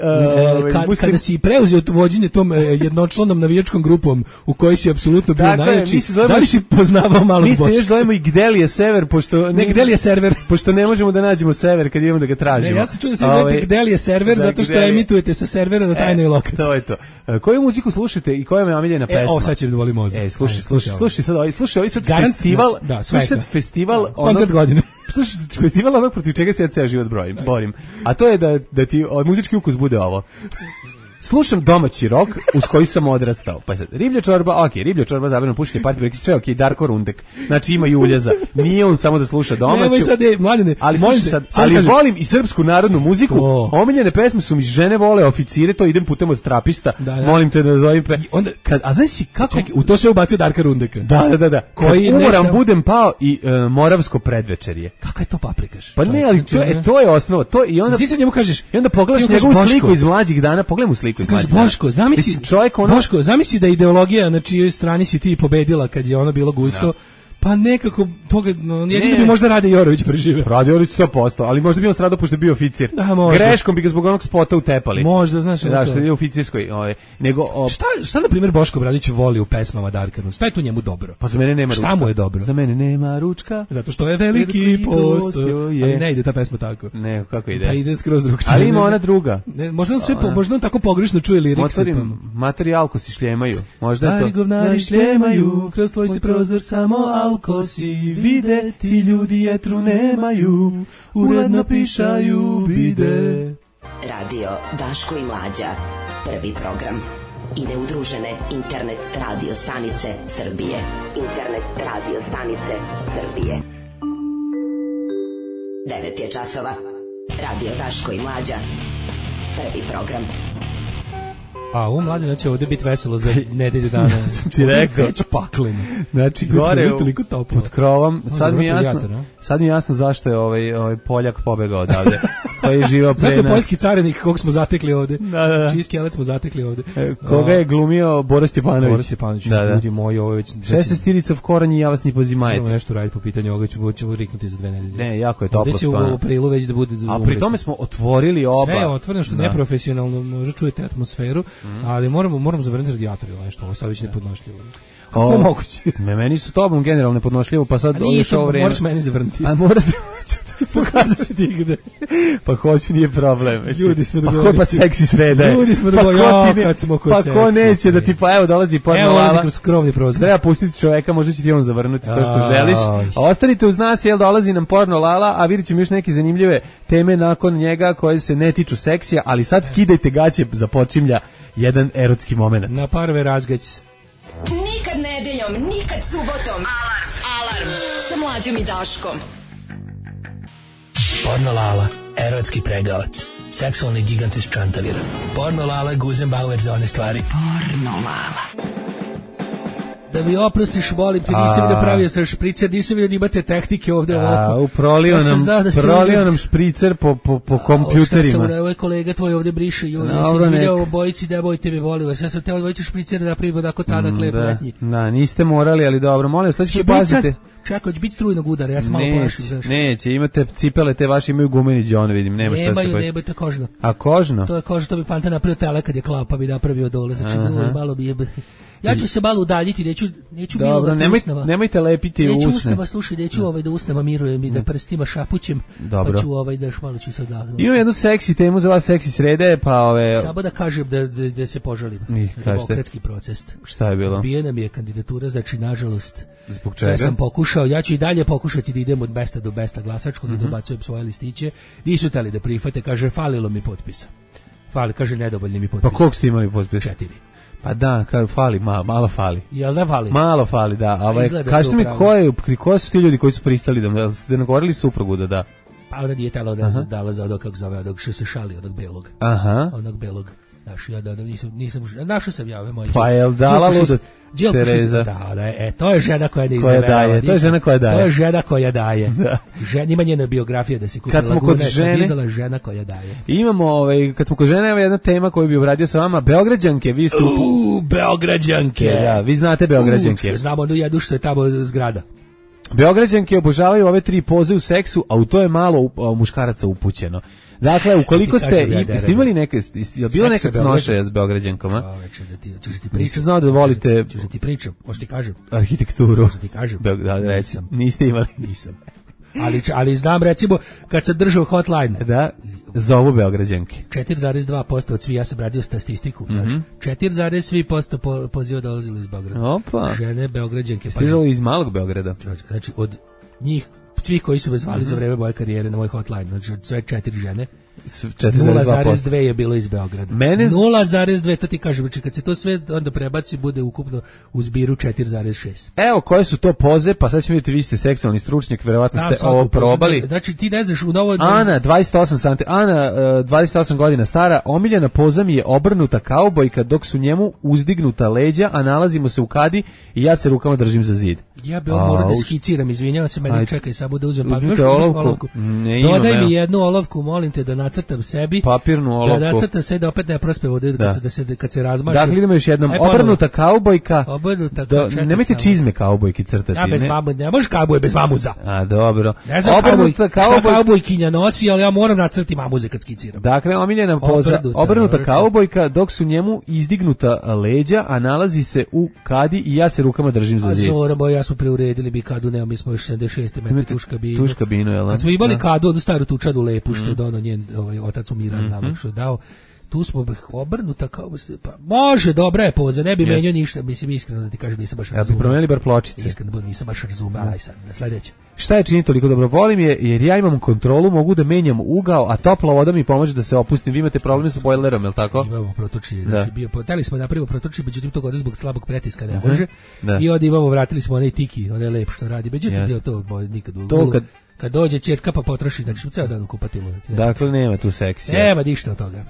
Kada si preuzeo vođenje tom jednočlanom navijačkom grupom u kojoj si apsolutno bio najjači, da li si poznavao malo Boška? Mi se još zovemo i Gdelije Sever, pošto... Ne, Gdelije Server. Pošto ne možemo da nađemo Sever kad idemo da ga tražimo. Ne, ja sam čuo da se zovete Gdelije Server, zato što emitujete sa servera na tajnoj lokaciji. To je to. Koju muziku slušate i koja je omiljena pesma? Ovo sad će da volim mozak. Slušaj ovaj sad festival. Slušaj sad festival. Koncert godine. Slušaj, festival onog protiv čega se ja ceo život borim. A to je da ti muzički ukus bude ovo. Slušam domaći rok uz koji sam odrastao. Pa sad, riblja čorba, riblja čorba, zabrano pušenje, party break, sve Darko Rundek. Znači ima i uljeza. Nije on samo da sluša domaću. Ne, sad je, mladine, ali volim i srpsku narodnu muziku. Omiljene pesme su mi Žene vole oficire, to idem putem od trapista. Molim te da zovem a znaš si kako... Čekaj, u to sve ubacio Darka Rundeka. Da. Koji umoram budem pao i Moravsko predvečerje. Kako je to paprikaš? Pa ne, ali to je osnova. To i onda... Ti se njemu kažeš... I onda pogledaš njegovu sliku iz mlađih dana, pogledaj mu sliku. Kaže Boško, zamisli da ideologija na čijoj strani si ti pobedila kad je ono bilo gusto. Pa nekako toga, jedino bi možda Rade Jorović preživio. Rade Jorović 100%, ali možda bi on stradao pošto je bio oficir. Greškom bi ga zbog onog spota utepali. Možda, znaš. Da, što je u oficirskoj. Šta na primjer Boško Obradović voli u pesmama Darka? Šta je tu njemu dobro? Pa za mene nema ručka. Šta mu je dobro? Za mene nema ručka. Zato što je veliki post. Ali ne ide ta pesma tako. Ne, kako ide? Pa ide skroz drugčije. Ali ima ona druga. Možda on tako pogrešno čuje liriks. Materi alko si šljemaju. Stari govnari šljemaju, kroz tvoj se prozor samo alko si vide, ti ljudi jetru nemaju, uredno pišaju bide. Radio Daško i Mlađa, prvi program. I neudružene internet radio stanice Srbije. Internet radio stanice Srbije. 9 je časova. Radio Daško i Mlađa, prvi program. A Mladina će ovdje biti veselo za nedelju dana. Ti rekao. Već pakleno. Znači, gore pod krovom. Sad mi je jasno zašto je ovaj Poljak pobegao odavde. koji je živao pre nas. Zašto poljski carinik kog smo zatekli ovde? Da. Čiji skelet smo zatekli ovde? Koga je glumio Boro Stjepanović? Boro Stjepanović, ljudi moji, ovo je već... 16 v koranji, ja vas ni pozimajec. Idemo nešto raditi po pitanju ovoga, ćemo riknuti za 2 nedelje. Ne, jako je toplo stvarno. Ovdje će u aprilu već da bude... A pri tome smo otvorili oba. Sve je otvoreno, što neprofesionalno, možda čujete atmosferu, ali moramo zavrnuti radijator ili nešto, ovo sad već nepodnošljivo. Kako je moguće? Meni su tobom generalno nepodnošljivo, pa sad još ovo vreme. Moraš meni zavrnuti. A morate... Pokazat ću ti gde. Pa hoću, nije problem. Ljudi smo dogovorili. Pa seksi sreda je. Ljudi smo dogovorili, kad smo kod seksi. Pa ko neće da ti, pa evo dolazi porno lala. Evo dolazi kroz krovni prozor. Treba pustiti čoveka, možda će ti on zavrnuti to što želiš. A ostanite uz nas, jel dolazi nam porno lala, a vidjet ćemo još neke zanimljive teme nakon njega koje se ne tiču seksija, ali sad skidajte gaće, započinja jedan erotski moment. Na parve razgać. Nikad nedeljom, nikad subotom. Alarm sa Mlađom i Daškom. Porno Lala, erotski pregavac, seksualni gigant iz Čantavira. Porno Lala, Guzenbauer za one stvari. Porno Lala. Da mi oprostiš, molim te, nisam vidio pravio sam špricer, nisam vidio da imate tehnike ovde ovako. Prolio nam špricer po kompjuterima. Ovo je kolega tvoj ovde briše, ja se izvidio u bojici, da bojte me, molim vas, ja sam teo dvojicu špricer da napravimo tako tanak lep letnji. Da, niste morali, ali dobro, molim vas, sad ćete pazite. Čekaj, će biti strujnog udara, ja sam malo plašim. Neće, imate cipele, te vaše imaju gumeni džon, vidim, nema šta se koji. Nemaju, to je kožno. A kožno? To je kožno, to bi Panta napravio tele kad je klao, pa bi napravio dole, znači malo bi je... Ja ću se malo udaljiti, neću milovati usnama. Nemojte lepiti usne. Neću usnama, slušaj, neću da usnama mirujem i da prstima šapućem, pa ću da još malo ću se odahnuti. Imam jednu seksi temu za vas, seksi srede, pa Samo da kažem da se požalim. Demokratski proces. Šta je bilo? Odbijena mi je kandidatura, znači nažalost. Zbog čega? Sve sam pokušao, ja ću i dalje pokušati da idem od mesta do mesta glasačkog i dobacujem svoje listiće. Nisu teli da prihvate, kaže falilo mi potpisa. Kaže nedovoljni mi potpisa. Pa koliko ste imali potpisa? 4. Pa da, fali, malo fali. Jel da fali? Malo fali, da. Kažete mi koji su ti ljudi koji su pristali da ste nagovorili suprugu da da? Pa ona nije tela dala za onog, kako zove, onog što se šali, onog belog. Aha. Onog belog. Ja nisam našao sam ja ove moje. Pa jel dala luda Tereza? Da, to je žena koja ne izneverava. To je žena koja daje. To je žena koja daje. Ima njena biografija da se kupi. Kad smo kod žene, žena koja daje. Imamo, kad smo kod žene, evo jedna tema koju bi obradio sa vama, Beograđanke, vi ste Beograđanke. Da, vi znate Beograđanke. Znamo onu jednu što je tamo zgrada. Beograđanke obožavaju ove 3 poze u seksu, a u to je malo muškaraca upućeno. Dakle, ukoliko ste imali neke, je bilo neka snošaja s Beograđankama? Češ ti pričam. Znao da volite... Češ ti pričam, možda ti kažem. Arhitekturu. Možda ti kažem. Da, reći, niste imali. Nisam. Ali znam, recimo, kad sam držao hotline. Da, zovu Beograđanke. 4,2% od svi, ja sam radio statistiku. 4,3% poziva dolazilo iz Beograda. Opa. Žene Beograđanke. Stizalo iz malog Beograda. Znači, od njih, svi koji su me zvali za vreme moje karijere na moj hotline, znači sve 4 žene, 0,2 je bilo iz Beograda. 0,2, to ti kažem, znači kad se to sve onda prebaci, bude ukupno u zbiru 4,6. Evo, koje su to poze, pa sad ćemo vidjeti, vi ste seksualni stručnjak, verovatno ste ovo probali. Znači ti ne znaš u novoj... Ana, 28 godina stara, omiljena poza mi je obrnuta kaubojka dok su njemu uzdignuta leđa, a nalazimo se u kadi i ja se rukama držim za zid. Ja bi ovo morao da skiciram, izvinjavam se, meni čekaj, samo da uzmem olovku. Dodaj mi jednu olovku, molim te, da nacrtam sebi. Papirnu olovku. Da nacrtam se, da opet ne prospe vode kad se razmaše. Dakle, idemo još jednom. Obrnuta kaubojka. Nemojte čizme kaubojki crtati. Ja bez mamu, ne možeš kauboj bez mamuza. A, dobro. Ne znam šta kaubojkinja nosi, ali ja moram nacrtati mamuze kad skiciram. Dakle, omiljena poza, obrnuta kaubojka, dok su njemu izdignuta leđa, a nalazi se u kadi i ja se rukama držim za zid. Ja smo preuredili bi kadu, nema, mi smo još 76 metri tuš kabinu. Jel? Kad smo imali kadu, onu staru tučadu lepu, što je dono njen otac umira, znamo što je dao, tu smo obrnuta kao, pa može, dobra je poza, ne bi menio ništa, mislim, iskreno da ti kažem, nisam baš razumela. Ja bi promenili bar pločice. Iskreno, nisam baš razumela, aj sad, na sledeće. Šta je čini toliko dobro? Volim je, jer ja imam kontrolu, mogu da menjam ugao, a topla voda mi pomože da se opustim. Vi imate probleme sa bojlerom, je li tako? Imamo protočije, znači teli smo napravimo protočije, međutim to godine zbog slabog pretiska ne može. I onda imamo, vratili smo onaj tiki, onaj lep što radi, međutim to nikad kad dođe ćerka pa potroši, znači ceo dan u kupatilu. Dakle, nema tu seksija. Nema ništa od toga.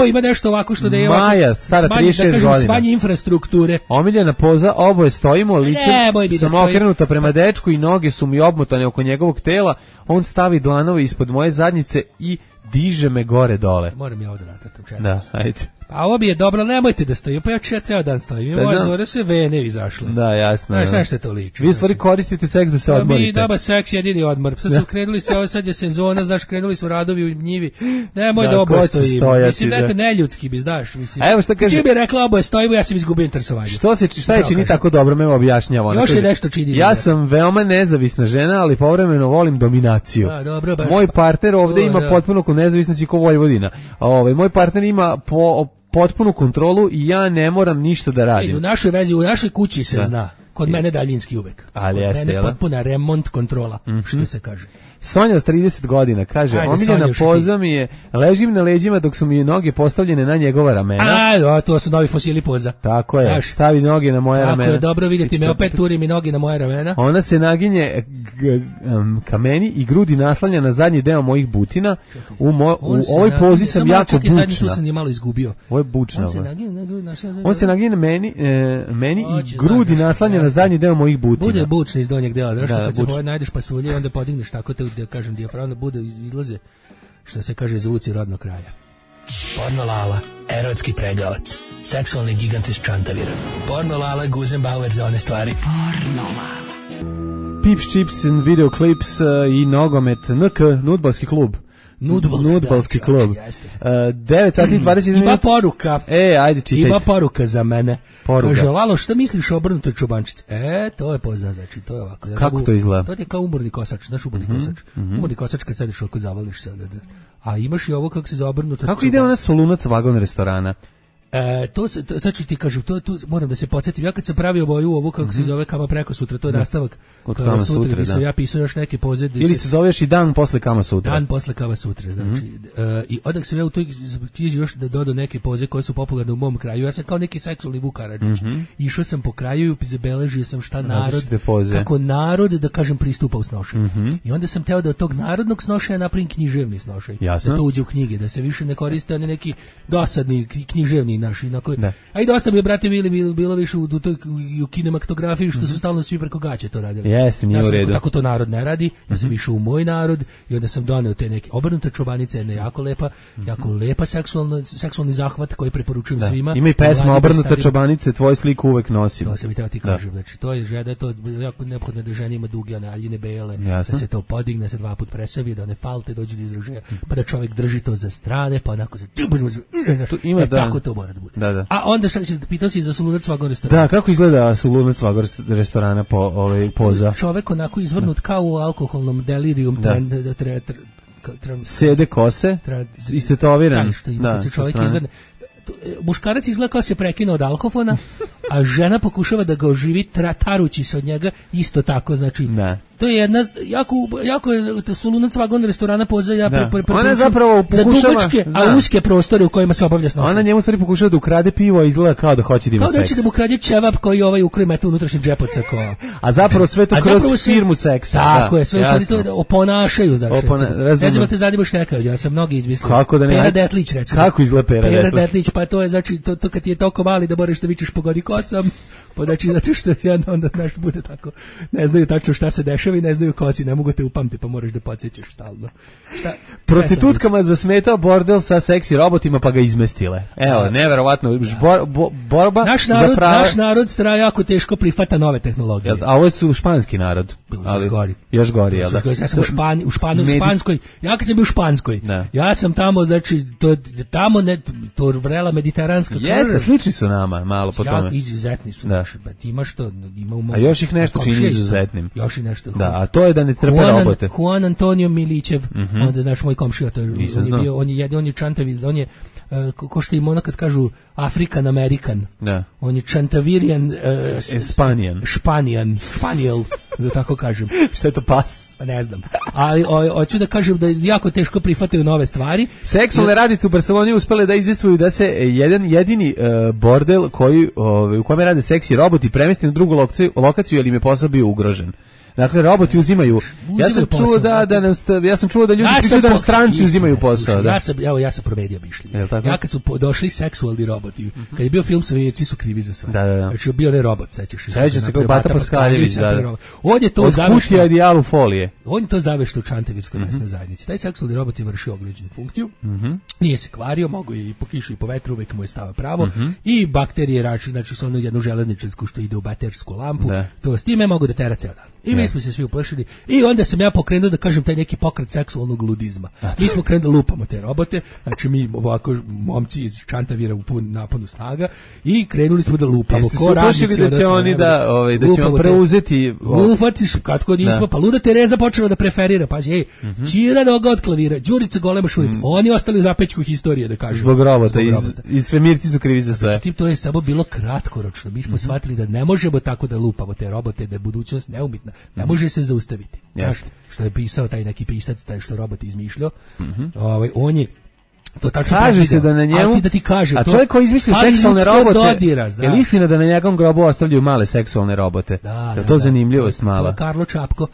Ima nešto ovako što da je ovako. Maja, stara 36 godina. Smanji infrastrukture. Omiljena poza, oboje stojimo, lice sam okrenuta prema dečku i noge su mi obmotane oko njegovog tela. On stavi dlanove ispod moje zadnjice i diže me gore dole. Moram ja ovdje nacrtam, čekaj. Da, ajde. A ovo bi je dobro, nemojte da stoji, pa ja ceo dan stojim. I moje zore sve vene izašle. Da, jasno. Znaš što to liči? Vi u stvari koristite seks da se odmorite. Mi daba seks jedini odmor. Sad su krenuli se, ovo sad je sezona, znaš, krenuli su radovi u njivi. Nemoj da oboje stojimo. Mislim, nekad neljudski bi, znaš, mislim. A evo šta kaže. Čim bi rekla oboje stojimo, ja sam izgubio interesovanje. Šta je čini tako dobro, me objašnjava. Još je nešto čini. Ja sam veoma nezavisna žena, ali povremeno volim dominaciju. Dobro, baš. Moj partner ovde ima potpuno nezavisnost kao Vojvodina. Moj partner ima potpunu kontrolu i ja ne moram ništa da radim. U našoj vezi, u našoj kući se zna. Kod mene daljinski uvek. Ali jeste, mene potpuna remont kontrola, što se kaže. Sonja od 30 godina kaže, omiljena poza mi je, ležim na leđima dok su mi noge postavljene na njegova ramena. To su novi fosili poza. Tako je, stavi noge na moje ramena. Tako je, dobro vidjeti me, opet turi mi noge na moje ramena. Ona se naginje ka meni i grudi naslanja na zadnji deo mojih butina. U ovoj pozi sam jako bučna. Zadnji tu sam je malo izgubio. Ovo je bučna. On se naginje meni i grudi naslanja na zadnji deo mojih butina. Bude bučni iz donjeg dela, znaš kad se najdeš pasulje, onda podigneš tako te da kažem dijafragma bude izlaze što se kaže zvuci rodnog kraja. Porno Lala, erotski pregavac, seksualni gigant iz Čantavira. Porno Lala, Guzenbauer za one stvari. Porno Lala. Pips, chips and video clips i nogomet NK, nudbalski klub. Nudbalski klub. 9 sati 20 minuta. Ima poruka. Ajde čitaj. Ima poruka za mene. Poruka. Kaže, Lalo, šta misliš o obrnutoj čobančici? To je pozna, znači, to je ovako. Kako to izgleda? To je kao umorni kosač, znaš umorni kosač. Umorni kosač kad sediš ovako zavališ se. A imaš i ovo kako se za obrnuta čobančica. Kako ide ona Solunac vagon restorana? Znači ti kažem, tu moram da se podsjetim, ja kad sam pravio boju ovo kako se zove Kama preko sutra, to je nastavak Kama sutra, gdje sam ja pisao još neke poze. Ili se zoveš i dan posle Kama sutra. Dan posle Kama sutra, znači. I odak sam ja u toj knjiži još da dodao neke poze koje su popularne u mom kraju. Ja sam kao neki seksualni Vuk Karadžić. Išao sam po kraju i zabeležio sam šta narod, kako narod, da kažem, pristupa u snošenju. I onda sam teo da od tog narodnog snošaja napravim književni snošaj. Da to uđe u knjige, da se više ne koriste oni neki dosadni književni naši, a i dosta mi, brate, bilo više u kinematografiji što su stalno svi preko gaće to radili. Jeste, nije u redu. Tako to narod ne radi, ja sam išao u moj narod i onda sam doneo te neke obrnute čobanice, jedna jako lepa seksualni zahvat koji preporučujem svima. Ima i pesma Obrnute čobanice, tvoju sliku uvek nosim. To sam i teo ti kažem, znači to je žeda, to je jako neophodno da žena ima duge aljine bele, da se to podigne, se 2 puta presavi, da one falte dođu do izražaja, pa da čovjek drži to za strane, pa onako se tako to mora da bude. Da. A onda šta će, pitao si za Solunac vagon restorana. Da, kako izgleda Solunac vagon restorana po poza? Čovek onako izvrnut kao u alkoholnom delirium. Sede kose, istetoviran. Da, čovjek izvrne. Muškarac izgleda kao se prekinuo od alkofona, a žena pokušava da ga oživi tarući se od njega, isto tako, znači. To je jedna jako Solunac vagon restorana poza ona zapravo pokušava za dugačke, a uske prostore u kojima se obavlja snošenje. Ona njemu stvari pokušava da ukrade pivo, a izgleda kao da hoće da ima seks. Kao da će da mu ukrade ćevap koji ukroji meta unutrašnji džepoca ko. A zapravo sve to kroz firmu seksa. Tako je, sve oni to oponašaju, znači. Ne znam da te zadibaš nekad, ja sam mnogi izmislio. Kako da ne? Pera Detlić, recimo. Kako izgleda Pera Detlić? Pa to je, znači, to kad ti je toliko mali da moraš da vičeš pogodi kosam, pa znači, zato što onda naš bude tako, ne znaju tačno šta se dešava i ne znaju kosi, ne mogu te upamti, pa moraš da podsjećaš stalno. Prostitutkama zasmetao bordel sa seksi robotima, pa ga izmestile. Evo, neverovatno, borba za prava. Naš narod jako teško prihvata nove tehnologije. A ovo su španski narod. Još gori, jel da? Ja sam u Španskoj, ja kad sam bio u Španskoj, ja sam tamo, znači, tamo to vrela mediteranska krv. Jeste, slični su nama, malo po tome. Izuzetni su. Imaš to, a još ih nešto čini izuzetnim. Još i nešto. Da, a to je da ne trpe robote. Juan Antonio Milićev, onda znaš moj komšija, on je čantavi, on je ko što im ono kad kažu African American. On je čantavirian Španijel, da tako kažem. Šta je to pas? Pa ne znam. Ali hoću da kažem da jako teško prihvataju nove stvari. Seksualne radice u Barceloni uspele da izdejstvuju da se jedan jedini bordel u kojem rade seksi roboti premesti na drugu lokaciju, jer im je posao bio ugrožen. Dakle, roboti uzimaju. Ja sam čuo ja sam čuo da ljudi pričaju da stranci uzimaju posao. Da. Ja sam promedio mišljenje. Ja kad su došli seksualni roboti, kad je bio film Sovjeti su krivi za sve. Znači bio ne robot, sećaš se. Seća se kao Bata Paskaljević, da. On je to završio idealu folije. On je to završio u Čantavirskoj mesnoj zajednici. Taj seksualni robot je vršio ogliđenu funkciju. Nije se kvario, mogu i po kiši i po vetru, uvek mu je stava pravo. I bakterije znači sa onu jednu železničarsku što ide u baterijsku lampu. To s time mogu da tera ceo dan. I mi smo se svi uplašili. I onda sam ja pokrenuo da kažem taj neki pokret seksualnog ludizma. Mi smo krenuli da lupamo te robote, znači mi ovako momci iz Čantavira u pun naponu snaga i krenuli smo da lupamo. Ko radnici da će oni da će vam preuzeti. Lupatiš, katko nismo, pa luda Tereza počela da preferira. Pazi, Čira noga od klavira, Đurica golema šurica. Oni ostali u zapećku historije da kažu. Zbog robota, i svemirci su krivi za sve. Znači, to je samo bilo kratkoročno. Mi smo shvatili da ne možemo tako da lupamo te robote, da je budućnost neumitna. Ne može se zaustaviti. Što je pisao taj neki pisac, taj što robot izmišljao. On je to tačno kaže se da na njemu, da ti kaže, a čovjek koji izmislio seksualne robote, je li istina da na njegovom grobu ostavljaju male seksualne robote? Je to zanimljivost mala? Karlo Čapko,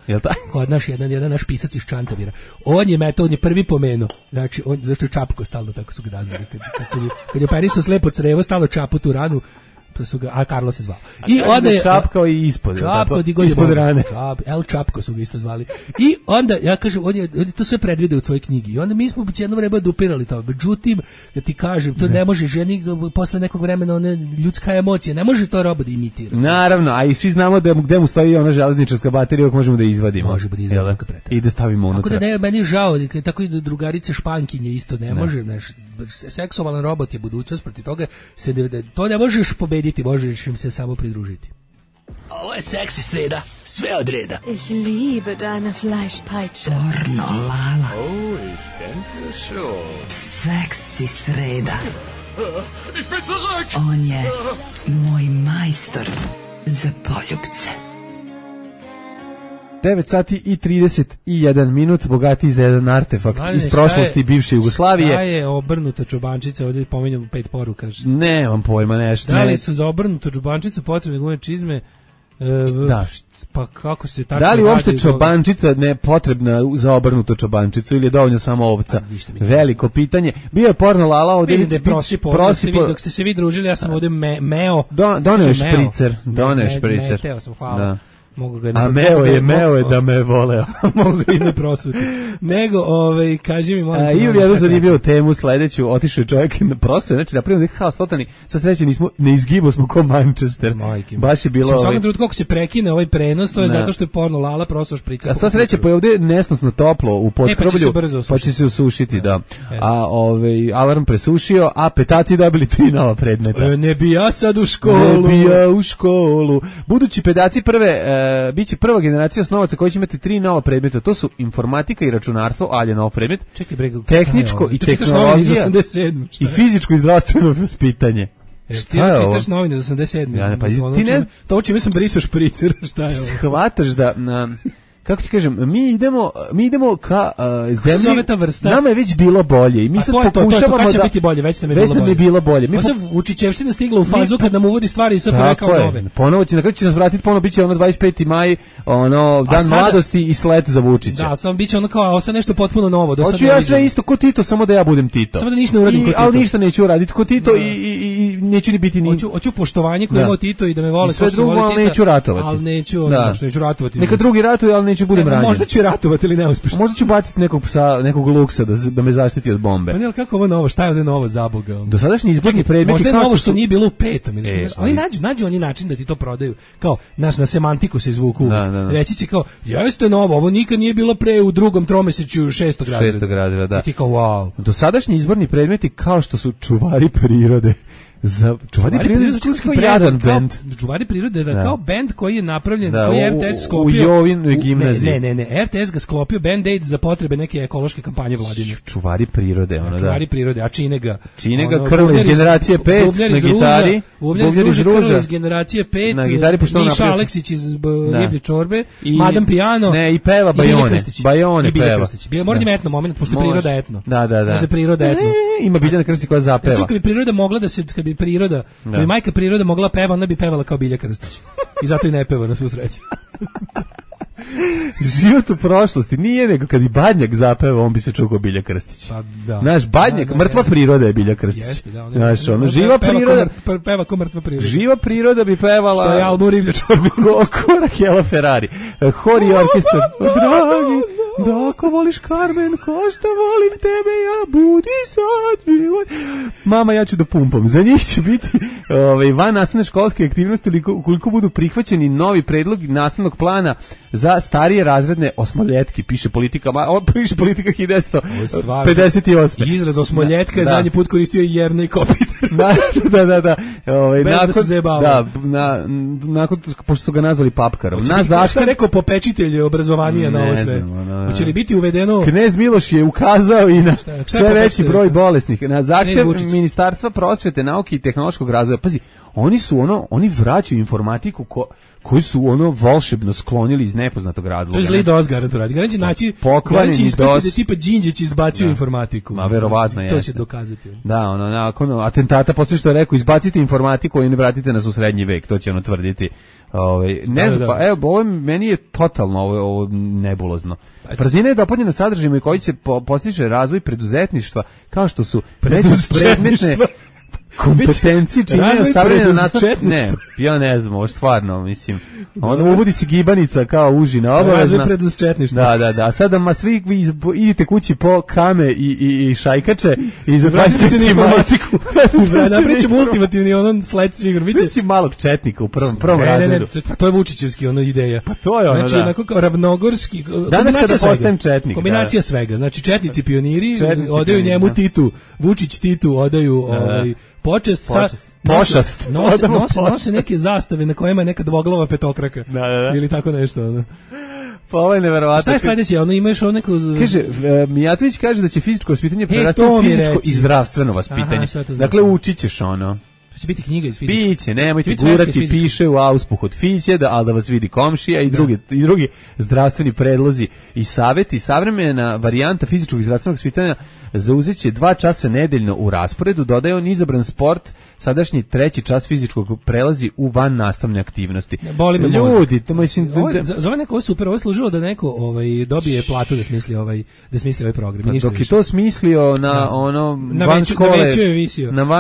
kod jedan naš pisac iz Čantavira. On je prvi pomenuo, znači, zašto je Čapko stalno tako su ga nazvali, kad je operisao slepo crevo, stalno Čapu tu ranu, a Karlo se zvao. I onda je Čapkao i ispod rane. El Čapko su ga isto zvali. I onda, ja kažem, on je to sve predvideo u svojoj knjigi. I onda mi smo jedno vreme dupirali to. Međutim, da ti kažem, to ne može ženi posle nekog vremena, ona ljudska emocija, ne može to robot da imitira. Naravno, a i svi znamo da gde mu stoji ona železničarska baterija, koju možemo da izvadimo. Možemo da izvadimo i da stavimo unutra. Tako da ne, meni je žao, tako i drugarice Špankinje isto ne može. Seksualan robot je budućnost, protiv toga to ne možeš pobediti, možeš im se samo pridružiti. Ovo je seksi sreda, sve od reda. Ich liebe deine Fleischpeitsche. Pornolala. Oh, ich denke schon. Seksi sreda. Ich bin zurück. On je moj majstor za poljubce. 9 sati i 31 minut, bogatiji za jedan artefakt iz prošlosti bivše Jugoslavije. Šta je obrnuta čobančica, ovdje pominjamo 5 poruka. Nemam pojma nešto. Da li su za obrnutu čobančicu potrebne gumene čizme? Da. Pa kako se tačno da li uopšte čobančica ne potrebna za obrnutu čobančicu ili je dovoljno samo ovca? Veliko pitanje. Bio je porno lala ovdje. Vidim da je prosipo. Dok ste se vi družili, ja sam ovdje meo. Doneo špricer. Teo sam, hvala. A meo je da me voleo. Mogu ga i ne prosuti. Nego, kaži mi... Imam jednu zanimljivu temu sledeću, otišao je čovjek na prosve, znači napravimo neki haos totalni, sa sreće ne izgibo smo ko Manchester. Baš je bilo... Svakom trenutku kako se prekine ovaj prenos, to je zato što je porno lala prosto šprica. A sva sreće, pa je ovdje nesnosno toplo u potkrovlju, pa će se usušiti, da. A alarm presušio, a petaci dobili 3 nova predmeta. Ne bi ja sad u školu. Budući pedaci biće prva generacija osnovaca koji će imati 3 nova predmeta. To su informatika i računarstvo, alje nov predmet, tehničko i tehnologija i fizičko i zdravstveno vaspitanje. Šta je čitaš novine za 87. Ja ne, pa ti ne... To čime sam brisao špricer, šta je ovo? Shvataš da... Kako ti kažem, mi idemo ka zemlji. Nama je već bilo bolje i mi sad pokušavamo kad će biti bolje, već nam je bilo bolje. Mi Vučićevština stigla u fazu kad nam uvodi stvari i sad rekao nove. Ponovo će, na kraju će nas vratiti, ponovo biće ono 25. maj, dan mladosti i slet za Vučića. Da, samo biće ono kao, sad nešto potpuno novo. Hoću ja sve isto ko Tito, samo da ja budem Tito. Samo da ništa ne uradim ko Tito. Ali ništa neću uraditi ko Tito i neću ni biti ni... Hoću poštovanje koje imao Tito i da me vole sve drugo, ali neću ratovati. Ali neću ratovati. Neka drugi ratuju, ali neću budem ranjen. Možda ću ratovati ili neuspješno. Možda ću baciti nekog psa, nekog luksa da me zaštiti od bombe. Pa ne, ali kako ovo novo? Šta je ovdje novo za Boga? Dosadašnji izborni predmeti... Možda je novo što nije bilo u 5. ili što. Oni nađu oni način da ti to prodaju. Kao, na semantiku se izvuku. Reći će kao, jeste novo, ovo nikad nije bilo pre u 2. tromesečju 6. razreda. 6. razreda, da. I ti kao, wow. Dosadašnji izborni predmeti kao što su čuvari prirode. Čuvari prirode kao jadan bend. Čuvari prirode da kao bend koji je napravljen, koji je RTS sklopio. U Jovinoj gimnaziji. Ne, RTS ga sklopio Band-Aid za potrebe neke ekološke kampanje vladine. Čuvari prirode, ono da. Čuvari prirode, a čine ga Krlo iz generacije 5 na gitari. Bubnjar iz Krlo iz generacije 5. Na gitari pošto on Miša Aleksić iz Riblje čorbe. Madam Piano. Ne, i peva Bajone peva. Mora da etno moment, pošto je priroda etno. Da. Za priroda etno. Ima Biljana Krstić koja zapeva. Kad bi priroda mogla da se, kad bi majka priroda mogla peva, ona bi pevala kao Bilja Krstić. I zato i ne peva, na svu sreću. Život u prošlosti nije nego kad bi Badnjak zapevao, on bi se čuo Bilja Krstić. Pa da. Naš Badnjak, mrtva priroda je Bilja Krstić. Jeste, da. Znaš, ono, živa priroda... Peva ko mrtva priroda. Živa priroda bi pevala... Što je album Riblja čorba. Korak Jela Ferrari. Hor i orkestar. Dragi, da ako voliš Carmen, ko što volim tebe, ja budi sad. Mama, ja ću da pumpam. Za njih će biti van nastavne školske aktivnosti ili koliko budu prihvaćeni novi predlog nastavnog plana za starije razredne osmoljetke, piše politika 1958. Izraz osmoljetka je zadnji put koristio i Jernej Kopitar. Da. Nakon, pošto su ga nazvali papkarom. Šta je rekao popečitelj obrazovanija na ovo sve? Hoće li biti uvedeno? Knez Miloš je ukazao i na sve veći broj bolesnih. Na zahtev Ministarstva prosvete, nauke i tehnološkog razvoja. Pazi, oni vraćaju informatiku koji su volšebno sklonili iz nepoznatog razloga. To je zli DOS garantu radi. Garanći naći ispasti da tipa Đinđić izbacio informatiku. Ma verovatno jeste. To će dokazati. Da, nakon atentata, poslije što je rekao, izbacite informatiku i ne vratite nas u srednji vek, to će tvrditi. Ne znam, pa evo, ovo meni je totalno ovo nebulozno. Praznina je dopunjena sadržajima koji će postići razvoj preduzetništva, kao što su predmetne kompetencije činjenja savremena nastavnika. Ne, ja ne znam, ovo stvarno, mislim. Ono uvodi se gibanica kao užina obavezna. Razvoj preduzetništva. Da. Sada svi vi idite kući po kame i šajkače i vratite se na informatiku. Napričamo ultimativni sled svih. Biće malog četnika u prvom razredu. Pa to je Vučićevski ideja. Pa to je ono, znači, onako kao ravnogorski. Danas kada postajem četnik. Kombinacija svega. Znači, četnici pioniri odaju njemu Titu. Vučić Titu odaju počest. Nose neke zastave na kojima je neka dvoglava petokraka. Ili tako nešto. Pa ovo je neverovatno. Šta je sledeće? Imaš neko... Kaže, Mijatović kaže da će fizičko vaspitanje prerasti u fizičko i zdravstveno vaspitanje. Dakle, učit ćeš ono. Će biti knjiga iz fizike. Biće, nemojte gurati, piše u auspuh od fiće, ali da vas vidi komšija i drugi zdravstveni predlozi i savjeti. Savremena varijanta fizičkog i zdravstvenog vaspitanja zauzeće 2 časa nedeljno u rasporedu, dodaje on izabran sport, sadašnji 3. čas fizičkog prelazi u van nastavne aktivnosti. Ljudi, to mislim... Za ovaj neko super, ovo je služilo da neko dobije platu da smisli ovaj program. Dok je to smislio na van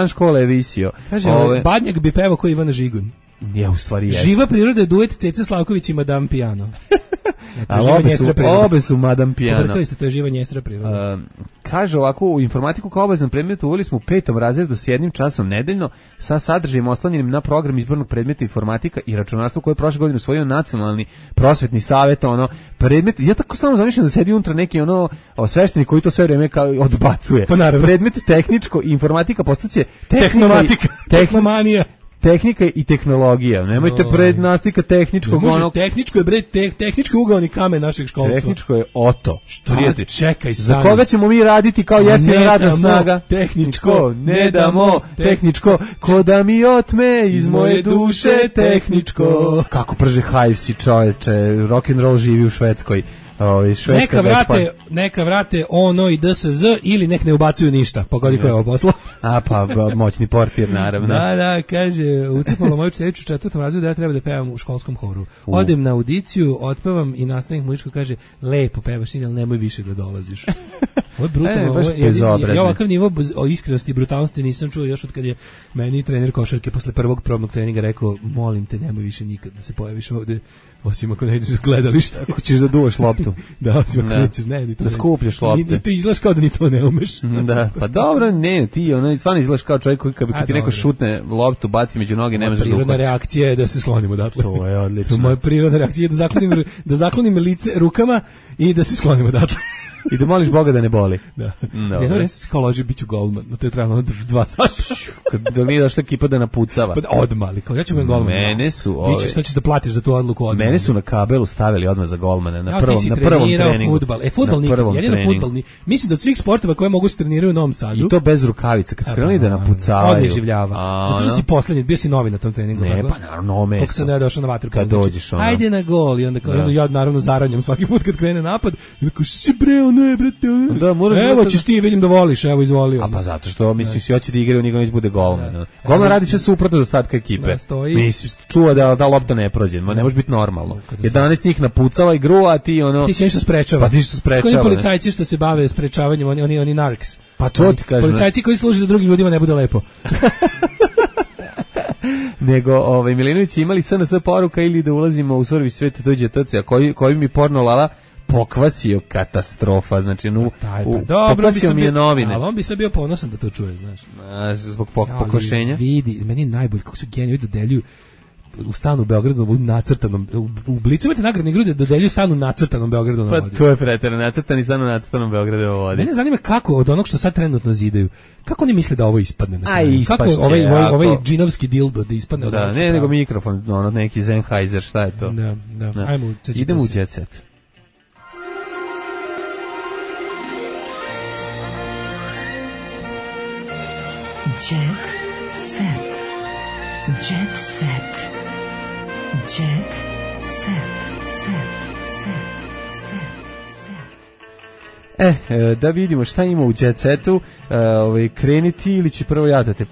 škole je visio. Kaže, Badnjak bi pevao koji Ivana Žigun. Ja, u stvari jeste. Živa priroda je duet Ceca Slavković i Madame Piano. Obe su Madame Piano. Pobrkali ste, to je živa njesra priroda. Kaže ovako, u informatiku kao obavezan predmet uveli smo u 5. razredu s 1 časom nedeljno sa sadržajem oslanjenim na program izbornog predmeta informatika i računarstvo koje je prošle godine usvojio Nacionalni prosvetni savjet, predmet, ja tako samo zamišljam da sedi unutra neki sveštenik koji to sve vreme odbacuje. Pa naravno. Predmet tehničko informatika postaće tehnomanija. Tehnika i tehnologija. Nemojte prednastika tehničkog tehničko ugaoni kamen našeg školstva. Tehničko je oto. Čekaj, za koga ćemo mi raditi kao jeftina radna snaga? Tehničko, ne damo tehničko, ko da mi otme iz moje duše tehničko. Kako prže Hivesi, čoveče, rock and roll živi u Švedskoj. Neka vrate ono i DSZ ili nek ne ubacuju ništa. Pogodi ko je ovo poslo. Pa moćni portir, naravno. Da, kaže, utrpalo moju čeću 4. razredu da ja treba da pevam u školskom horu. Odem na audiciju, otpevam i nastavnik muzičko kaže, lepo pevaš, ali nemoj više da dolaziš. Ovo je brutalno. Ja ovakav nivo iskrenosti i brutalnosti nisam čuo još od kad je meni trener košarke posle prvog probnog treninga rekao, molim te, nemoj više nikad da se pojaviš ovde, osim ako ne ideš u gledalište. Ako ćeš da duvaš loptu. Da, osim ako nećeš, da skupljaš lopte. Ti izgledaš kao da ni to ne umeš. Da, pa dobro, ne, ti stvarno izgledaš kao čovjek koji kad ti neko šutne loptu, baci među noge, ne možeš da prirodna reakcija je da se sklonim odatle. To je odlično. Moja prirodna reakcija je da zaklonim lice rukama i da se sklonim odatle. I da moliš Boga da ne boli. Da. Jedno res se skoloži bit ću golman, no to je trebalo 2 sata. Da nije došla ekipa da napucava. Pa odmah, kao ja ću biti golman. Mene su... Šta ćeš da platiš za tu odluku odmah? Mene su na kabelu stavili odmah za golmana, na prvom treningu. Fudbal nikad, jedino fudbal. Mislim da od svih sportova koje mogu se treniraju u Novom Sadu. I to bez rukavica, kad skrenuli da napucavaju. Odmah življava. Zato što si poslednji, bio si novi na tom treningu. Ne, pa naravno, meso. Kako sam ja došao na vaterpolo. Kad dođeš ono. Ajde na gol. I onda ja naravno zaranjam svaki put kad krene napad. I onda si bre, ne, brate. Da, moraš evo ćeš ti, vidim da voliš, evo izvolio. A pa zato što, mislim, svi hoće da igraju, niko neće bude golman. Golman radi sve suprotno od ostatka ekipe. Mislim, čuva da lopta ne prođe, ne može biti normalno. 11 njih napucala igru, a ti ono... Ti si nešto sprečava. Pa ti što sprečava. Skoro policajci što se bave sprečavanjem, oni narks. Pa to ti kažem. Policajci koji služe da drugim ljudima ne bude lepo. Nego, Milinović imali SNS poruka ili da ulazimo u survi svet dođe TC, koji mi porno lala pokvasio katastrofa, znači pokvasio mi je novine. Ali on bi sad bio ponosan da to čuje, znaš. Zbog pokvašenja. Vidi, meni je najbolje kako su geniji dodeljuju u stanu u Beogradu u nacrtanom, u Blicu imate nagradne igre da dodeljuju stan u nacrtanom Beogradu na vodi. Pa to je preterano, nacrtani stan u nacrtanom Beogradu na vodi. Mene zanima kako od onog što sad trenutno zidaju, kako oni misle da ovo ispadne na kraju? Kako ovaj džinovski dildo da ispadne? Da, ne, nego mikrofon, neki Sennheiser, šta je to? Da. Ajmo, idemo u Jet Set. Jet Set. Jet Set. Jet Set. Da vidimo šta ima u Jet Setu, kreniti ili će prvo ja da te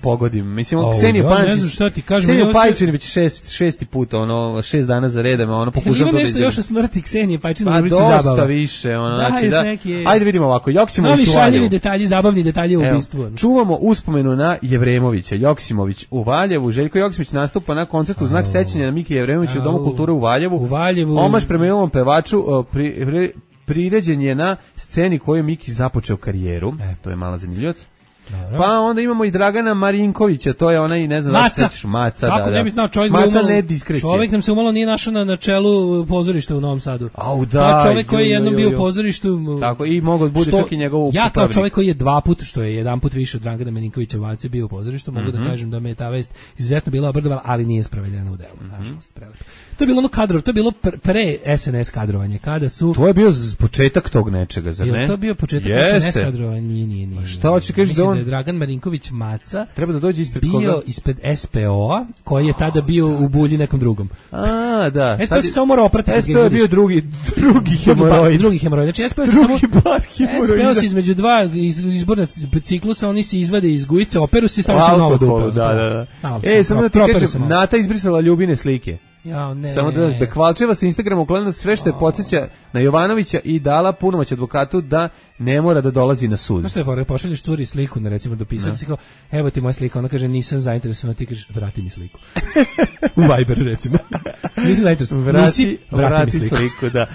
pogodim. Mislim, Ksenija Pajčin već šesti put, 6 dana za redom, pokušam to da nešto još o smrti Ksenije Pajčin u rubrici zabava. Dosta više, znači da. Ajde vidimo ovako, Joksimović u Valjevu. Zabavni detalji u ubistvu. Čuvamo uspomenu na Jevremovića, Joksimović u Valjevu. Željko Joksimović nastupa na koncertu u znak sećanja na Miki Jevremovića u Domu kulture u Valjevu. Omaš preminulom pevaču priređen je na sceni koju je Miki započeo karijeru. To je mala zanimljivac. Pa onda imamo i Dragana Marinkovića, to je onaj, ne znam, Maca, kako ne bi znao, čovjek nam se umalo nije našao na čelu pozorišta u Novom Sadu. Čovjek koji je jednom bio u pozorištu. Tako, i mogu bude čak i njegovu ja kao čovjek koji je 2 puta, što je 1 put više od Dragana Marinkovića Vace bio u pozorištu, mogu da kažem da me ta vest izuzetno bila obrdovala, ali nije sprovedena u delu, nažalost. To je bilo ono kadrov, to je bilo pre SNS kadrovanje, kada su... To je bio početak tog nečega, zar ne? Je to bio početak SNS kadrovanja? Nije. Šta hoće kažeš da on... Da je Dragan Marinković Maca treba da dođe ispred bio ispred SPO-a, koji je tada bio u bulji nekom drugom. Da. SPO se samo mora opratiti. SPO je bio drugi hemoroid. Drugi hemoroid. Znači SPO se između dva izborna ciklusa, oni se izvade iz gujice, operu se i stavaju se nova dupa. Da. Samo da ti kažem, Nata izbrisala Ljubine slike. Samo da Kvalčeva sa Instagrama uklonila sve što je podsjeća na Jovanovića i dala punomoć advokatu da ne mora da dolazi na sud. Znaš što je fora, pošalješ curi sliku, recimo dopisati si kao, evo ti moja slika, ona kaže nisam zainteresovan, ti kažeš vrati mi sliku. U Viber recimo. Nisam zainteresovan, vrati mi sliku. Da.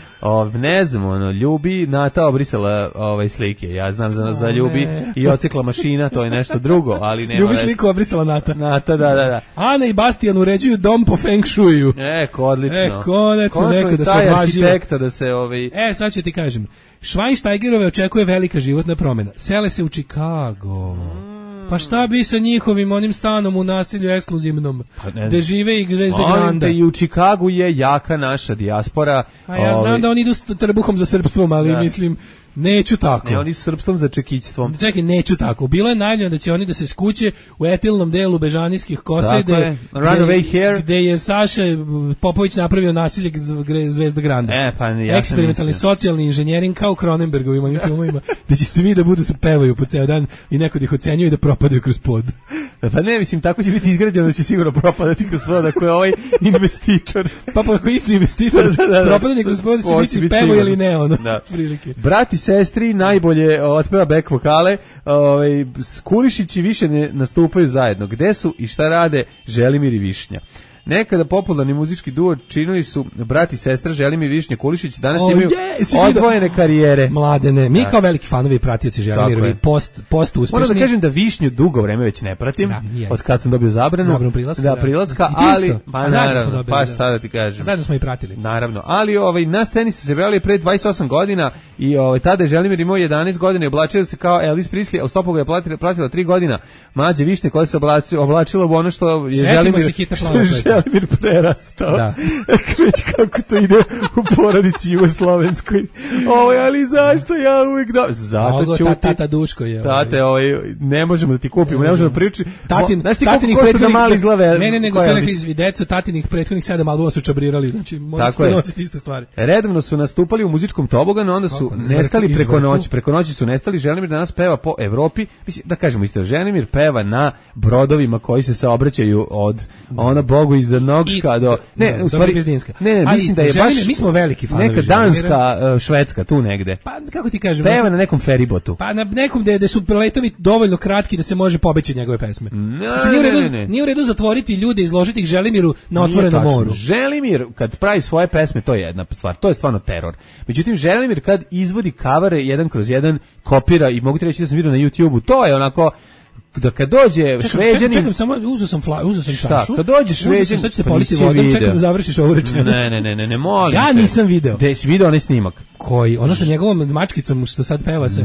Ne znam, Ljubi, Nata obrisala slike, ja znam za Ljubi i ocikla mašina, to je nešto drugo, ali nema. Ljubi sliku obrisala Nata. Nata, da. Ana i Bastian uređuju dom po Feng Shuiu. Odlično. Konačno neko da se odvažio. Arhitekta da se sad ću ti kažem. Schweinsteigerove očekuje velika životna promjena. Sele se u Chicago. Pa šta bi sa njihovim onim stanom u naselju ekskluzivnom, gde žive i Zvezde Granda? I u Chicagu je jaka naša dijaspora. A ja znam da oni idu s trbuhom za srpstvom, ali mislim... Neću tako. Ne, oni su srpstvom za čekićstvom. Čekaj, neću tako. Bilo je najavljeno da će oni da se skuće u etilnom delu Bežanijskih kosa gde je Saša Popović napravio nasilje Zvezda Granda. Eksperimentalni socijalni inženjering kao u Cronenbergovim onim filmovima, gde će svi da budu se pevaju po ceo dan i neko da ih ocenjuje i da propadaju kroz pod. Pa ne, mislim, tako će biti izgrađeno da će sigurno propadati kroz pod ako je ovaj investitor. Pa ako je isti investitor, propadanje kroz pod će biti pevo ili ne, ono, prilike. Brati, sestri najbolje otpeva back vokale, Kulišići više ne nastupaju zajedno. Gde su i šta rade Želimir i Višnja? Nekada popularni muzički duo činili su brat i sestra Želimir i Višnja Kulišić, danas imaju odvojene karijere. Mladene, mi kao veliki fanovi i pratioci Želimirovi post uspešni. Moram da kažem da Višnju dugo vreme već ne pratim, od kad sam dobio zabranu prilaska, ali naravno, pa šta da ti kažem. Zajedno smo i pratili. Naravno, ali na sceni su se pojavili pre 28 godina i tada je Želimir imao 11 godina i oblačio se kao Elvis Presley, a u stopu ga je pratila 3 godina. Mlađe Višnje koja se oblačila u ono što je Želimir prerastao. Da. Već kako to ide u porodici jugoslovenskoj. Ali zašto ja uvijek da... Zato ću tata Duško je. Tate, ne možemo da ti kupimo, ne možemo da pričati. Znaš ti koliko košta da mali izlave? Ne, nego su rekli deco, tatinih prethodnih 7 albuma su čabrirali, znači možete nositi iste stvari. Redovno su nastupali u muzičkom toboganu, onda su nestali preko noći su nestali. Želimir danas peva po Evropi, mislim da kažemo isto, Želimir peva na brodovima koji se saobraćaju od Bogu iz Nogška do u stvari ne, mislim da je baš mi smo veliki fanovi neka danska, švedska tu negde. Pa kako ti kažem, peva na nekom feribotu. Pa na nekom gde su letovi dovoljno kratki da se može pobeći njegove pesme. Nije u redu zatvoriti ljude i izložiti ih Želimiru na otvorenom moru. Želimir kad pravi svoje pesme, to je jedna stvar, to je stvarno teror. Međutim, Želimir kad izvodi kavere jedan kroz jedan, kopira, i mogu ti reći da sam vidio na YouTubeu, to je onako da kad dođe Šveđanin... Čekam, samo uzeo sam čašu. Kad dođe Šveđanin... Sad ćete politi vodom, čekam da završiš ovu rečenicu. Ne, molim. Ja nisam video. Gde si video onaj snimak? Koji? Ono sa njegovom mačkicom što sad peva se.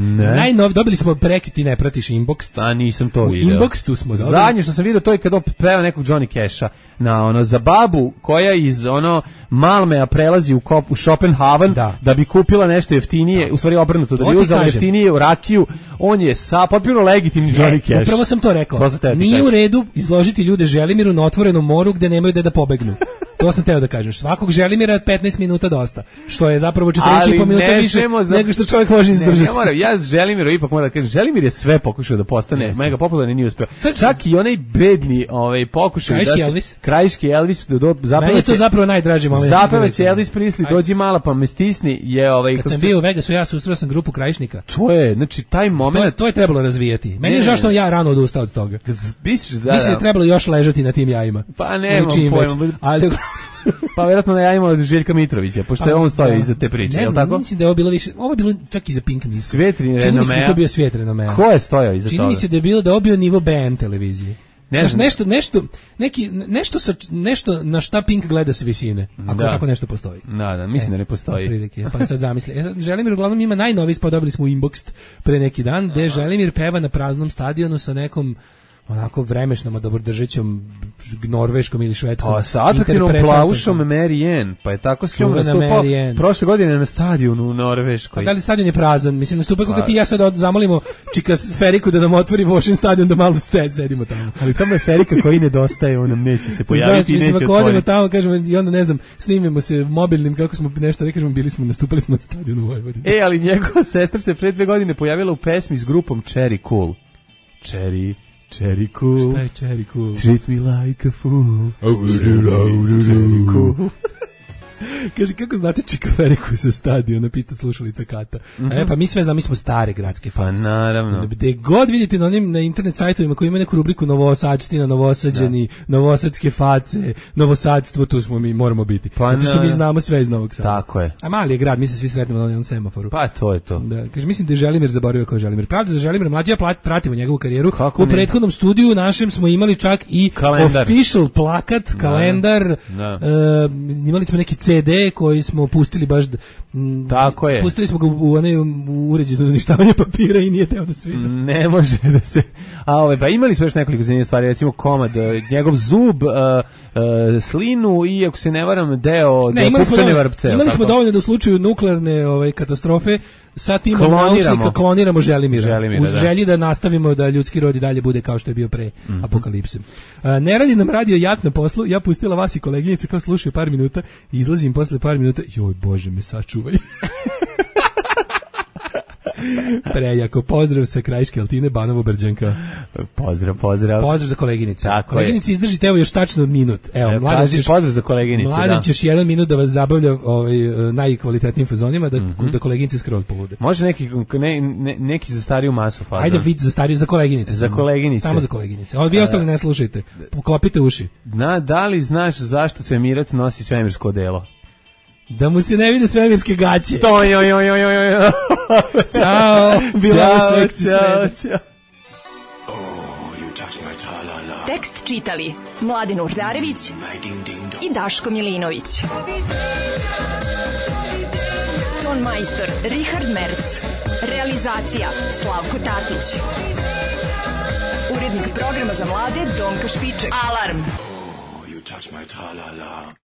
Dobili smo prekid, ti ne pratiš Inbox. Nisam to video. Inbox tu smo dobili. Zadnje što sam video to je kad peva nekog Johnny Casha na za babu koja iz Malmea prelazi u Schopenhaven da bi kupila nešto jeftinije, u stvari obrnuto, da bi uzela jeftinije u rakiju. On je potpuno legitimni Johnny Cash. Upravo sam to rekao. Nije u redu izložiti ljude Želimiru na otvorenom moru gde nemaju da pobegnu. To sam teo da kažem. Svakog Želimira 15 minuta dosta. Što je zapravo 40,5 minuta više nego što čovjek može izdržati. Ja Želimiru ipak moram da kažem. Želimir je sve pokušao da postane mega popularni, nije uspeo. Čak i onaj bedni pokušaj Krajiški Elvis meni je to zapravo najdraži moment. Zapevaće Elvis Presley, dođi mala pa me stisni je kad sam bio u Vegasu, ja susreo sam grupu Krajišnika. To je, znači taj moment to je trebalo razvijati. Meni je žao što ja rano odustao od toga. Mislim da je trebalo još ležati na tim jajima. Pa nemam pojma. Ali pa vjerojatno na jajima od Željka Mitrovića, pošto je on stoji iza te priče, je li tako? Mislim da je ovo bilo više, ovo je bilo čak i za Pink Music. Svijetri renomea. Čini mi se da to bio svijet renomea. Ko je stojao iza toga? Čini mi se da je bilo da obio nivo BN televizije. Nešto na šta Pink gleda s visine, ako nešto postoji. Da, mislim da ne postoji. Prilike, pa sad zamisli. Želimir uglavnom ima najnoviji spot, dobili smo u Inbox pre neki dan, gde Želimir peva na praznom stadionu sa nekom onako vremešnom, dobrodržećom norveškom ili švedskom. Pa sa atraktivnom plavušom Mary Ann, pa je tako s njom nastupao prošle godine na stadionu u Norveškoj. Pa da li stadion je prazan? Mislim, nastupaju kako ti ja sad zamolimo čika Feriku da nam otvori Vošin stadion da malo sedimo tamo. Ali tamo je Ferika koji nedostaje, on neće se pojaviti i neće otvoriti. Odemo tamo, kažemo, i onda ne znam, snimimo se mobilnim, kako smo nešto, kažemo, nastupali smo na stadionu u Vojvodini. Ali njegova sestra se pre 2 godine pojavila u pesmi s grupom Cherry Cool. Cherry Cool. Šta je Cherry Cool? Treat me like a fool. Cherry Cool. Kaže, kako znate Čikaferiku sa stadiona, pita slušalica Kata. Pa mi sve znamo, mi smo stare gradske face. Pa naravno. Gde god vidite na internet sajtovima koji imaju neku rubriku Novosadština, Novosađani, Novosadske face, Novosadstvo, tu smo mi, moramo biti. Pa zato što mi znamo sve iz Novog Sada. Tako je. A mali je grad, mi se svi sretnemo na onom semaforu. Pa to je to. Da, kaže, mislim da je Želimir zaboravio kao Želimir. Pravda za Želimir, mlađi ja pratimo njegovu karijeru. U prethodnom studiju našem smo imali čak i official plakat, kalendar, imali smo neki CD koji smo pustili baš tako je. Pustili smo ga u onaj uređaj za uništavanje papira i nije teo da svira. Ne može da se... pa imali smo još nekoliko zanimljivih stvari, recimo komad, njegov zub, slinu i, ako se ne varam, deo pupčane vrpce. Imali smo dovoljno da u slučaju nuklearne katastrofe sa timom naučnika kloniramo Želimira. U želji da nastavimo da ljudski rod i dalje bude kao što je bio pre apokalipse. Ne radi nam radio jat na poslu, ja pustila vas i koleginice kao slušaju par minuta i izlazim posle par minuta, joj Bože me sačuvaj. Prejako, pozdrav sa Krajiške Altine, Banovo Brđanka. Pozdrav. Pozdrav za koleginice. Koleginice, izdržite evo još tačno minut. Evo, pozdrav za koleginice. Mladen ćeš 1 minut da vas zabavlja najkvalitetnijim fazonima, da koleginice skroz polude. Može neki za stariju masu fazon. Ajde vid za stariju, za koleginice. Za koleginice. Samo za koleginice. Vi ostali ne slušajte. Poklopite uši. Da li znaš zašto svemirac nosi svemirsko odelo? Da mu se ne vide svemirske gaće. Ćao. Bila seksi sreda. Tekst čitali Mladen Urdarević i Daško Milinović. Ton majstor Richard Merc. Realizacija Slavko Tatić. Urednik programa za mlade Donka Špiček. Alarm. touch my tra-la-la.